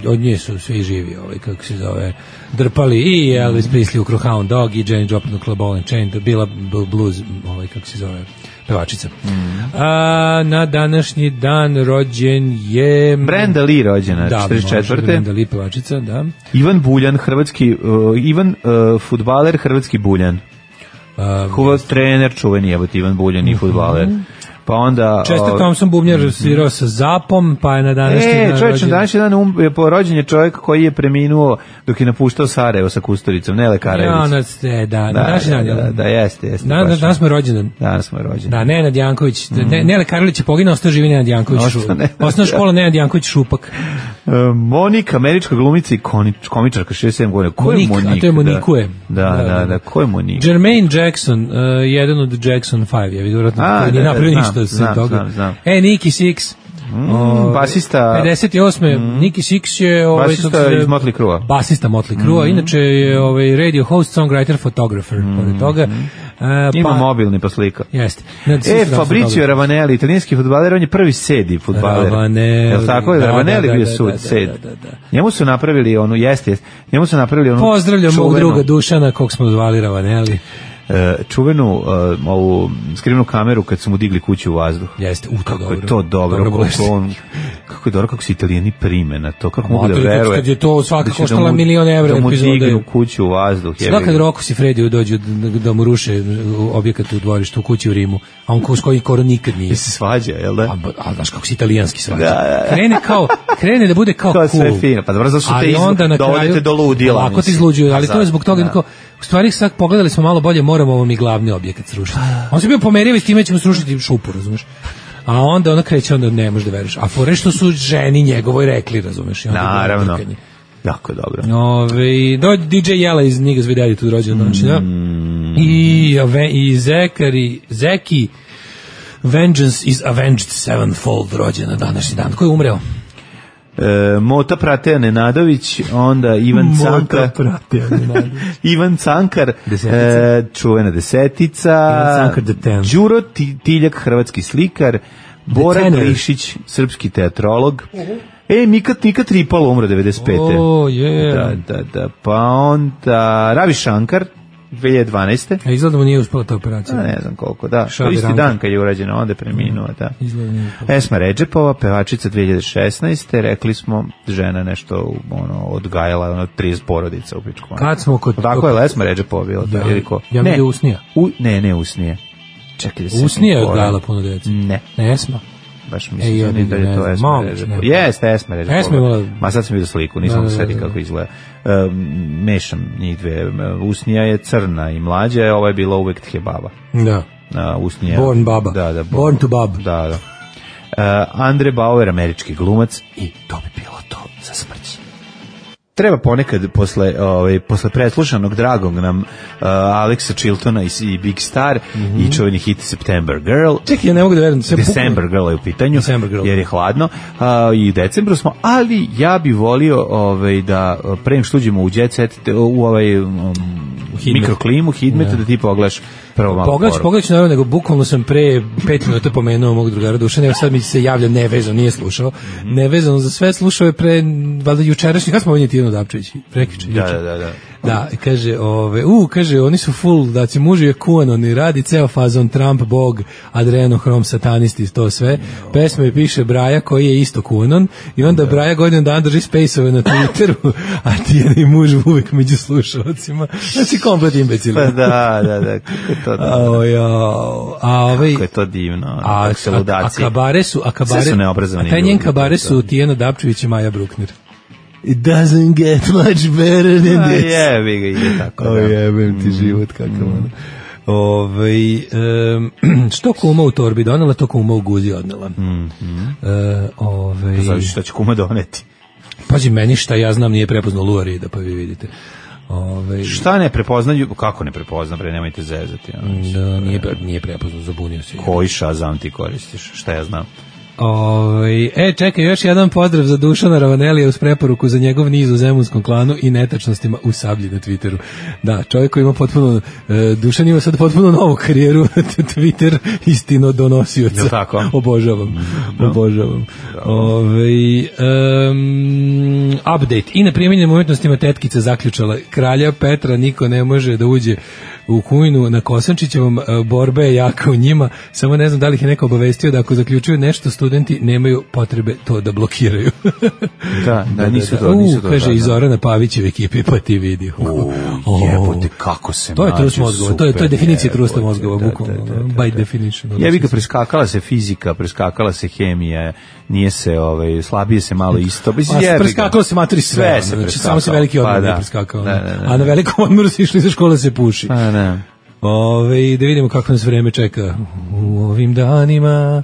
od nje su svi živi, ovaj, kako se zove, drpali i Elvis Presley u Crowhound Dog i Janis Joplin u Club Ball and Chain, bila blues, ovaj, kako se zove, pevačica. Mm. A, na današnji dan rođen je... Brenda Lee rođena, da, četrdeset četvrte. Brenda Lee pevačica, da. Ivan Buljan, hrvatski, uh, Ivan uh, fudbaler, hrvatski Buljan. Um, Kuvac trener, čuveni jebot Ivan Buljan i fudbaler. Pa onda... Chester Thompson bubnjar mm-hmm. svirao sa Zapom, pa je na današnji e, dan čovječ, na današnji dan um, je po rođen je čovjek koji je preminuo dok je napuštao Sarajevo sa Kusturicom, Nele Karajević. Ja, na, da, da, današnji dan. Da, da, da, jeste, jeste. Da, da, danas smo rođendan. Danas smo rođendan. Da, Nenad Janković, mm. ne, Nele Karolić je poginuo, ostao živi Nenad Janković. Osnovna škola Nenad Janković Šupak. Uh, Monika, američka glumica i konič, komičarka, šezdeset sedam godina. Ko je Monik, Monika? A to je Monikue. Da, da, da, da, ko je Monika? Jermaine Jackson, uh, jedan od Jackson pet, je vidio vratno, koji nije napravio ništa se toga. Znam, znam. E, Nicky Six. Mm, o, basista pedeset osme. Mm, Nicky Six je ovaj, basista iz Motley Crue. Basista Motley Crue, mm. inače je ovaj radio host, songwriter, photographer, mm. pored toga. Uh, Ima pa, mobilni pa slika. Jeste. E, Fabrizio Ravanelli, italijanski fudbaler, on je prvi sedi fudbaler. Ravanelli. Jel tako je? Da, Ravanelli da, bio da, sud, da, sed. da, da, da. Njemu su napravili onu, jeste, jeste. Njemu su napravili onu Pozdravljam mog druga Dušana, kog smo zvali Ravanelli. čuvenu uh, ovu skrivnu kameru kad su mu digli kuću u vazduh. Jeste, u to kako dobro. je to dobro, dobro kako, on, kako je dobro kako se Italijani prime na to, kako mogu da to, veruje. Kad je to svaka da koštala da mu, milion evra da mu epizode. dignu kuću u vazduh. Sada kad Rocco Siffredi dođu da, da mu ruše objekat u dvorištu u kući u Rimu, a on s koji koro nikad nije. I se svađa, jel da? A, a znaš kako se italijanski svađa. Da, da, da. Krene kao, krene da bude kao to cool. Sve fino, pa dobro, zašto te izlu, onda na dovodite do ludila. Lako ti izluđuju, ali to je zbog toga, da. U stvari sad pogledali smo malo bolje, moramo ovo mi glavni objekat srušiti. On se bio pomerivo i s time ćemo srušiti šupu, razumeš? A onda ona kreće, onda ne možeš da veriš. A fore što su ženi njegovoj rekli, razumeš? Naravno. Jako dobro. Ove, do D J Jela iz Niggas with Attitude rođen mm. znači, da? I, i Zekari, Zeki Vengeance is Avenged Sevenfold rođen na današnji dan. Ko je umreo? E, Mota Prateja Nenadović, onda Ivan Cankar. Ivan Cankar, e, čuvena desetica. Ivan Cankar the ten. Đuro Tiljak, hrvatski slikar. Bora Glišić, srpski teatrolog. Uh-huh. E, Mika, Mika Tripalo umro devedeset pete. Oh, yeah. Da, da, da. Pa onda Ravi Shankar, dve hiljade dvanaeste. A izgleda mu nije uspela ta operacija. A ne znam koliko, da. Šabi isti Ranka. dan kad je urađeno, onda je preminuo, da. Izgleda nije uspela. Esma Redžepova, pevačica dve hiljade šesnaeste. Rekli smo, žena nešto ono, odgajala, ono, trideset porodica u pičku. Kad smo kod... Tako je Esma Redžepova bila. Ja, ili ko? ja mi je Usnija. U, ne, ne Usnija. Čekaj da se... Usnija je odgajala puno djece. Ne. Ne, Esma. Baš mislim e, ja, da je to Esma Redžepova. Jeste, Esma Redžepova. Esma imala... Ma sad sam vidio sliku, nisam da sedi kako izgleda. Um, mešam njih dve. Usnija je crna i mlađa, a ova je bila uvek Tjebaba. Da. Uh, Usnija... Born baba. Da, da. Born, born to bab. Da, da. Uh, Andre Bauer, američki glumac, i to bi bilo to za smrć. treba ponekad posle, ovaj, posle preslušanog dragog nam uh, Alexa Chiltona i, i Big Star mm-hmm. i čuveni hit September Girl. Čekaj, ja ne mogu da verujem. December Girl je u pitanju, jer je hladno uh, i u decembru smo, ali ja bi volio ovaj, da pre nego što uđemo u jet set, u ovaj um, mikroklimu, hidmet, ja. Da ti pogledaš prvo malo Pogledać, pogledać naravno, nego bukvalno sam pre pet minuta pomenuo mog drugara Dušana, evo sad mi se javlja nevezano, nije slušao, mm-hmm. nevezano za sve, slušao je pre, valjda jučerašnji, kada smo ovdje Tijeno Dapčević, prekriče, da, da, da, da. Da, kaže, ove, u, kaže, oni su full, da će muži je kuanon i radi ceo fazon Trump, Bog, Adrenohrom, satanisti, to sve. Pesma je piše Braja koji je isto kuanon i onda da. Braja godinu dan drži space-ove na Twitteru, a Tijena i muž uvek među slušalcima. Znači, komplet imbecili. Pa da, da, da, kako je to divno. A, ja, a, ove, kako je to divno. A, a, a kabare su, a kabare, sve su neobrazovani. A taj njen kabare su Tijena Dapčević i Maja Bruckner. It doesn't get much better than this. Jebi ga, ide tako. O jebem ti život, kakav ono. Ove, um, što kuma u torbi donela, to kuma u guzi odnela. Mm, mm. Uh, ove, Znači šta će kuma doneti? Pazi, meni šta ja znam nije prepoznao Luarida, pa vi vidite. Ove, šta ne prepoznaju, kako ne prepozna, pre nemojte zezati. Da, nije, nije prepoznao, zabunio se. Koji Shazam ti koristiš, šta ja znam? Ove, e, čekaj, još jedan pozdrav za Dušana Ravanelija uz preporuku za njegov niz u Zemunskom klanu i netačnostima u Sablji na Twitteru. Da, čovjek koji ima potpuno, e, Dušan ima sad potpuno novu karijeru, Twitter istino donosioca. Tako? Obožavam, no. obožavam. Ove, um, update. I na primjenjenim umjetnostima tetkica zaključala kralja Petra niko ne može da uđe u Kujnu na Kosančićevom, borba je jaka u njima, samo ne znam da li ih je neko obavestio da ako zaključuju nešto studenti nemaju potrebe to da blokiraju. da, da, nisu to, nisu to. U, kaže i Zorana Pavićev ekipi, pa ti vidi. U, jebote, kako se to je trust mozgova, to je, to je definicija trusta mozgova, bukvalno, by definition. Ja bih ga preskakala se fizika, preskakala se hemija, nije se, ovaj, slabije se malo isto. Pa preskakalo se materi sve, sve znači, samo se veliki odmor pa, nije preskakao. Da, da, da, a na velikom odmoru se išli za škole se puši. Pa, da. Ove, da vidimo kako nas vreme čeka u ovim danima.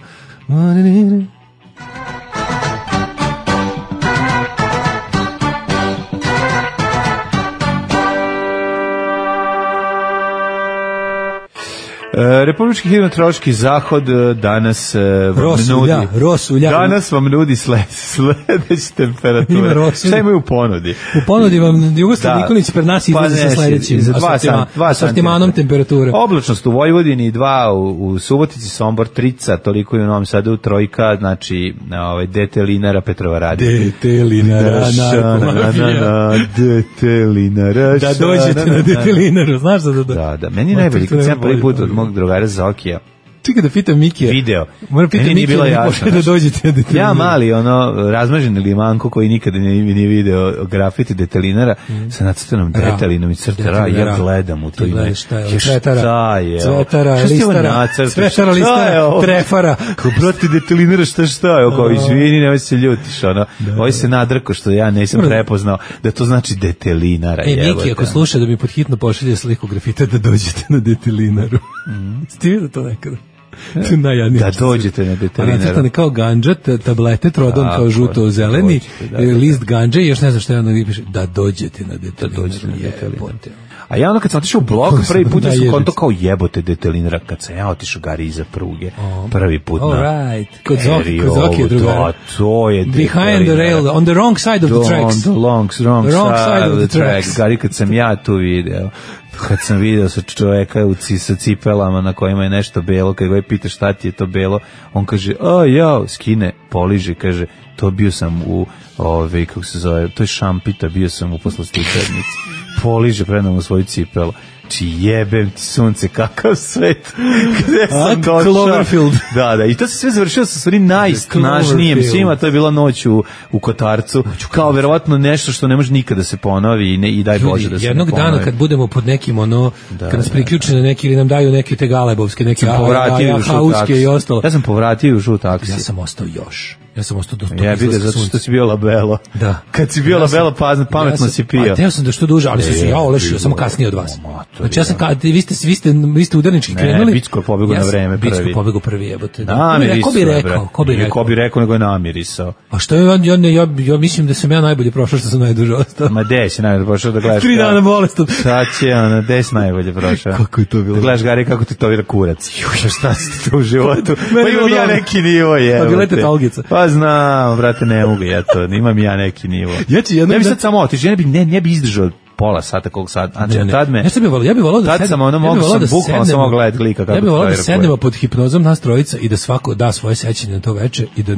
Republički hidrometeorološki zahod danas Rosulja, nudi Rosulja. Danas vam nudi sled, sledeće temperature. Šta imaju u ponudi? U ponudi vam Jugoslav Nikolić pred nas izlazi sa sledećim za dva asortima, asortimanom temperature. Oblačnost u Vojvodini, dva u, u Subotici, Sombor, trica, toliko i u Novom Sadu, trojka, znači ovaj detelinara Petrovaradina. Detelinara, narkomafija. Detelinara. Da dođete na detelinaru, znaš da da. Da, da, meni najbolji kad sam prvi put od mog drugara Zokija. Čekaj da pitam Mikija. Video. Moram pitati Mikija da jasno, da dođete na detelinara. Ja mali, ono, razmaženi limanko koji nikada nije, nije video grafiti detelinara, mm. sa nacrtanom detelinom i crtara, ja gledam u to ime. Šta je? Cvetara, je cvetara, listara, cvetara, listara, trefara. Kao, brate, detelinara, šta šta je? Kao, izvini, nemoj se ljutiš, ono. Ovo se nadrko što ja nisam prepoznao da to znači detelinara. E, Miki, ako sluša da mi pod hitno pošalje sliku grafita da dođete na detelinaru. Ste vidio to nekada? Da dođete na detelinaru. Nacrtane kao ganđa, tablete, trodon kao žuto-zeleni, list ganđa i još ne znam šta je ono piše, da dođete na detelinaru. A ja ono kad sam otišao u blog, prvi put da sam konto kao jebote detelinara, kad sam ja otišao gari iza pruge, prvi put na... All right, kod Zoki, kod Zoki je drugara. Da, to je behind the rail, on the wrong side of the tracks. On the long, wrong, wrong side of the tracks. Gari kad sam ja tu video, kad sam video sa čoveka u ci, sa cipelama na kojima je nešto belo, kad ga je pita šta ti je to belo, on kaže, a ja, skine, poliže, kaže, to bio sam u, ove, kako se zove, to je šampita, bio sam u poslastičarnici. Poliže predam u svoju cipelu. Či jebem ti sunce, kakav svet. Gde sam došao? Cloverfield. Da, da, i to se sve završilo sa stvari najsnažnijem svima, to je bila noć u, u Kotarcu, kao verovatno nešto što ne može nikada se ponovi i, ne, i daj Bože da se jednog ne ponovi. Dana kad budemo pod nekim ono, da, kad nas priključe na neki ili nam daju neke te galebovske, neke hauske i ostalo. Ja sam povratio u žut taksi. Ja sam ostao još. Ja sam ostao do ja vidim zato što si bio labelo. Da. Kad si bio ja labelo, pametno ja si pio. A teo sam da što duže, ali se ja olešio, samo kasnije od vas. Znači ja sam kad vi ste vi ste vi ste udarnički Ne, krenuli. Bicko je pobegao ja na sam- vreme prvi. Bicko je pobegao prvi, jebote. Da. Namirisao. Ko bi je, rekao? brate. Ko bi Ili rekao? Ko bi rekao, nego je namirisao. A što je on, ja, ne, ja, ja mislim da sam ja najbolje prošao, što sam najduže ostao. Ma gde si najbolje prošao da gledaš? Tri kako- dana bolestan. Sad će, ono, gde si najbolje prošao? Kako je to bilo? Da gledaš, Gari, kako ti to vira kurac. Juša, šta si ti to u životu? Meni Pa je imam bilo ja dobro. neki nivo, je. Pa bila je tetalgica. Pa znam, brate, ne mogu ja to. Imam ja neki nivo. Ja ću jednom Ne bi da- sad samo otišao, ja ne bi, ne, ne bi izdržao pola sata, koliko sad. Znači, Ne, ne. tad me... Ja sam bi volao, ja bih volao da Tad sednem- sam ono ja bih mogu volao sam da bukvalno sednemo- samo gledati lika kako Ja bih volao da to vira sednemo pod hipnozom nas trojica i da svako da svoje sećanje na to veče i da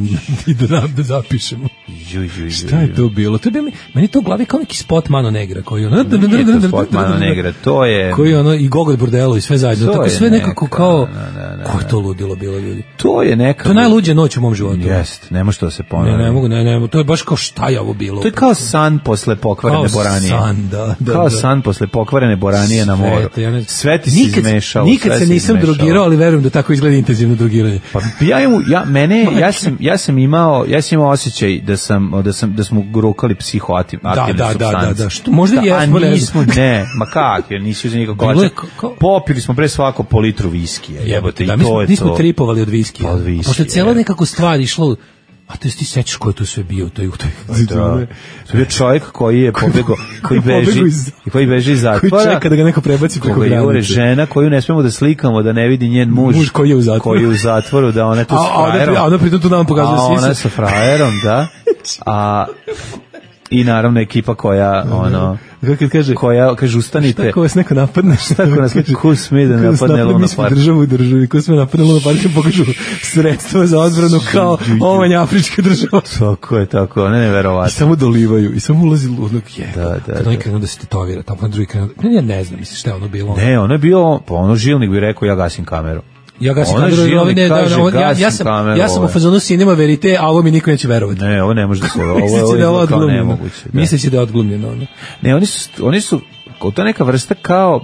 i da nam da zapišemo. Ju, ju, ju, Šta je to bilo? To je bilo mi, meni je to u glavi kao neki spot Mano Negra koji ono Nije to spot Mano Negra, to je... koji ono i Gogol Bordelo i sve zajedno, To tako je sve nekako neka, kao da, da, da, ko je to ludilo bilo, ljudi. To je neka... To je najluđa noć u mom životu. Jest, ne može to da se Ne, ponovi. ne mogu, ne, ne, to je baš kao šta je ovo bilo. To je kao san posle pokvarene Kao boranije. san, da, da, Kao da. san posle pokvarene boranije na moru. Sve, ja ne- Sve ti se nikad, izmešalo. Nikad sve se se nisam izmešalo. drogirao, ali verujem da tako izgleda intenzivno drogiranje. Pa ja imam, ja mene ja sam ja sam imao ja sam imao osjećaj da sam da sam da smo grukali psihoaktivne Da, da, da, supstance. da, da, što možda i a jesmo, ne nismo, znam. ne, ma kak, jer nisi uzeo nikako. Bilo je kolača. kao- Popili smo pre svako po litru viskija. Jebote, da, i mi to smo, je mi smo to. tripovali od viskija. Pa od viskija, Pošto je cijela je. nekako stvar išla u- a to ti sećaš ko je to sve bio u toj u toj. Da. To je bio čovjek koji je pobegao, koji koji beži, pobegao iz- koji beži iz Koji zatvora. čeka da ga neko prebaci preko Koga jure granice. žena koju ne smemo da slikamo da ne vidi njen muž, Muž koji je u zatvoru. koji je u zatvoru, da ona je tu A, s a ona, frajerom. a ona pritom tu nam pokazuje A ona sise. je sa frajerom, da. A i naravno ekipa koja ono Kako kad kaže, koja kaže ustanite. šta ko vas neko napadne? Šta ko nas- ko sme da napadne Luna Mi smo Park? državu u državi, ko sme napadne Luna Park i pokažu sredstva za odbranu kao ovanj afrička država. Tako je, tako, ne I neverovatno. samo dolivaju, i samo ulazi ludak, je. Da, da, Kad da. oni krenu da se tetovira, tamo na drugi krenu, ne, ja ne znam, mislim šta je ono bilo. Ne, ono je bio, pa ono žilnik bi rekao ja gasim kameru. Ja gasim Ona kameru, žilnik ovi ne, da, kaže, da, on- ja, ja gasim sam, kameru, ja sam u ovo je. fazonu cinema verite, a ovo mi niko neće verovati. Ne, ovo ne može da se, ovo, ovo, Misleći ovo da je ovo je kao odglumljeno. nemoguće. Da. Misleći da je odglumljeno. Ono. Ne, oni su, oni su, to je neka vrsta kao,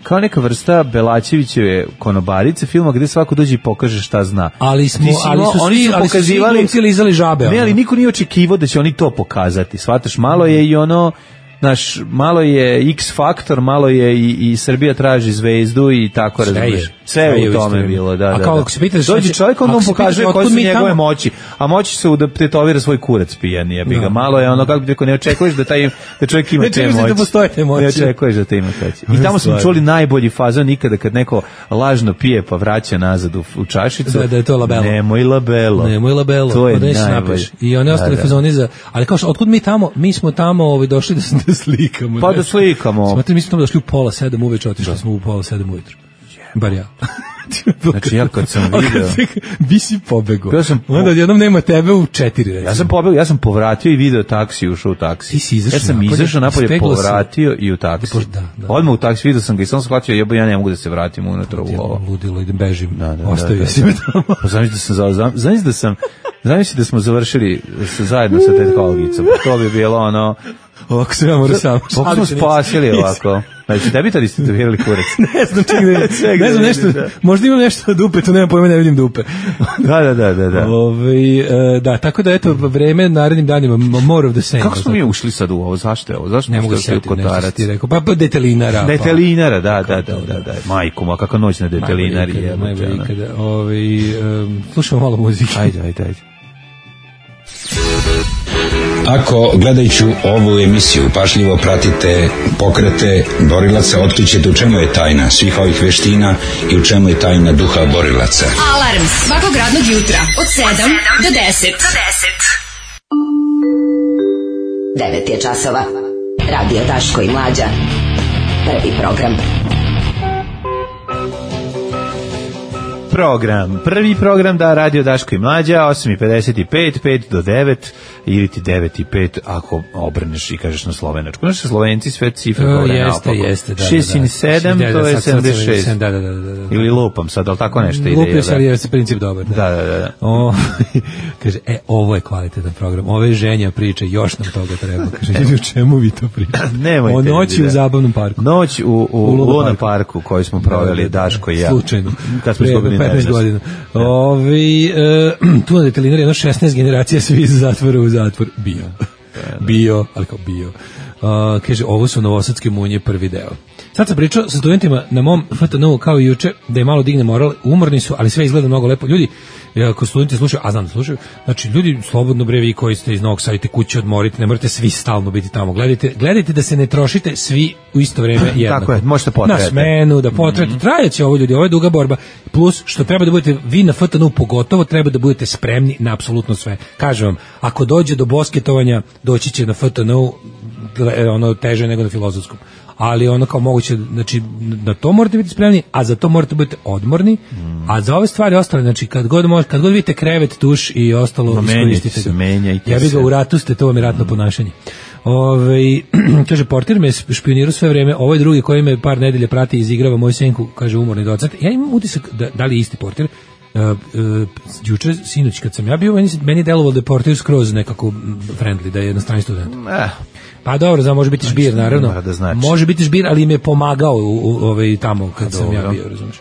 kao neka vrsta Belačevićeve konobarice filma gde svako dođe i pokaže šta zna. Ali smo, Ti si ali imao- su oni svi, su ali su svi pokazivali- glumci lizali žabe. Ne, ono. ali niko nije očekivao da će oni to pokazati. Shvataš, malo je i ono, znaš, malo je X faktor, malo je i, i Srbija traži zvezdu i tako Sve je. razumiješ. Sve Sve je je u u tome isto bilo, da, A da. kao da. ako se pitate šta Dođe će- čovjek, onda ako on se pokazuje pitate koje otkud su mi njegove tamo- moći, a moći su da tetovira svoj kurac pijan, jebi ga. Da. Malo je ono, kako bi rekao, ne očekuješ da taj da čovjek ima Ne te očekuješ da moći. postoje te moći. Ne očekuješ da te ima te moći. I Ovo tamo je smo stvarno. čuli najbolji fazon nikada kad neko lažno pije pa vraća nazad u, u čašicu. Da, da je to labelo. Nemoj labelo. Nemoj labelo, To je pa da se najbolje. napiš. I one ostale Da, da. fazoni za, ali kao što, otkud mi tamo, mi smo tamo ovaj, došli da, se- da slikamo. Pa ne? da slikamo. Smatram, mi smo tamo došli u pola sedam uveče, otišli smo u pola sedam ujutru. Bar ja. Znači, ja kad sam A kad video- se- Bi si pobegao. Ja sam po- Onda odjednom nema tebe u četiri, recimo. Ja sam pobegao, ja sam povratio i video taksi, ušao u taksi. Ti si izašao Ja sam napolje, izašao napolje, ispeglo se. povratio i u taksi. Da, da. Odmah u taksi, vidio sam ga i sam shvatio, jebo, ja ne mogu da se vratim unutra u ovo. Ludilo, idem, bežim. Da, da, Ostavio da, da, si da. me tamo. Pa zamisli da sam, za- zam- zamisli da sam, zamisli da smo završili sa, zajedno sa tetkologicom. To bi bilo ono, Ovako sam ja morao sam. kako smo Šalim se, nisam. spasili Nisam. ovako. Znači, tebi tad ste tetovirali kurac. Ne znam, ček da, Ček ne da znam vidim, nešto, da. možda imam nešto od dupe, tu nemam pojma, ne vidim dupe. Da, da, da, da. da. Ove, e, da, tako da eto, vreme narednim danima, m- more of the same. Kako smo mi ušli sad u ovo? Zašto je ovo? Zašto Ne smo mogu se ušli u setiti nešto što Kotarac? ti rekao. Pa, pa detelinara. Detelinara, da, da, da, da, da. Majko, ma kakva noć na Pa, detelinari je. najbolje ikada. Ove, um, slušamo malo muzike. Ajde, ajde, ajde. Ako gledajući ovu emisiju pažljivo pratite pokrete borilaca, otkrićete u čemu je tajna svih ovih veština i u čemu je tajna duha borilaca. Alarm svakog radnog jutra od sedam do deset. devet je časova. Radio Daško i Mlađa. Prvi program. Program, prvi program da Radio Daško i Mlađa, osam i pedeset pet, pet do devet, ili ti devet i pet ako obrneš i kažeš na slovenačku. Znaš, Slovenci sve cifre E, govore jeste, naopako. jeste, da, šest da, da. i sedam, Da, da, to je sad sam sedamdeset šest. Da, da, da, da, da. Ili lupam sad, ali tako nešto ide. Lupi jel se, ali je princip dobar. Da. Da, da, da. da. O, kaže, e, ovo je kvalitetan program. Ove ženja priče, još nam toga treba. Kaže, ljudi, o čemu vi to pričate? Nemojte, O noći ljudi, u da. zabavnom parku. Noć u, u, U Luna Luna parku. parku koju smo proveli, Da, da, da. Daško i ja. Slučajno. Kad smo Pre izgubili petnaest nevest. godina. Ovi, e, tu na detelinari jedno šesnaest generacija svi iz zatvora u zatvor. Bio. Bio, ali kao bio. Uh, kaže, ovo su novosadske munje, prvi deo. Sad sam pričao sa studentima na mom F T N-u kao i juče, da je malo digne moral, umorni su, ali sve izgleda mnogo lepo. Ljudi, ako studenti slušaju, a znam da slušaju, znači ljudi, slobodno bre, vi koji ste iz Novog Sada, kuće odmorite, ne morate svi stalno biti tamo. Gledajte, gledajte da se ne trošite svi u isto vreme jednako. Tako je, možete potrete. Na smenu, da potrete. Mm-hmm. Trajaće ovo, ljudi, ovo je duga borba. Plus, što treba da budete, vi na F T N-u pogotovo, treba da budete spremni na apsolutno sve. Kažem vam, ako dođe do bosketovanja, doći će na F T N-u ono teže nego na filozofskom. Ali ono kao moguće, znači na to morate biti spremni, a za to morate biti odmorni, mm. a za ove stvari ostale, znači kad god možete, kad god vidite krevet, tuš i ostalo, no, iskoristite ga. Menjajte ja bih ga u ratu ste, to vam je ratno mm. ponašanje. Ove, kaže, portir me špionirao sve vreme, ovaj drugi koji me par nedelje prati i izigrava moju senku, kaže umorni docent. Ja imam utisak da, da li je isti portir. Uh, uh, juče, sinoć kad sam ja bio, meni, meni delovalo da je portir skroz nekako friendly, da je jednostrani student. Eh. Pa dobro, znam, može biti znači, žbir, naravno. Da znači. Može biti žbir, ali im je pomagao u, u, ovaj, tamo kad A, sam dobro. ja bio, razumiješ.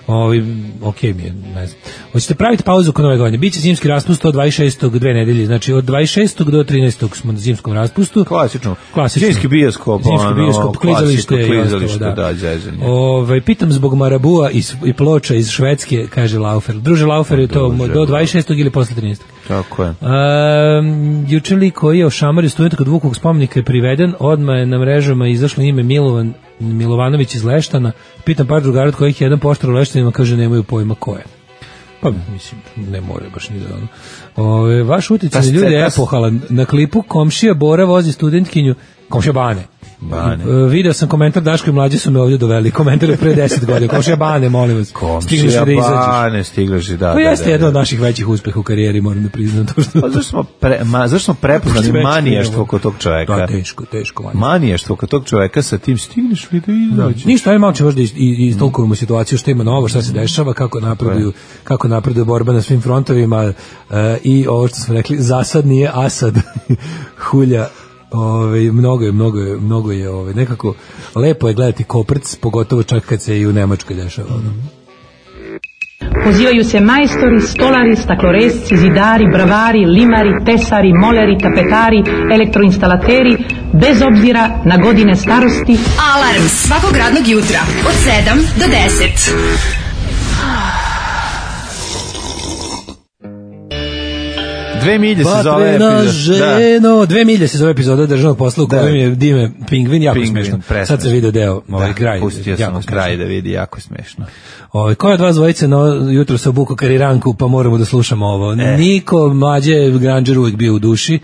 Ovaj, ok mi je, ne znam. Hoćete praviti pauzu kod nove godine. Biće zimski raspust od dvadeset šestog dve nedelje, znači od dvadeset šestog do trinaestog smo na zimskom raspustu. Klasično. Klasično. Zimski bioskop. Zimski ono, bioskop, klizalište i ostalo, da. da zezanje. Ovaj, pitam zbog marabua i, i ploča iz Švedske, kaže Laufer. Druže Laufer, je to Druže, do dvadeset šestog ili posle trinaestog. Tako je. Um, juče li koji je ošamario studenta kod Vukovog spomenika je priveden, odmah je na mrežama izašlo ime Milovan Milovanović iz Leštana. Pitam par drugara od kojih je jedan poštar u Leštanima, kaže nemaju pojma ko je. Pa mislim, ne more baš ni da ono. Ove, vaš uticaj ljudi je epohalan. Na klipu komšija Bora vozi studentkinju, komšija Bane. Bane. E, video sam komentar, Daško i mlađi su me ovdje doveli. Komentar je pre deset godina. Komšija Bane, molim vas. Komšija da Bane, stigliš i da. To jeste jedan od naših većih uspeha u karijeri, moram da priznam to što. Pa zašto smo, pre, ma, zašto smo prepoznali maniještvo kod tog čoveka? Da, teško, teško. Maniještvo, maniještvo kod tog čoveka sa tim stigneš li da izađeš? Ništa, aj malo će možda istolkujemo situaciju, što ima novo, šta se dešava, kako napreduju, kako napreduje borba na svim frontovima uh, i ovo što smo rekli, zasad nije Asad, hulja. Ove, mnogo je, mnogo je, mnogo je ove, nekako lepo je gledati Koprc, pogotovo čak kad se i u Nemačkoj dešava. Mm-hmm. Pozivaju se majstori, stolari, stakloresci, zidari, bravari, limari, tesari, moleri, tapetari, elektroinstalateri, bez obzira na godine starosti. Alarm svakog radnog jutra od sedam do deset. Dve milje se zove epizoda. Da. Dve milje se zove epizoda državnog posla u kojem je Dime Pingvin, jako Pingvin, smešno. Presmešno. Sad se vidio deo, ovaj da, kraj. Pustio sam u kraj da vidi, jako smešno. Ovaj, ko je od vas dvojice no, jutro se obuko kariranku, pa moramo da slušamo ovo. E. Niko, mlađe, Granger uvijek bio u duši,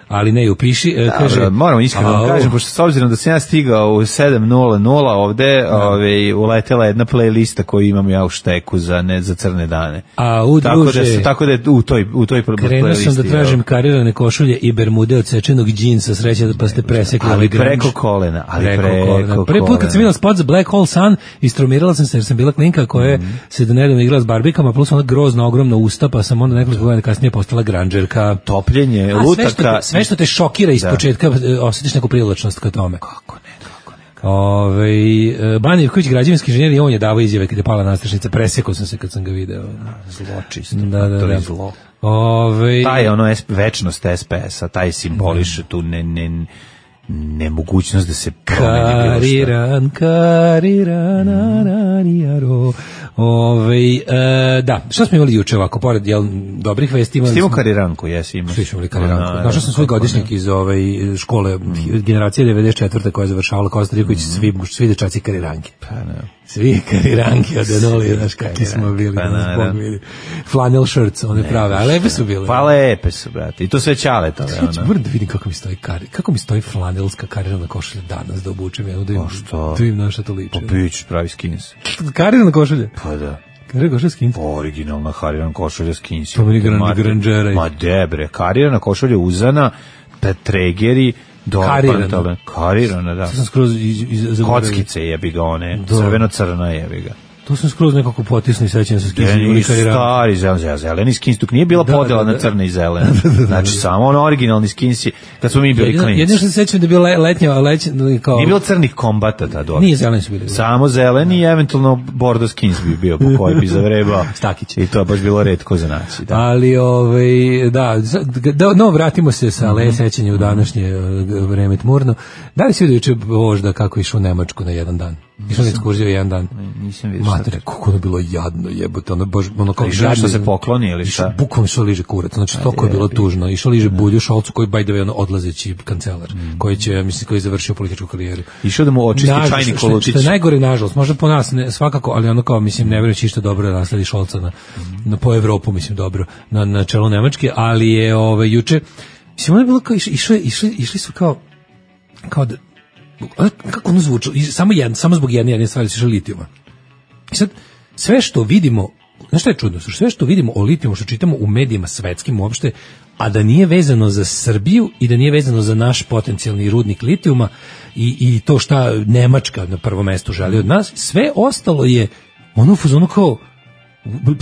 ali ne upiši. E, kaže, da, moramo iskreno da kažem, pošto s obzirom da sam ja stigao u sedam nula nula ovde, ove, uletela jedna playlista koju imam ja u šteku za, ne, za crne dane. A u druže, tako da, tako da je u toj, u toj playlisti. Krenuo sam da tražim karirane košulje i bermude od sečenog džinsa, sreća da pa ste presekli ali preko kolena. Ali preko, preko kolena. Prvi put kad sam videla spot za Black Hole Sun, istrumirala sam se jer sam bila klinka koja mm. se do nedavno igrala s barbikama, plus ona grozna, ogromna usta, pa sam onda nekoliko godina kasnije postala granđerka. Topljenje, A, lutaka. Sve što, te, sve što te šokira iz da. početka, osjetiš neku privlačnost ka tome. Kako ne, kako ne. Ove, Banja Ivković, građevinski inženjer, i on je davao izjave kad je pala nastrešnica, presekao sam se kad sam ga video. Zločisto, da, da, to da. je zlo. Ove, taj ono večnost S P S-a, taj simboliše tu ne, ne, nemogućnost da se promeni. Kariran, kariran, aranijaro. Ove, e, da, šta smo imali juče ovako, pored jel, dobrih vesti imali Stimo kariranku, jesi imao. Svi smo imali kariranku. Našao sam svoj godišnjak iz ove škole, mm. generacije devedeset četvrte koja je završavala Kosta Rivković, mm. svi, svi dečaci kariranke. Pa ne. Svi kariranke od Enoli, znaš kakvi smo bili, pa, da nas bili. Flannel shirts, one ne, prave, a lepe su bile. Pa lepe su, brate, i to sve čaletove. Moram da vidim kako mi stoji kari, kako mi stoji flanelska karirana košulja danas da obučem jednu, da im, da im na šta to liče. Pa pić, pravi skins. Karirana košulja? Pa da. Karirana košulja skins? Originalna karirana košulja skins. To mi je granđera. Ma debre, karirana košulja uzana, tregeri, karirana. Karirana, da. Sam skroz iz, iz, kockice jebi ga one, crveno-crna jebi ga. To sam skroz nekako potisni sećam se skins. Zeleni, stari, zeleni, zeleni skins, tuk nije bila da, podela da, da. na crne i zelene. Znači, samo on originalni skins, kad smo mi bili jedino, klinci. Jedino što se sećam da je bilo letnja, letnja, kao... Nije bilo crnih kombata tada. Nije zeleni su bili. Samo zeleni i eventualno bordo skins bi bio, po koji bi zavrebao. Stakić. I to je baš bilo retko za naći. Da. Ali, ovaj, da, da, no, vratimo se sa mm-hmm. le sećanja u današnje vreme tmurno. Da li si vidio juče vožda kako išao u Nemačku na jedan dan? Išao na ekskurziju jedan dan. Nisam vidio. Matere, kako ono bilo jadno, jebote, ono baš ono kao jadno što se pokloni ili šta? Bukvalno išao liže kurac, znači toliko je bilo tužno. Išao liže Bulju Šolcu koji by the way ono odlazeći kancelar, mm. koji će, mislim, koji je završio političku karijeru. Išao da mu očisti nažalost, čajnik Kolutić. Što je najgore, nažalost, možda po nas ne, svakako, ali ono kao, mislim, ne verujući išta dobro da nasledi Šolca na, mm. na po Evropu, mislim, dobro, na, na čelu Nemačke, ali je ove, juče, mislim, ono je bilo kao, išli, išli, išli su kao, kao da, kako ono zvuči, samo, jedan, samo zbog jedne jedne stvari se litijuma. I sad, sve što vidimo, znaš šta je čudno, sve što vidimo o litijumu, što čitamo u medijima svetskim uopšte, a da nije vezano za Srbiju i da nije vezano za naš potencijalni rudnik litijuma i, i to šta Nemačka na prvom mestu želi od nas, sve ostalo je ono u fazonu kao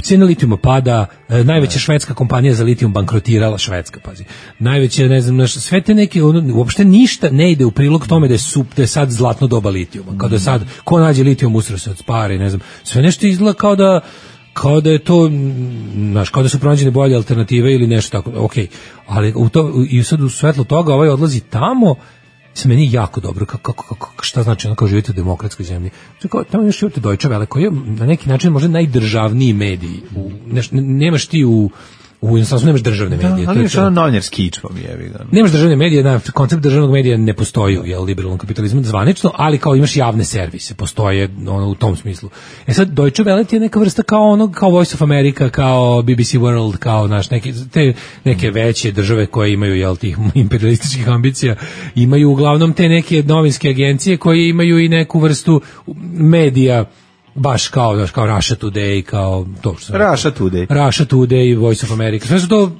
cena litijuma pada, najveća švedska kompanija za litijum bankrotirala, švedska, pazi. Najveće, ne znam, sve te neke, ono, uopšte ništa ne ide u prilog tome da je, sup, da je sad zlatno doba litijuma. Kao da je sad, ko nađe litijum usre se od spare, ne znam. Sve nešto izgleda kao da kao da je to, znaš, kao da su pronađene bolje alternative ili nešto tako, okej. Okay. Ali u to, i sad u svetlu toga ovaj odlazi tamo, se meni jako dobro, kako, kako, kako, šta znači ono kao živite u demokratskoj zemlji. Kao, tamo još živite Deutsche Welle, koji je na neki način možda najdržavniji mediji. U, neš, nemaš ti u u inostranstvu nemaš državne medije. Da, ali imaš ono novinarski ičpom, jebi ga. Nemaš državne medije, na koncept državnog medija ne postoji u jel, liberalnom kapitalizmu zvanično, ali kao imaš javne servise, postoje ono, u tom smislu. E sad, Deutsche Welle je neka vrsta kao ono, kao Voice of America, kao B B C World, kao naš, neke, te neke veće države koje imaju jel, tih imperialističkih ambicija, imaju uglavnom te neke novinske agencije koje imaju i neku vrstu medija, baš kao, znaš, kao Russia Today, kao to što Russia Today. Russia Today, Voice of America. Sve su to,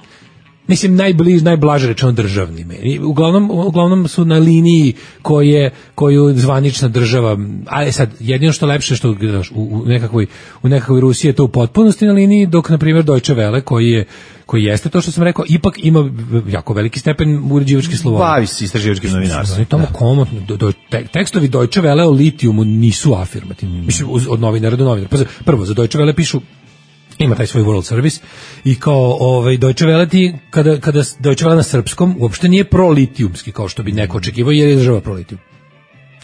mislim, najbliž, najblaže rečeno državni mediji. Uglavnom, uglavnom su na liniji koje, koju zvanična država, a sad, jedino što lepše što znaš, u, u, nekakvoj, u nekakvoj Rusiji je to u potpunosti na liniji, dok, na primjer, Deutsche Welle, koji je koji jeste to što sam rekao, ipak ima jako veliki stepen uređivačke slobode. Bavi se istraživačkim novinarstvom. Oni tamo komotno, do, do, tekstovi Deutsche Welle o litijumu nisu afirmativni. Mm. Mislim, od novinara do novinara. Prvo, za Deutsche Welle pišu, ima taj svoj World Service i kao ovaj, Deutsche Welle ti, kada, kada Deutsche Welle na srpskom, uopšte nije prolitijumski, kao što bi neko očekivao, jer je država prolitijum.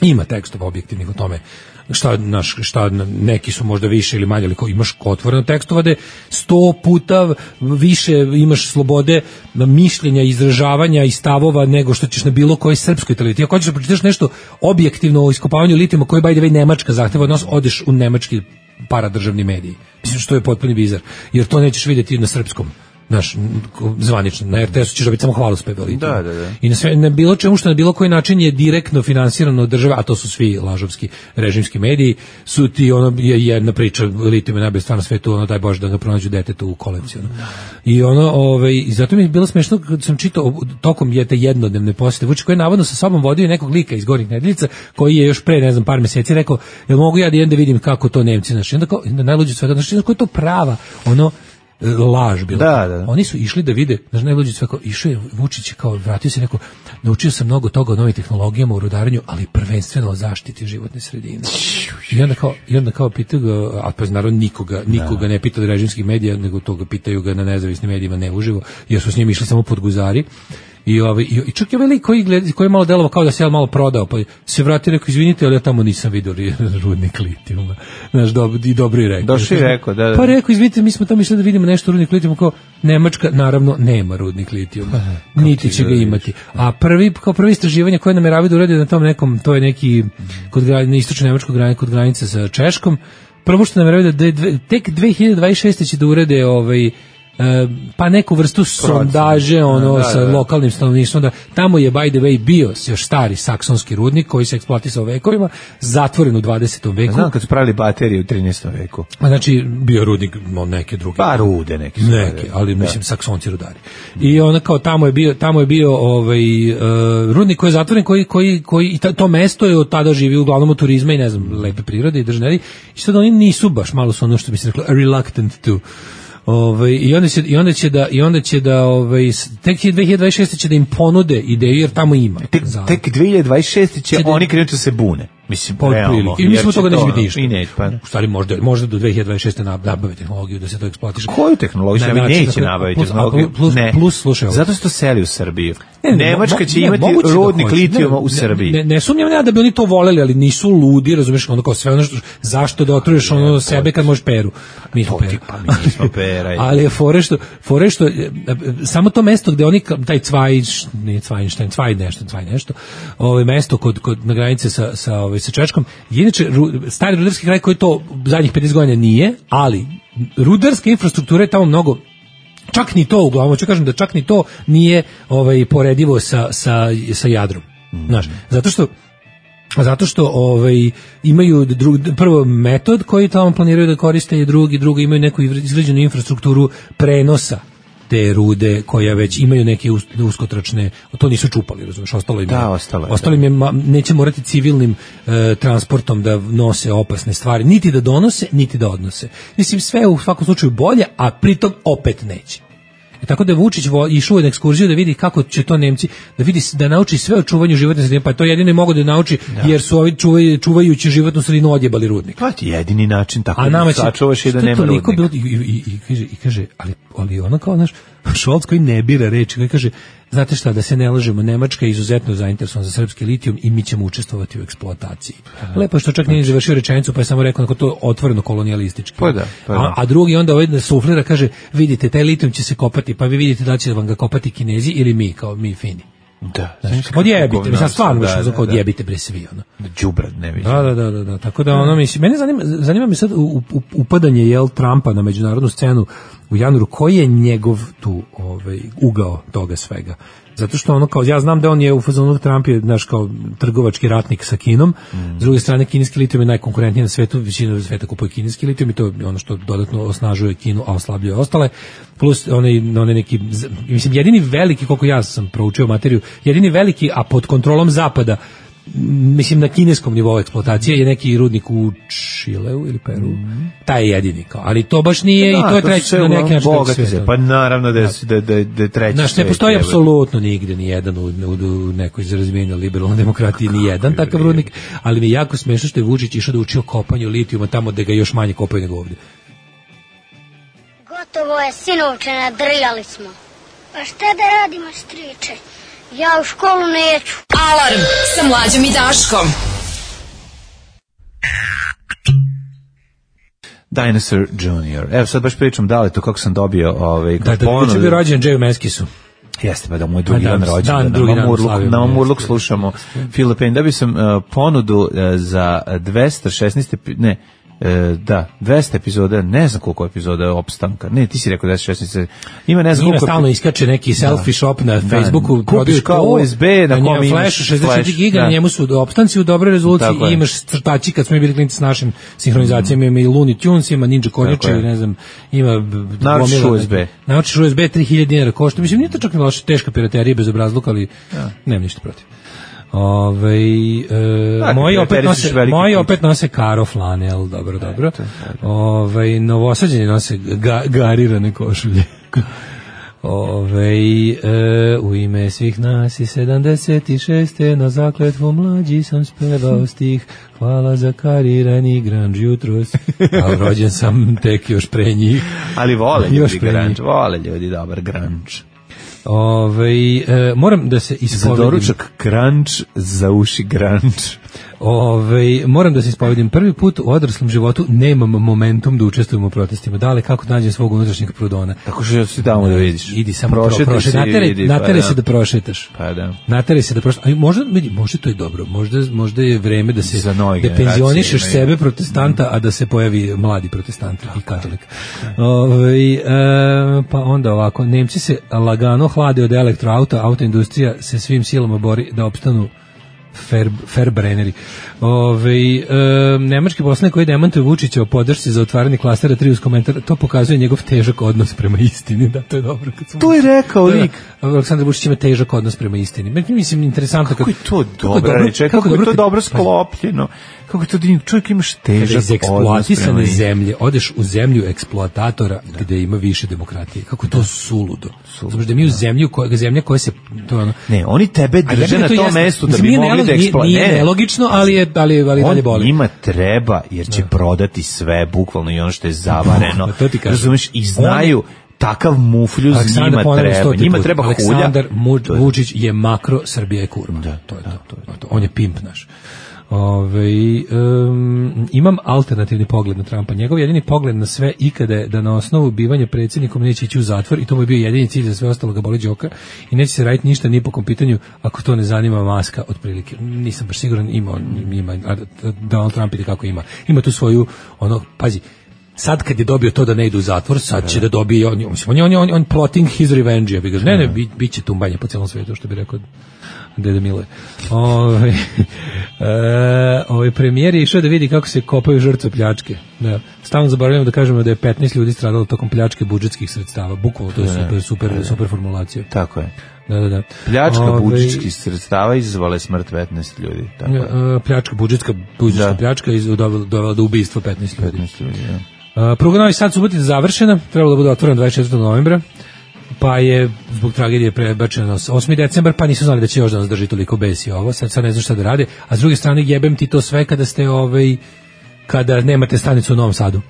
Ima tekstova objektivnih o tome šta, naš, šta neki su možda više ili manje, ali kao imaš otvoreno tekstova da sto puta više imaš slobode mišljenja, izražavanja i stavova nego što ćeš na bilo kojoj srpskoj televiziji. Ako hoćeš da pročitaš nešto objektivno o iskopavanju litijuma koji by the way Nemačka zahteva od nas, odeš u nemački paradržavni mediji. Mislim što je potpuni bizar, jer to nećeš vidjeti na srpskom. Naš zvanično na er te esu ćeš dobiti samo hvalospeve o litijumu. Da, da, da. I na sve na bilo čemu što na bilo koji način je direktno finansirano od države, a to su svi lažovski režimski mediji, su ti ono je jedna priča litijum je najbolja stvar na svetu, ono daj Bože da ga pronađu detetu u kolekciju. Da. I ono ovaj i zato mi je bilo smešno kad sam čitao tokom je te jednodnevne posete Vučić koji je navodno sa sobom vodio nekog lika iz Gornjih Nedeljica koji je još pre ne znam par meseci rekao jel mogu ja da idem da vidim kako to Nemci naši. Onda kao najluđe svega znači kako je to prava ono laž bilo. Da, da, da. Oni su išli da vide, znači najluđe sve kao išao je Vučić kao vratio se neko naučio sam mnogo toga o novim tehnologijama u rudarenju, ali prvenstveno o zaštiti životne sredine. I onda kao i onda kao pitaju ga, a pa naravno nikoga, nikoga ne pita od režimskih medija, nego toga pitaju ga na nezavisnim medijima ne uživo, jer su s njim išli samo pod guzari. I ovaj i čak je veliko koji gleda, koji je malo delovao kao da se je malo prodao, pa se vratio rekao izvinite, ali ja tamo nisam vidio rudnik litijuma. Znaš, dobro i dobro je rekao. Došli rekao, da, da. Pa rekao izvinite, mi smo tamo išli da vidimo nešto rudnik litijuma, kao Nemačka naravno nema rudnik litijuma. Niti će ga imati. A prvi kao prvi istraživanje koje nameravaju da urade na tom nekom, to je neki kod granice istočno nemačkog granice kod granice sa Češkom. Prvo što nameravaju da tek dve hiljade dvadeset šeste će da urade ovaj pa neku vrstu sondaže ono da, sa da, da. lokalnim stanovništvom, da tamo je by the way bio još stari saksonski rudnik koji se eksploatisao vekovima, zatvoren u dvadesetom veku. Znam kad su pravili baterije u trinaestom veku. A znači bio rudnik no, neke druge. Pa rude neki. Neke, ali da. Mislim saksonci rudari. I ona kao tamo je bio tamo je bio ovaj uh, rudnik koji je zatvoren koji koji koji i to mesto je od tada živi uglavnom od turizma i ne znam lepe prirode i državne. I sad oni nisu baš malo su ono što bi se reklo reluctant to Ovaj i onda će i onda će da i onda će da ovaj tek dve hiljade dvadeset šeste će da im ponude ideju jer tamo ima. Tek, tek dve hiljade dvadeset šeste će, će oni krenuti da se bune. Mislim, realno. I mi smo toga neće biti ništa. I ne, pa. U stvari možda, možda do dve hiljade dvadeset šeste nabave tehnologiju da se to eksploatiše. Koju tehnologiju? Ne, neće dakle, nabaviti plus, tehnologiju. Plus, ne. plus, slušaj ovo. Zato što seli u Srbiju. Ne, ne, Nemačka će ne, imati rudnik da litijuma u Srbiji. Ne, ne, ne sumnjam ja da bi oni to voleli, ali nisu ludi, razumeš, ono kao sve ono što, zašto da otruješ ono ne, sebe kad možeš peru. Mi smo peru. Pa mi nismo pera. Ali je fore što, fore što, samo to mesto gde oni, taj Cvaj, nije Cvajnštajn, Cvaj nešto, Cvaj nešto, ovo mesto kod, kod, na granice sa, sa, ovaj, sa Češkom, inače, stari rudarski kraj koji to zadnjih pedeset godina nije, ali rudarska infrastruktura je tamo mnogo, čak ni to uglavnom, ću kažem da čak ni to nije ovaj, poredivo sa, sa, sa Jadrom. Mm. Znaš, zato što zato što ovaj imaju drug, prvo metod koji tamo planiraju da koriste i drugi, drugo imaju neku izgrađenu infrastrukturu prenosa te rude koja već imaju neke uskotračne, to nisu čupali, razumiješ, ostalo im je, da, ostalo je, ostalo im je ma, neće morati civilnim e, transportom da nose opasne stvari, niti da donose, niti da odnose. Mislim, sve u svakom slučaju bolje, a pritom opet neće. I tako da je Vučić išao na ekskurziju da vidi kako će to Nemci, da vidi da nauči sve o čuvanju životne sredine, pa to jedino mogu da nauči da. Jer su ovi čuvaju, čuvajući životnu sredinu odjebali rudnik. Pa ti jedini način tako da sačuvaš i da nema rudnika. Bilo, i, i, i, kaže, i kaže, ali, ali ono kao naš Šolc koji ne bira reči, koji kaže, znate šta, da se ne lažemo, Nemačka je izuzetno zainteresovana za srpski litijum i mi ćemo učestvovati u eksploataciji. Lepo što čak nije završio rečenicu, pa je samo rekao to otvoreno kolonijalistički. Pa da, pa da. A, a drugi onda ovaj suflira, kaže, vidite, taj litijum će se kopati, pa vi vidite da će vam ga kopati Kinezi ili mi, kao mi Fini. Da, znači, odjebite, mislim, stvarno da, da, odjebite bre svi, ono. Đubrad, ne mislim. Da, da, da, da, da, tako da ono, mislim, mene zanima, zanima me sad upadanje, jel, Trumpa na međunarodnu scenu u januaru, koji je njegov tu ovaj, ugao toga svega. Zato što ono kao, ja znam da on je u fazonu, Trump je, znaš, kao trgovački ratnik sa Kinom, mm. s druge strane kineski litijum je najkonkurentniji na svetu, većina sveta kupuje kineski litijum i to je ono što dodatno osnažuje Kinu, a oslabljuje ostale, plus onaj, onaj neki, mislim, jedini veliki, koliko ja sam proučio materiju, jedini veliki, a pod kontrolom Zapada, mislim na kineskom nivou eksploatacije je neki rudnik u Čileu ili Peru. Mm. Taj je jedini kao, ali to baš nije da, i to je treći na neki način sve. Pa naravno da je da da da treći. Znaš, ne postoji apsolutno nigde ni jedan u, u, u nekoj razvijenoj liberalnoj demokratiji ni jedan takav rudnik, ali mi je jako smešno što je Vučić išao da uči o kopanju litijuma tamo gde ga još manje kopaju nego ovde. Gotovo je, sinovče, nadrljali smo. Pa šta da radimo, striče? Ja u školu neću. Alarm sa Mlađom i Daškom. Dinosaur junior Evo sad baš pričam da li to kako sam dobio ovaj da, da, da, bio rođen Jay Meskisu. Jeste, pa da moj drugi dan rođendan. Na Mamurluk slušamo Filipin. Da bi sam uh, ponudu uh, za dvesta šesnaest ne E, da, dvesta epizoda, ne znam koliko epizoda opstanka. Ne, ti si rekao dvesta šesnaest. Ima ne znam koliko. Ima stalno iskače neki selfie da. Shop na Facebooku, da. Kupiš kao U S B na kom imaš flash šezdeset četiri giga, da. Na njemu su opstanci u dobroj rezoluciji i imaš crtači kad smo bili klinci s našim sinhronizacijama, ima i Looney Tunes, ima Ninja Konjače, ne znam, ima naučiš U S B. Naučiš U S B tri hiljade dinara košta. Mislim, nije to čak ni loše, teška piraterija bez obrazluka, ali ja. Nemam ništa protiv. Ove, e, moji opet nose moji opet nose karo flanel, dobro, dobro. Ove, novosađeni nose ga, garirane košulje. Ove, e, u ime svih nas i sedamdeset šeste na zakletvu mlađi sam spevao stih. Hvala za karirani grunge jutros. A rođen sam tek još pre njih. Ali vole ljudi grunge, vole ljudi dobar grunge. Ove, e, moram da se ispovedim. Za doručak crunch, za uši grunge. Ove, moram da se ispovedim, prvi put u odraslom životu nemam momentum da učestvujem u protestima. Da li kako nađem svog unutrašnjeg prudona? Tako što si tamo da vidiš. Idi samo prošetaj, prošet, nateraj, vidi, nateraj pa, se da prošetaš. Pa da. Nateraj se da prošetaš. Možda, možda to je dobro. Možda, možda je vreme da se da penzionišeš imaju. sebe protestanta, a da se pojavi mladi protestant i katolik. Ove, e, pa onda ovako, Nemci se lagano hlade od elektroauta, autoindustrija se svim silama bori da opstanu Fer, Ferbrenneri. Ove, e, nemački poslanik koji demantuje Vučića o podršci za otvaranje klastera tri uz komentar, to pokazuje njegov težak odnos prema istini. Da, to je dobro. Kad to je rekao lik. Aleksandar Vučić ima težak odnos prema istini. Mislim, interesantno. Kako je to dobro reče, kako, kako je to dobro sklopljeno. Kako je to da čovjek imaš težak iz eksploatisane zemlje, odeš u zemlju eksploatatora gde ima više demokratije. Kako je to suludo. Znači da mi u zemlju, koja, zemlja koja se... To ono, ne, oni tebe drže na tom mestu da bi mogli da eksploatiraju. Nije nelogično, ali je ali, ali dalje boli. On njima treba, jer će prodati sve, bukvalno i ono što je zavareno. Razumeš, i znaju... Takav mufljuz njima treba. Njima treba hulja. Aleksandar Vučić je makro, Srbija je kurva. Da, to je to. to, je to. On je pimp naš. Ove, um, imam alternativni pogled na Trumpa. Njegov jedini pogled na sve ikada je da na osnovu bivanja predsjednikom neće ići u zatvor i to mu je bio jedini cilj, za sve ostalo ga boli đoka i neće se raditi ništa ni po kom pitanju ako to ne zanima maska otprilike. Nisam baš siguran, ima, ima Donald Trump ili kako ima. Ima tu svoju, ono, pazi, sad kad je dobio to da ne ide u zatvor, sad će da dobije, on, on, on, on, on plotting his revenge, ja bih ga, ne, ne, bit, bit će tumbanje po celom svetu, što bi rekao Dede Mile. Ove, e, ovaj premijer je išao da vidi kako se kopaju žrtve pljačke. Da. Stalno zaboravljamo da kažemo da je petnaest ljudi stradalo tokom pljačke budžetskih sredstava. Bukvalno, to je super, super, super formulacija. Tako je. Da, da, da. Pljačka Ove, budžetskih sredstava izazvala smrt petnaest ljudi. Tako je. Pljačka, budžetska, budžetska da. pljačka je dovela do ubistva petnaest ljudi. petnaest ljudi, da. Uh, pruga Novi Sad Subotica završena, trebalo da bude otvorena dvadeset četvrtog novembra, pa je zbog tragedije prebačeno na osmi decembar, pa nisu znali da će još da nas drži toliko besi ovo, sad, sad ne znam šta da rade, a s druge strane jebem ti to sve kada ste ovaj, kada nemate stanicu u Novom Sadu.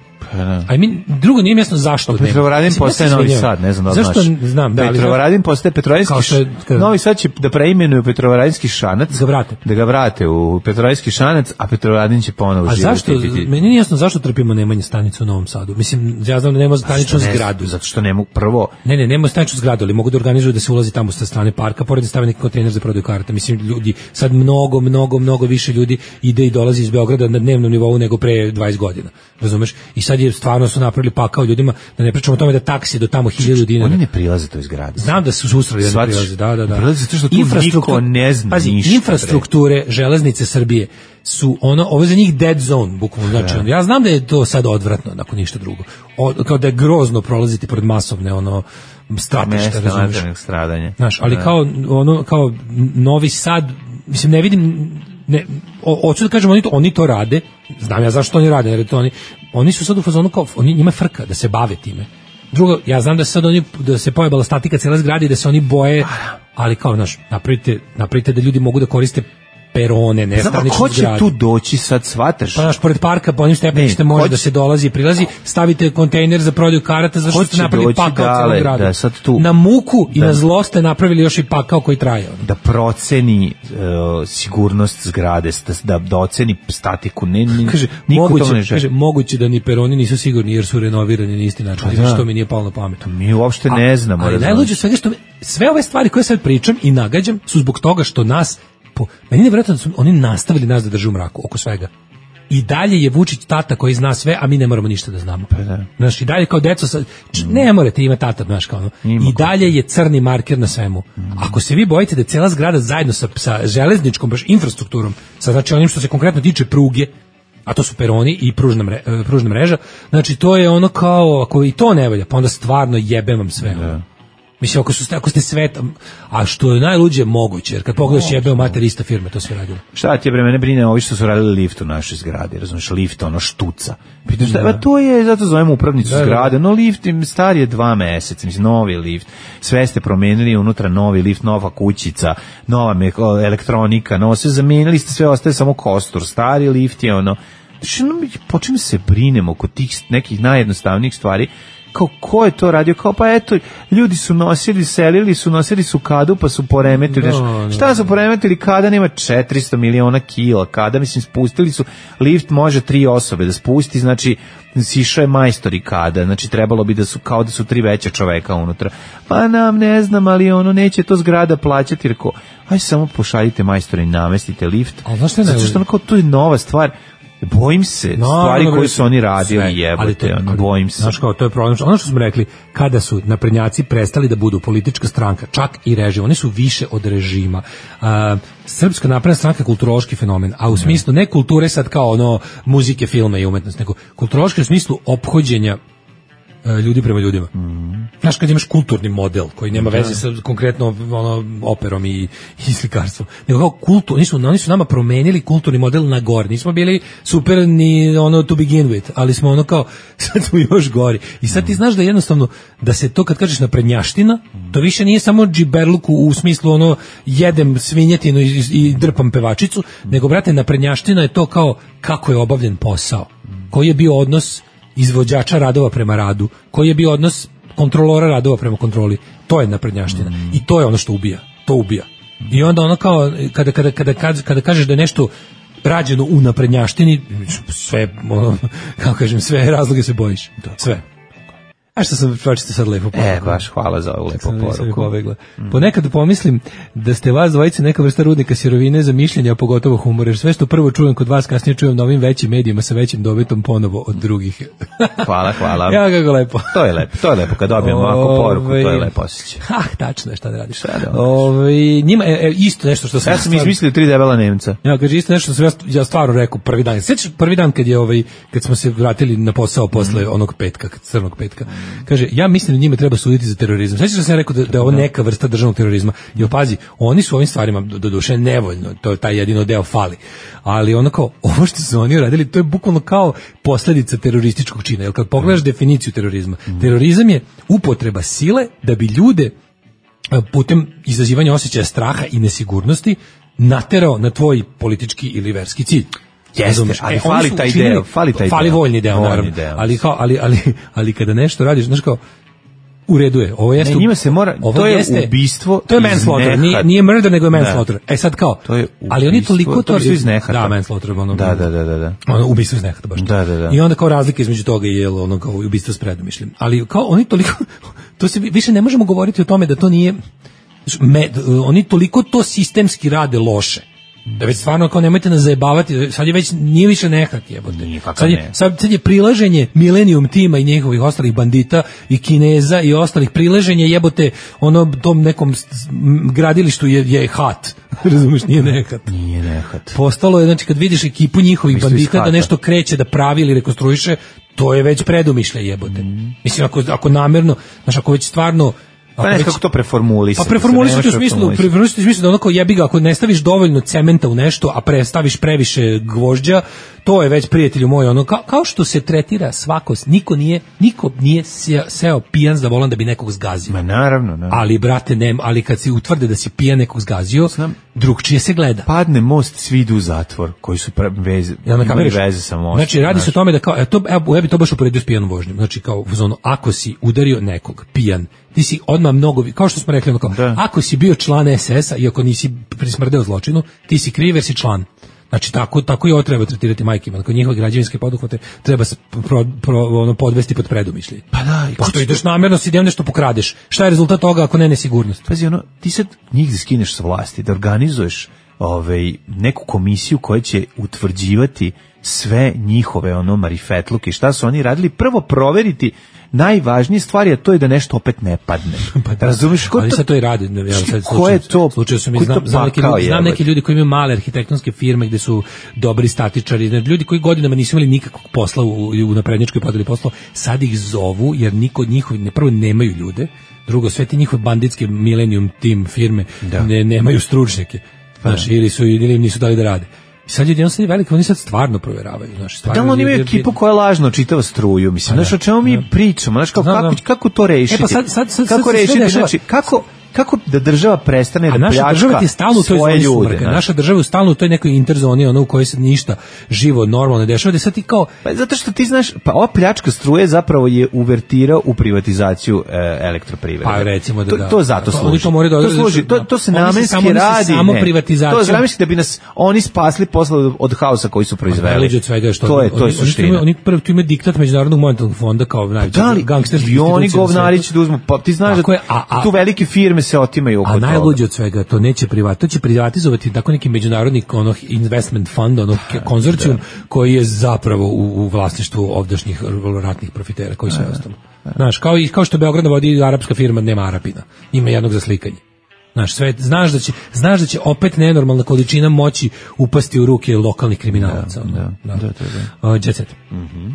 A mi drugo nije jasno zašto. Pa Petrovaradin postaje Novi Sad, ne znam da zašto znaš. Znam, da, Petrovaradin postaje Petrovaradinski Šanac. Novi Sad će da preimenuju Petrovaradinski Šanac, da vrate. Da ga vrate u Petrovaradinski Šanac, a Petrovaradin će ponovo živjeti. A zašto? Meni nije jasno zašto trpimo nemanje stanicu u Novom Sadu. Mislim, ja znam da nema staničnu zgradu. Zato što nema prvo. Ne, ne, nema staničnu zgradu, ali mogu da organizuju da se ulazi tamo sa strane parka, pored da stave neki kontejner za prodaju karata. Mislim, ljudi, sad mnogo, mnogo, mnogo više ljudi ide i dolazi iz Beograda na dnevnom nivou nego pre dvadeset godina. Razumeš? I sad je stvarno su napravili pakao ljudima, da ne pričamo o tome da taksi do tamo hiljadu dinara. Oni ne prilaze toj zgradi. Znam da su susreli da ne prilaze, da, da, da. Prilaze zato što tu niko ne zna pazi, ništa. Infrastrukture železnice Srbije su ono, ovo je za njih dead zone, bukvalno. Znači, ono, ja znam da je to sad odvratno, nakon ništa drugo. O, kao da je grozno prolaziti pored masovne, ono, stratišta, razumiješ. Stradanje. Znaš, ali da. kao, ono, kao Novi Sad, mislim, ne vidim, ne, hoću da kažem, oni to, oni to rade, znam ja zašto oni rade, jer to oni, oni su sad u fazonu kao, oni njima frka da se bave time. Drugo, ja znam da se sad oni, da se pojebala statika cijela zgrada i da se oni boje, ali kao, znaš, napravite, napravite da ljudi mogu da koriste perone, ne stanične zgrade. Ko će tu doći sad, shvataš? Pa, znaš, pored parka, po onim stepeništem može da se dolazi i prilazi, stavite kontejner za prodaju karata, zašto ste napravili pakao cijelu zgradu. Da, sad tu, na muku da, i na zlo ste napravili još i pakao koji traje. Ono. Da proceni uh, sigurnost zgrade, da, da oceni statiku. Ne, ne, kaže, moguće, ne kaže, moguće da ni peroni nisu sigurni jer su renovirani na isti način. Pa da. Što mi nije palo na pamet. To mi uopšte A, ne znamo. Ali najluđe svega što sve ove stvari koje sad pričam i nagađam su zbog toga što nas po, meni je vjerojatno da su oni nastavili nas da drže u mraku oko svega. I dalje je Vučić tata koji zna sve, a mi ne moramo ništa da znamo. Pa da. Znaš, i dalje kao deco, sad, č, ne morate imati tata, znaš, kao ono. I dalje je crni marker na svemu. Mm. Ako se vi bojite da je cijela zgrada zajedno sa, sa železničkom baš infrastrukturom, sa znači onim što se konkretno tiče pruge, a to su peroni i pružna, mre, pružna mreža, znači to je ono kao, ako i to ne valja, pa onda stvarno jebem vam sve. Da. Mislim, ako, su, ako ste sveta, a što je najluđe moguće, jer kad pogledaš jebeo mater ista firme, to sve radilo. Šta ti je bre, mene brine ovi što su radili lift u našoj zgradi, razumiješ, lift, ono štuca. Pitaš, šta, da. To je, zato zovemo upravnicu da, zgrade, no lift im star je dva meseca, mislim, novi lift, sve ste promenili, unutra novi lift, nova kućica, nova me, elektronika, no, sve zamenili ste, sve ostaje samo kostur, stari lift je ono, znači, no, počem se brinemo oko tih nekih najjednostavnijih stvari, kao ko je to radio, kao pa eto, ljudi su nosili, selili su, nosili su kadu pa su poremetili, No, znaš, no, šta su poremetili, kada nema četiristo miliona kila, kada, mislim, spustili su, lift može tri osobe da spusti, znači, sišao je majstor i kada, znači trebalo bi da su, kao da su tri veća čoveka unutra, pa nam ne znam, ali ono, neće to zgrada plaćati, reko, aj samo pošaljite majstora i namestite lift, zato što ono kao, to je nova stvar. Bojim se No, stvari no, koje su oni radili, sve, ali to- jebote, ono, ali, bojim se. Znaš kao, to je problem. Ono što smo rekli, kada su naprednjaci prestali da budu politička stranka, čak i režim, oni su više od režima. A, Srpska napredna stranka je kulturološki fenomen, a u smislu ne kulture sad kao ono muzike, filma i umetnost, nego kulturološki u smislu ophođenja e, ljudi prema ljudima. Znaš, kad imaš kulturni model koji nema veze sa konkretno ono, operom i, i slikarstvom, nego kao kultur, oni su, oni su nama promenili kulturni model na gore. Nismo bili super ni ono to begin with, ali smo ono kao, sad smo još gori. I sad ti znaš da jednostavno, da se to kad kažeš naprednjaština, to više nije samo džiberluk u, u smislu ono, jedem svinjetinu i, i drpam pevačicu, nego, brate, naprednjaština je to kao kako je obavljen posao, koji je bio odnos izvođača radova prema radu, koji je bio odnos kontrolora radova prema kontroli. To je naprednjaština. Mm. I to je ono što ubija. To ubija. I onda ono kao, kada, kada, kada, kada, kada kažeš da je nešto rađeno u naprednjaštini, sve, ono, kako kažem, sve razloge se bojiš. Sve. A što sam pročitao sad lepo poruku. E, baš hvala za ovu lepo poruku. Mm. Ponekad pomislim da ste vas dvojice neka vrsta rudnika sirovine za mišljenja, a pogotovo humor, jer sve što prvo čujem kod vas, kasnije čujem na ovim većim medijima sa većim dobitom ponovo od drugih. Hvala, hvala. Ja, kako lepo. To je lepo, to je lepo, kad dobijemo ovako poruku, to je lepo osjećaj. Ah, tačno je, šta da radiš. Šta da Ove, njima, e, e, isto nešto što sam... Ja sam izmislio tri debela Nemca. Ja, kaže, isto nešto što sam ja, ja stvarno rekao prvi dan. Sjećaš prvi dan kad je ovaj, kad smo se vratili na posao posle mm. onog petka, crnog petka. Kaže, ja mislim da njima treba suditi za terorizam. Sjećaš da sam ja rekao da, da je ovo neka vrsta državnog terorizma. Jer pazi, oni su ovim stvarima do, do duše nevoljno, to je taj jedino deo fali. Ali ono kao, ovo što su oni radili, to je bukvalno kao posljedica terorističkog čina. Jer kad pogledaš definiciju terorizma, mm. terorizam je upotreba sile da bi ljude putem izazivanja osjećaja straha i nesigurnosti naterao na tvoj politički ili verski cilj. Jeste, ali e, fali taj učinili, deo, fali taj fali deo. voljni deo, voljni naravno. Deo. Ali, kao, ali, ali, ali kada nešto radiš, znaš kao, u redu je, ovo jeste... Ne, njima se mora, ovo to je jeste, ubistvo. To je manslaughter, nije, nije murder, nego je manslaughter. E sad kao, to je ubistvo, ali oni toliko to... To su iz nehata. Da, manslaughter, ono... Da, da, da, da. da. Ono, ubistvo iz nehata, baš. Da, da, da. I onda kao razlika između toga je ono, kao ubistvo s predomišljem. Ali kao oni toliko... To se više ne možemo govoriti o tome da to nije... Me, oni toliko to sistemski rade loše. Da već stvarno kao nemojte nas zajebavati, sad je već nije više nehat jebote. Sad je, sad, sad je prilaženje Millennium tima i njihovih ostalih bandita i Kineza i ostalih prilaženje jebote ono tom nekom gradilištu je, je hat. Razumeš, nije nehat. Nije nehat. Postalo je, znači kad vidiš ekipu njihovih Mislim bandita da nešto kreće, da pravi ili rekonstruiše, to je već predumišljaj jebote. Mm. Mislim ako, ako namjerno, znaš ako već stvarno Pa ne, kako to preformulisati? Pa preformulisati u smislu, preformulisati u smislu da onako jebi ga, ako ne staviš dovoljno cementa u nešto, a prestaviš previše gvožđa, to je već, prijatelju moj, ono, kao, kao što se tretira svako, niko nije, niko nije seo, seo pijan za volan da bi nekog zgazio. Ma naravno, naravno. Ali, brate, ne, ali kad se utvrde da si pijan nekog zgazio, Znam, drugčije se gleda. Padne most, svi idu u zatvor, koji su pre, veze, ja, imali veze sa mostom. Znači, radi se o tome da kao, to, ja bi to baš uporedio s pijanom vožnjom. Znači, kao, ono, ako si udario nekog pijan, ti si odmah mnogo, kao što smo rekli, ono kao, ako si bio član es es a, iako nisi prismrdeo zločinu, ti si kriv jer si član. Znači, tako, tako i ovo treba tretirati majkima. Dakle, njihove građevinske poduhvate treba se pro, pro, ono, podvesti pod predumišlje. Pa da. I pošto ideš namjerno, si idem nešto pokradeš. Šta je rezultat toga ako ne nesigurnost? Pazi, ono, ti sad njih da skineš sa vlasti, da organizuješ ovaj, neku komisiju koja će utvrđivati sve njihove ono marifetluke, šta su oni radili, prvo proveriti najvažnije stvari, a to je da nešto opet ne padne. Pa da, razumiješ? Ali to, sad to i radi. Ja, sad, ko je to? Slučaju su mi, znam, znam, neki ljudi, znam neki ljudi koji imaju male arhitektonske firme gde su dobri statičari, ljudi koji godinama nisu imali nikakvog posla u, u naprednjačkoj podeli posla, sad ih zovu, jer niko od njihovi, ne, prvo nemaju ljude, drugo, sve ti njihove banditske Millennium Team firme ne, nemaju stručnjake. Znaš, ili su ili nisu dali da rade. Sad je jednostavno veliki, oni sad stvarno proveravaju, znaš, stvarno. Da li oni imaju ekipu koja lažno čitava struju, mislim, znaš, o čemu mi pričamo, znaš, kako, kako, kako to rešiti? E pa sad, sad, sad, kako sad, rešiti, znači, kako, kako da država prestane A da naša pljačka država ti je stalno u toj svoje zoni ljude. sumraka. znaš. Naša država je stalno u toj nekoj interzoni, ono u kojoj se ništa živo, normalno ne dešava, da sad ti kao... Pa zato što ti znaš, pa ova pljačka struje zapravo je uvertira u privatizaciju e, elektroprivrede. Pa recimo da to, da. to zato To- služi. oni to moraju da to, odrade, služi, to, da. to se Oni se namenski samo- oni se radi. samo ne. privatizacijom- To je namenski da bi nas oni spasli posle od, od haosa koji su proizveli. Najluđe od svega je što to je to je oni- suština. Oni, oni prvo tu ima diktat Međunarodnog monetarnog fonda kao najveći Da li gangsterski i oni govnari će da uzmu, pa ti znaš Tako da je, a- a- tu velike firme se otimaju oko A toga. najluđe od svega, to neće privat, to će privatizovati tako neki međunarodni ono investment fund, ono konzorcijum koji je zapravo u, u vlasništvu ovdašnjih ratnih profitera koji sve ostalo. Znaš, kao i kao što Beograd vodi arapska firma, nema Arapina. Ima jednog za slikanje. Znaš, sve, znaš da će znaš da će opet nenormalna količina moći upasti u ruke lokalnih kriminalaca. ono. Da, da, da, da. Uh, Jet Set. Mhm.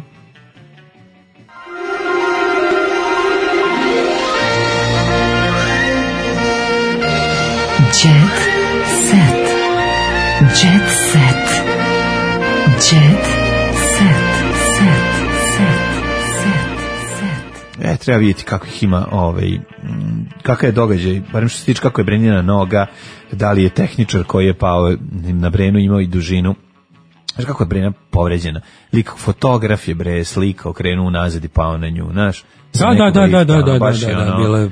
Jet set. Jet set. Jet set. Set. Set. Set. E, treba vidjeti kako ih ima, ovaj, mm, kakav je događaj, barem što se tiče kako je Brenjina noga, da li je tehničar koji je pao na Brenu imao i dužinu. Znaš kako je Brena povređena? Lik fotograf je bre slika okrenuo unazad i pao na nju, znaš? Da, da, da, da, da, da, baš da, je da, ono- bile,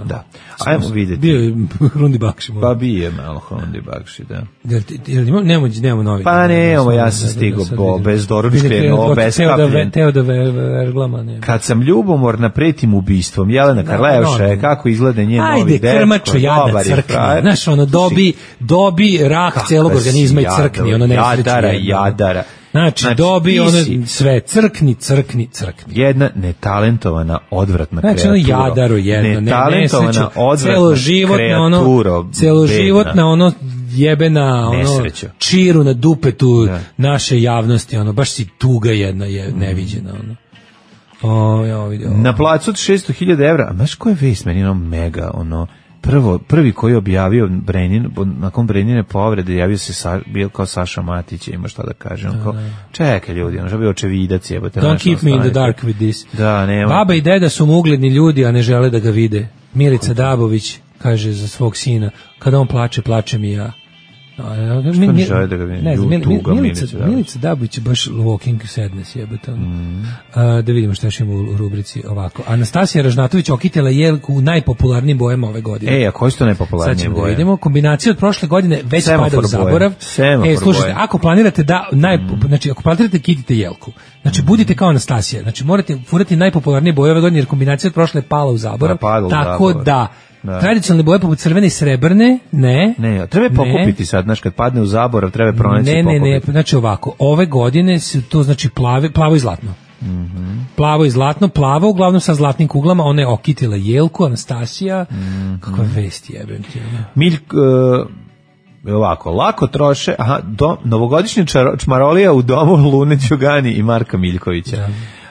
Da. Ajmo vidjeti. Bio je Rundi Bakši. Pa bije malo Hondi Bakši, da. Jel, jel imamo, nemamo, nemamo novi. Pa ne, ovo ja sam stigao bo, bez doručke, ovo bez kapljen. Teo da verglama, ne. Kad sam ljubomorna pretim ubistvom, Jelena Karleuša je, kako izgleda njen novi Ajde, dečko, krmačo, jadna dobar je crkni. frajer. Znaš, ono, dobi, dobi rak Kakva celog si organizma i crkni, ono jadava, nesreći. Jadara, jedna. jadara. Znači, Znači, dobi ti ono si- sve, crkni, crkni, crkni. Jedna netalentovana, odvratna Znači, ono kreatura. jadaro jedno, ne, Netalentovana, nesreću, odvratna celoživotna, ono, kreaturo, celoživotna, bedna. ono, jebena, ono, Nesreću. čiru na dupetu Da. naše javnosti, ono, baš si tuga jedna je neviđena, ono. O, ja vidio. Na placu od šesto hiljada evra, a znaš ko je vest, meni ono mega, ono, prvo, prvi koji je objavio Brenin, nakon Brenine povrede, javio se, sa, bio kao Saša Matić, ima šta da kaže, on kao, čekaj ljudi, ono, što bio očevidac, jebote. Don't znaš, keep me in the ostanite. dark with this. Da, nema. Baba i deda su mu ugledni ljudi, a ne žele da ga vide. Milica Dabović kaže za svog sina, kada on plače, plačem i ja. Što ne žele da ga vide? Ne znam, Ju, Mil- tuga, Milica, Milica Dabović. Milica Dabović je baš walking sadness, jebate. Mm. A, da vidimo šta još ima u rubrici ovako. Anastasija Ražnatović okitila jelku u najpopularnijim bojama ove godine. E, a koji su to najpopularnije Sad ćemo da boje? vidimo. Kombinacija od prošle godine već Semafor pada u boje. zaborav. Semafor E, slušajte, boje. ako planirate da, naj, znači, ako planirate kitite jelku, znači, budite kao Anastasija, znači, morate furati najpopularnije boje ove godine, jer kombinacija od prošle je pala u zaborav. Da, pada u tako zaborav. da, Da. tradicionalne boje poput crvene i srebrne, ne. Ne, treba je pokupiti sad, znaš, kad padne u zaborav, treba je pronaći Ne, i ne, ne, pokupiti. znači ovako, ove godine su to znači plave, plavo i zlatno. Mhm. Plavo i zlatno, plavo uglavnom sa zlatnim kuglama, ona je okitila jelku, Anastasija, Mhm. kakva vest jebem ti. ono. Miljk, e, ovako, lako troše, aha, do, novogodišnja čaro- čmarolija u domu Lune Đugani i Marka Miljkovića.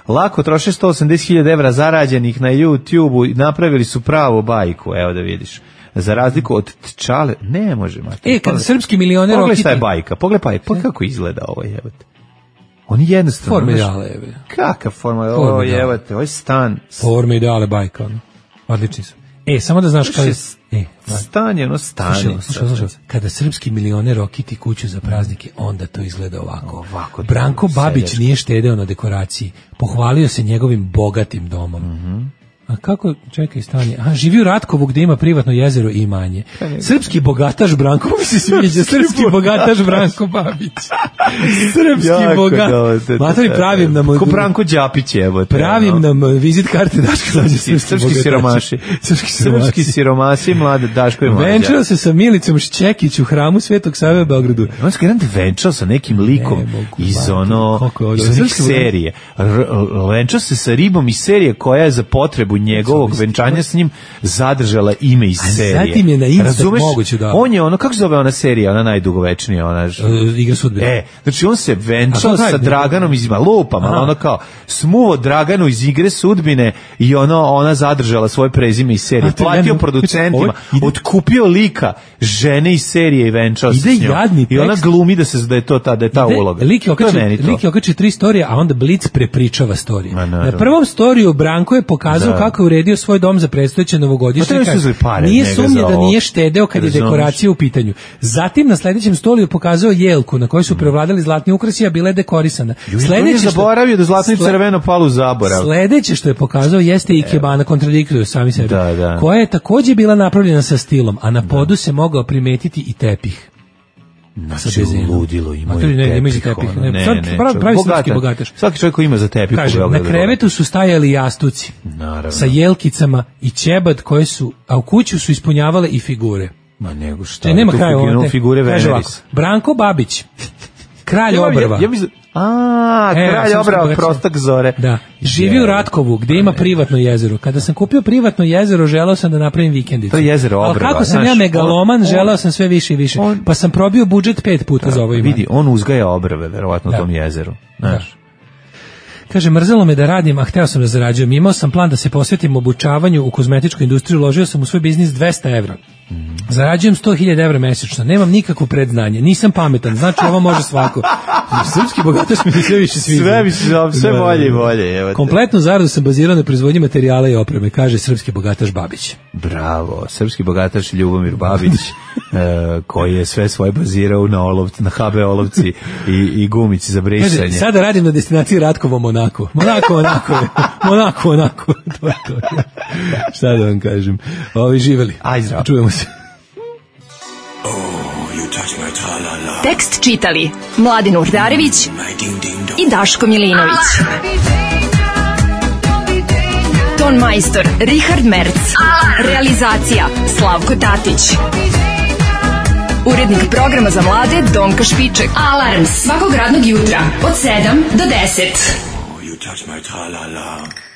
Lako troše sto osamdeset hiljada evra zarađenih na YouTube-u i napravili su pravu bajku, evo da vidiš. Za razliku od Tčale, ne može, Marko. E, kada srpski milioner Pogledaj okiti... šta je bajka, pogledaj pa, pa kako izgleda ovo, jebate. On je jednostavno... Forme znaš, ideale, jebe. Kakav forma, Forme ovo ideale. jebate, ovo je stan. Forme ideale bajka, ono. Odlični su. E, samo da znaš kada... E, Stan je ono Slušaj, stanje. slušaj, slušaj. Kada srpski milioner okiti kuću za praznike, onda to izgleda ovako. Ovako, Branko dobro, Babić seljački. nije štedeo na dekoraciji. Pohvalio se njegovim bogatim domom. Mhm. A kako, čekaj, stanje. Aha, živi u Ratkovu gde ima privatno jezero i imanje. Srpski bogataš Branko, mi se sviđa, srpski bogataš Branko Babić. Srpski Jako bogat. dobro, to- Matori, pravim nam... Ko Branko Đapić jebote. Pravim ono. nam vizit karte Daško Mlađe, srpski, Srpski bogataši. siromaši. Srpski Srpski siromaši. siromasi, mlade Daško i Mlađa. Venčao se sa Milicom Šćekić u hramu Svetog Save u Beogradu. On se garant venčao sa nekim likom Ne mogu, iz bate, ono, koliko je ovo, iz onih srpski bogat. serije. R- Venčao se sa ribom iz serije koja je za potrebu njegovog venčanja s njim zadržala ime iz A serije. zatim je na instant Razumeš? moguće da- On je ono, kako se zove ona serija, ona najdugovečnija, ona... ž- E, Igra sudbine. E, znači on se A venčao to sa traje- Draganom iz Lupam, ali Aha. ono kao smuvo Draganu iz Igre sudbine i ono, ona zadržala svoje prezime iz serije. A to Platio ne- producentima, ovo ide- otkupio lika žene iz serije i venčao se Ide s njom. jadni I ona tekst. glumi da se da je to ta, da je ta Ide- uloga. Lik je To okačio, meni to. lik je okačio tri storije, a onda Blic prepričava storije. Ma, naravno. Na prvom storiju Branko je pokazao Da, kako kako je uredio svoj dom za predstojeće novogodišnje. Nije sumnje da nije štedeo kad je dekoracija u pitanju. Zatim na sledećem stolu je pokazao jelku na kojoj su prevladali zlatni ukrasi, a bila je dekorisana. Sledeće što zaboravio da zlatno i crveno palu u zaborav. Sledeće što je pokazao jeste ikebana, kontradiktuju sami sebi, da, da. koja je takođe bila napravljena sa stilom, a na podu se mogao primetiti i tepih. Znači, ludilo imaju tepih. Ne, imaju tepih. Ne, ne, ne, pravi, pravi srpski bogataš. Svaki čovjek koji ima za tepih. Kaže, na krevetu su stajali jastuci. Naravno. Sa jelkicama i ćebad koje su, a u kuću su ispunjavale i figure. Ma nego šta. Ne, nema kraja ovo. Figure Veneris. Branko Babić, kralj obrva. Ja, ja mislim, a, e, kralj obrva, prostak zore. Da. Živi u Ratkovu, gdje ima privatno jezero. Kada sam kupio privatno jezero, želeo sam da napravim vikendicu. To je jezero obrva. Ali kako sam znaš, ja megaloman, on, želeo sam sve više i više. On, pa sam probio budžet pet puta da, za ovo imanje. Vidi, on uzgaja obrve, verovatno da. u tom jezeru. Znaš. Da. Kaže, mrzelo me da radim, a hteo sam da zarađujem. Imao sam plan da se posvetim obučavanju u kozmetičkoj industriji, uložio sam u svoj biznis dvesta evra. Mm. Zarađujem sto hiljada evra mesečno, nemam nikakvo predznanje, nisam pametan, znači ovo može svako. Srpski bogataš mi se sve više sviđa. Sve mi se sve bolje i bolje. Kompletnu zaradu sam bazirao na proizvodnji materijala i opreme, kaže srpski bogataš Babić. Bravo, srpski bogataš Ljubomir Babić, e, koji je sve svoje bazirao na, olovci, na ha be olovci i, i gumici za brisanje. Kaže, sada radim na destinaciji Ratkovo Monako. Monako, Monako je. Monako, Monako. To je to. Šta da vam kažem. Ovi živeli. Aj, zdravo. Čujemo se. Tekst čitali Mladin Urdarević i Daško Milinović. Ton majstor Richard Merc. Realizacija Slavko Tatić. Urednik programa za mlade Donka Špiček. Alarms svakog radnog jutra od sedam do deset. Oh, you touch my tra-la-la.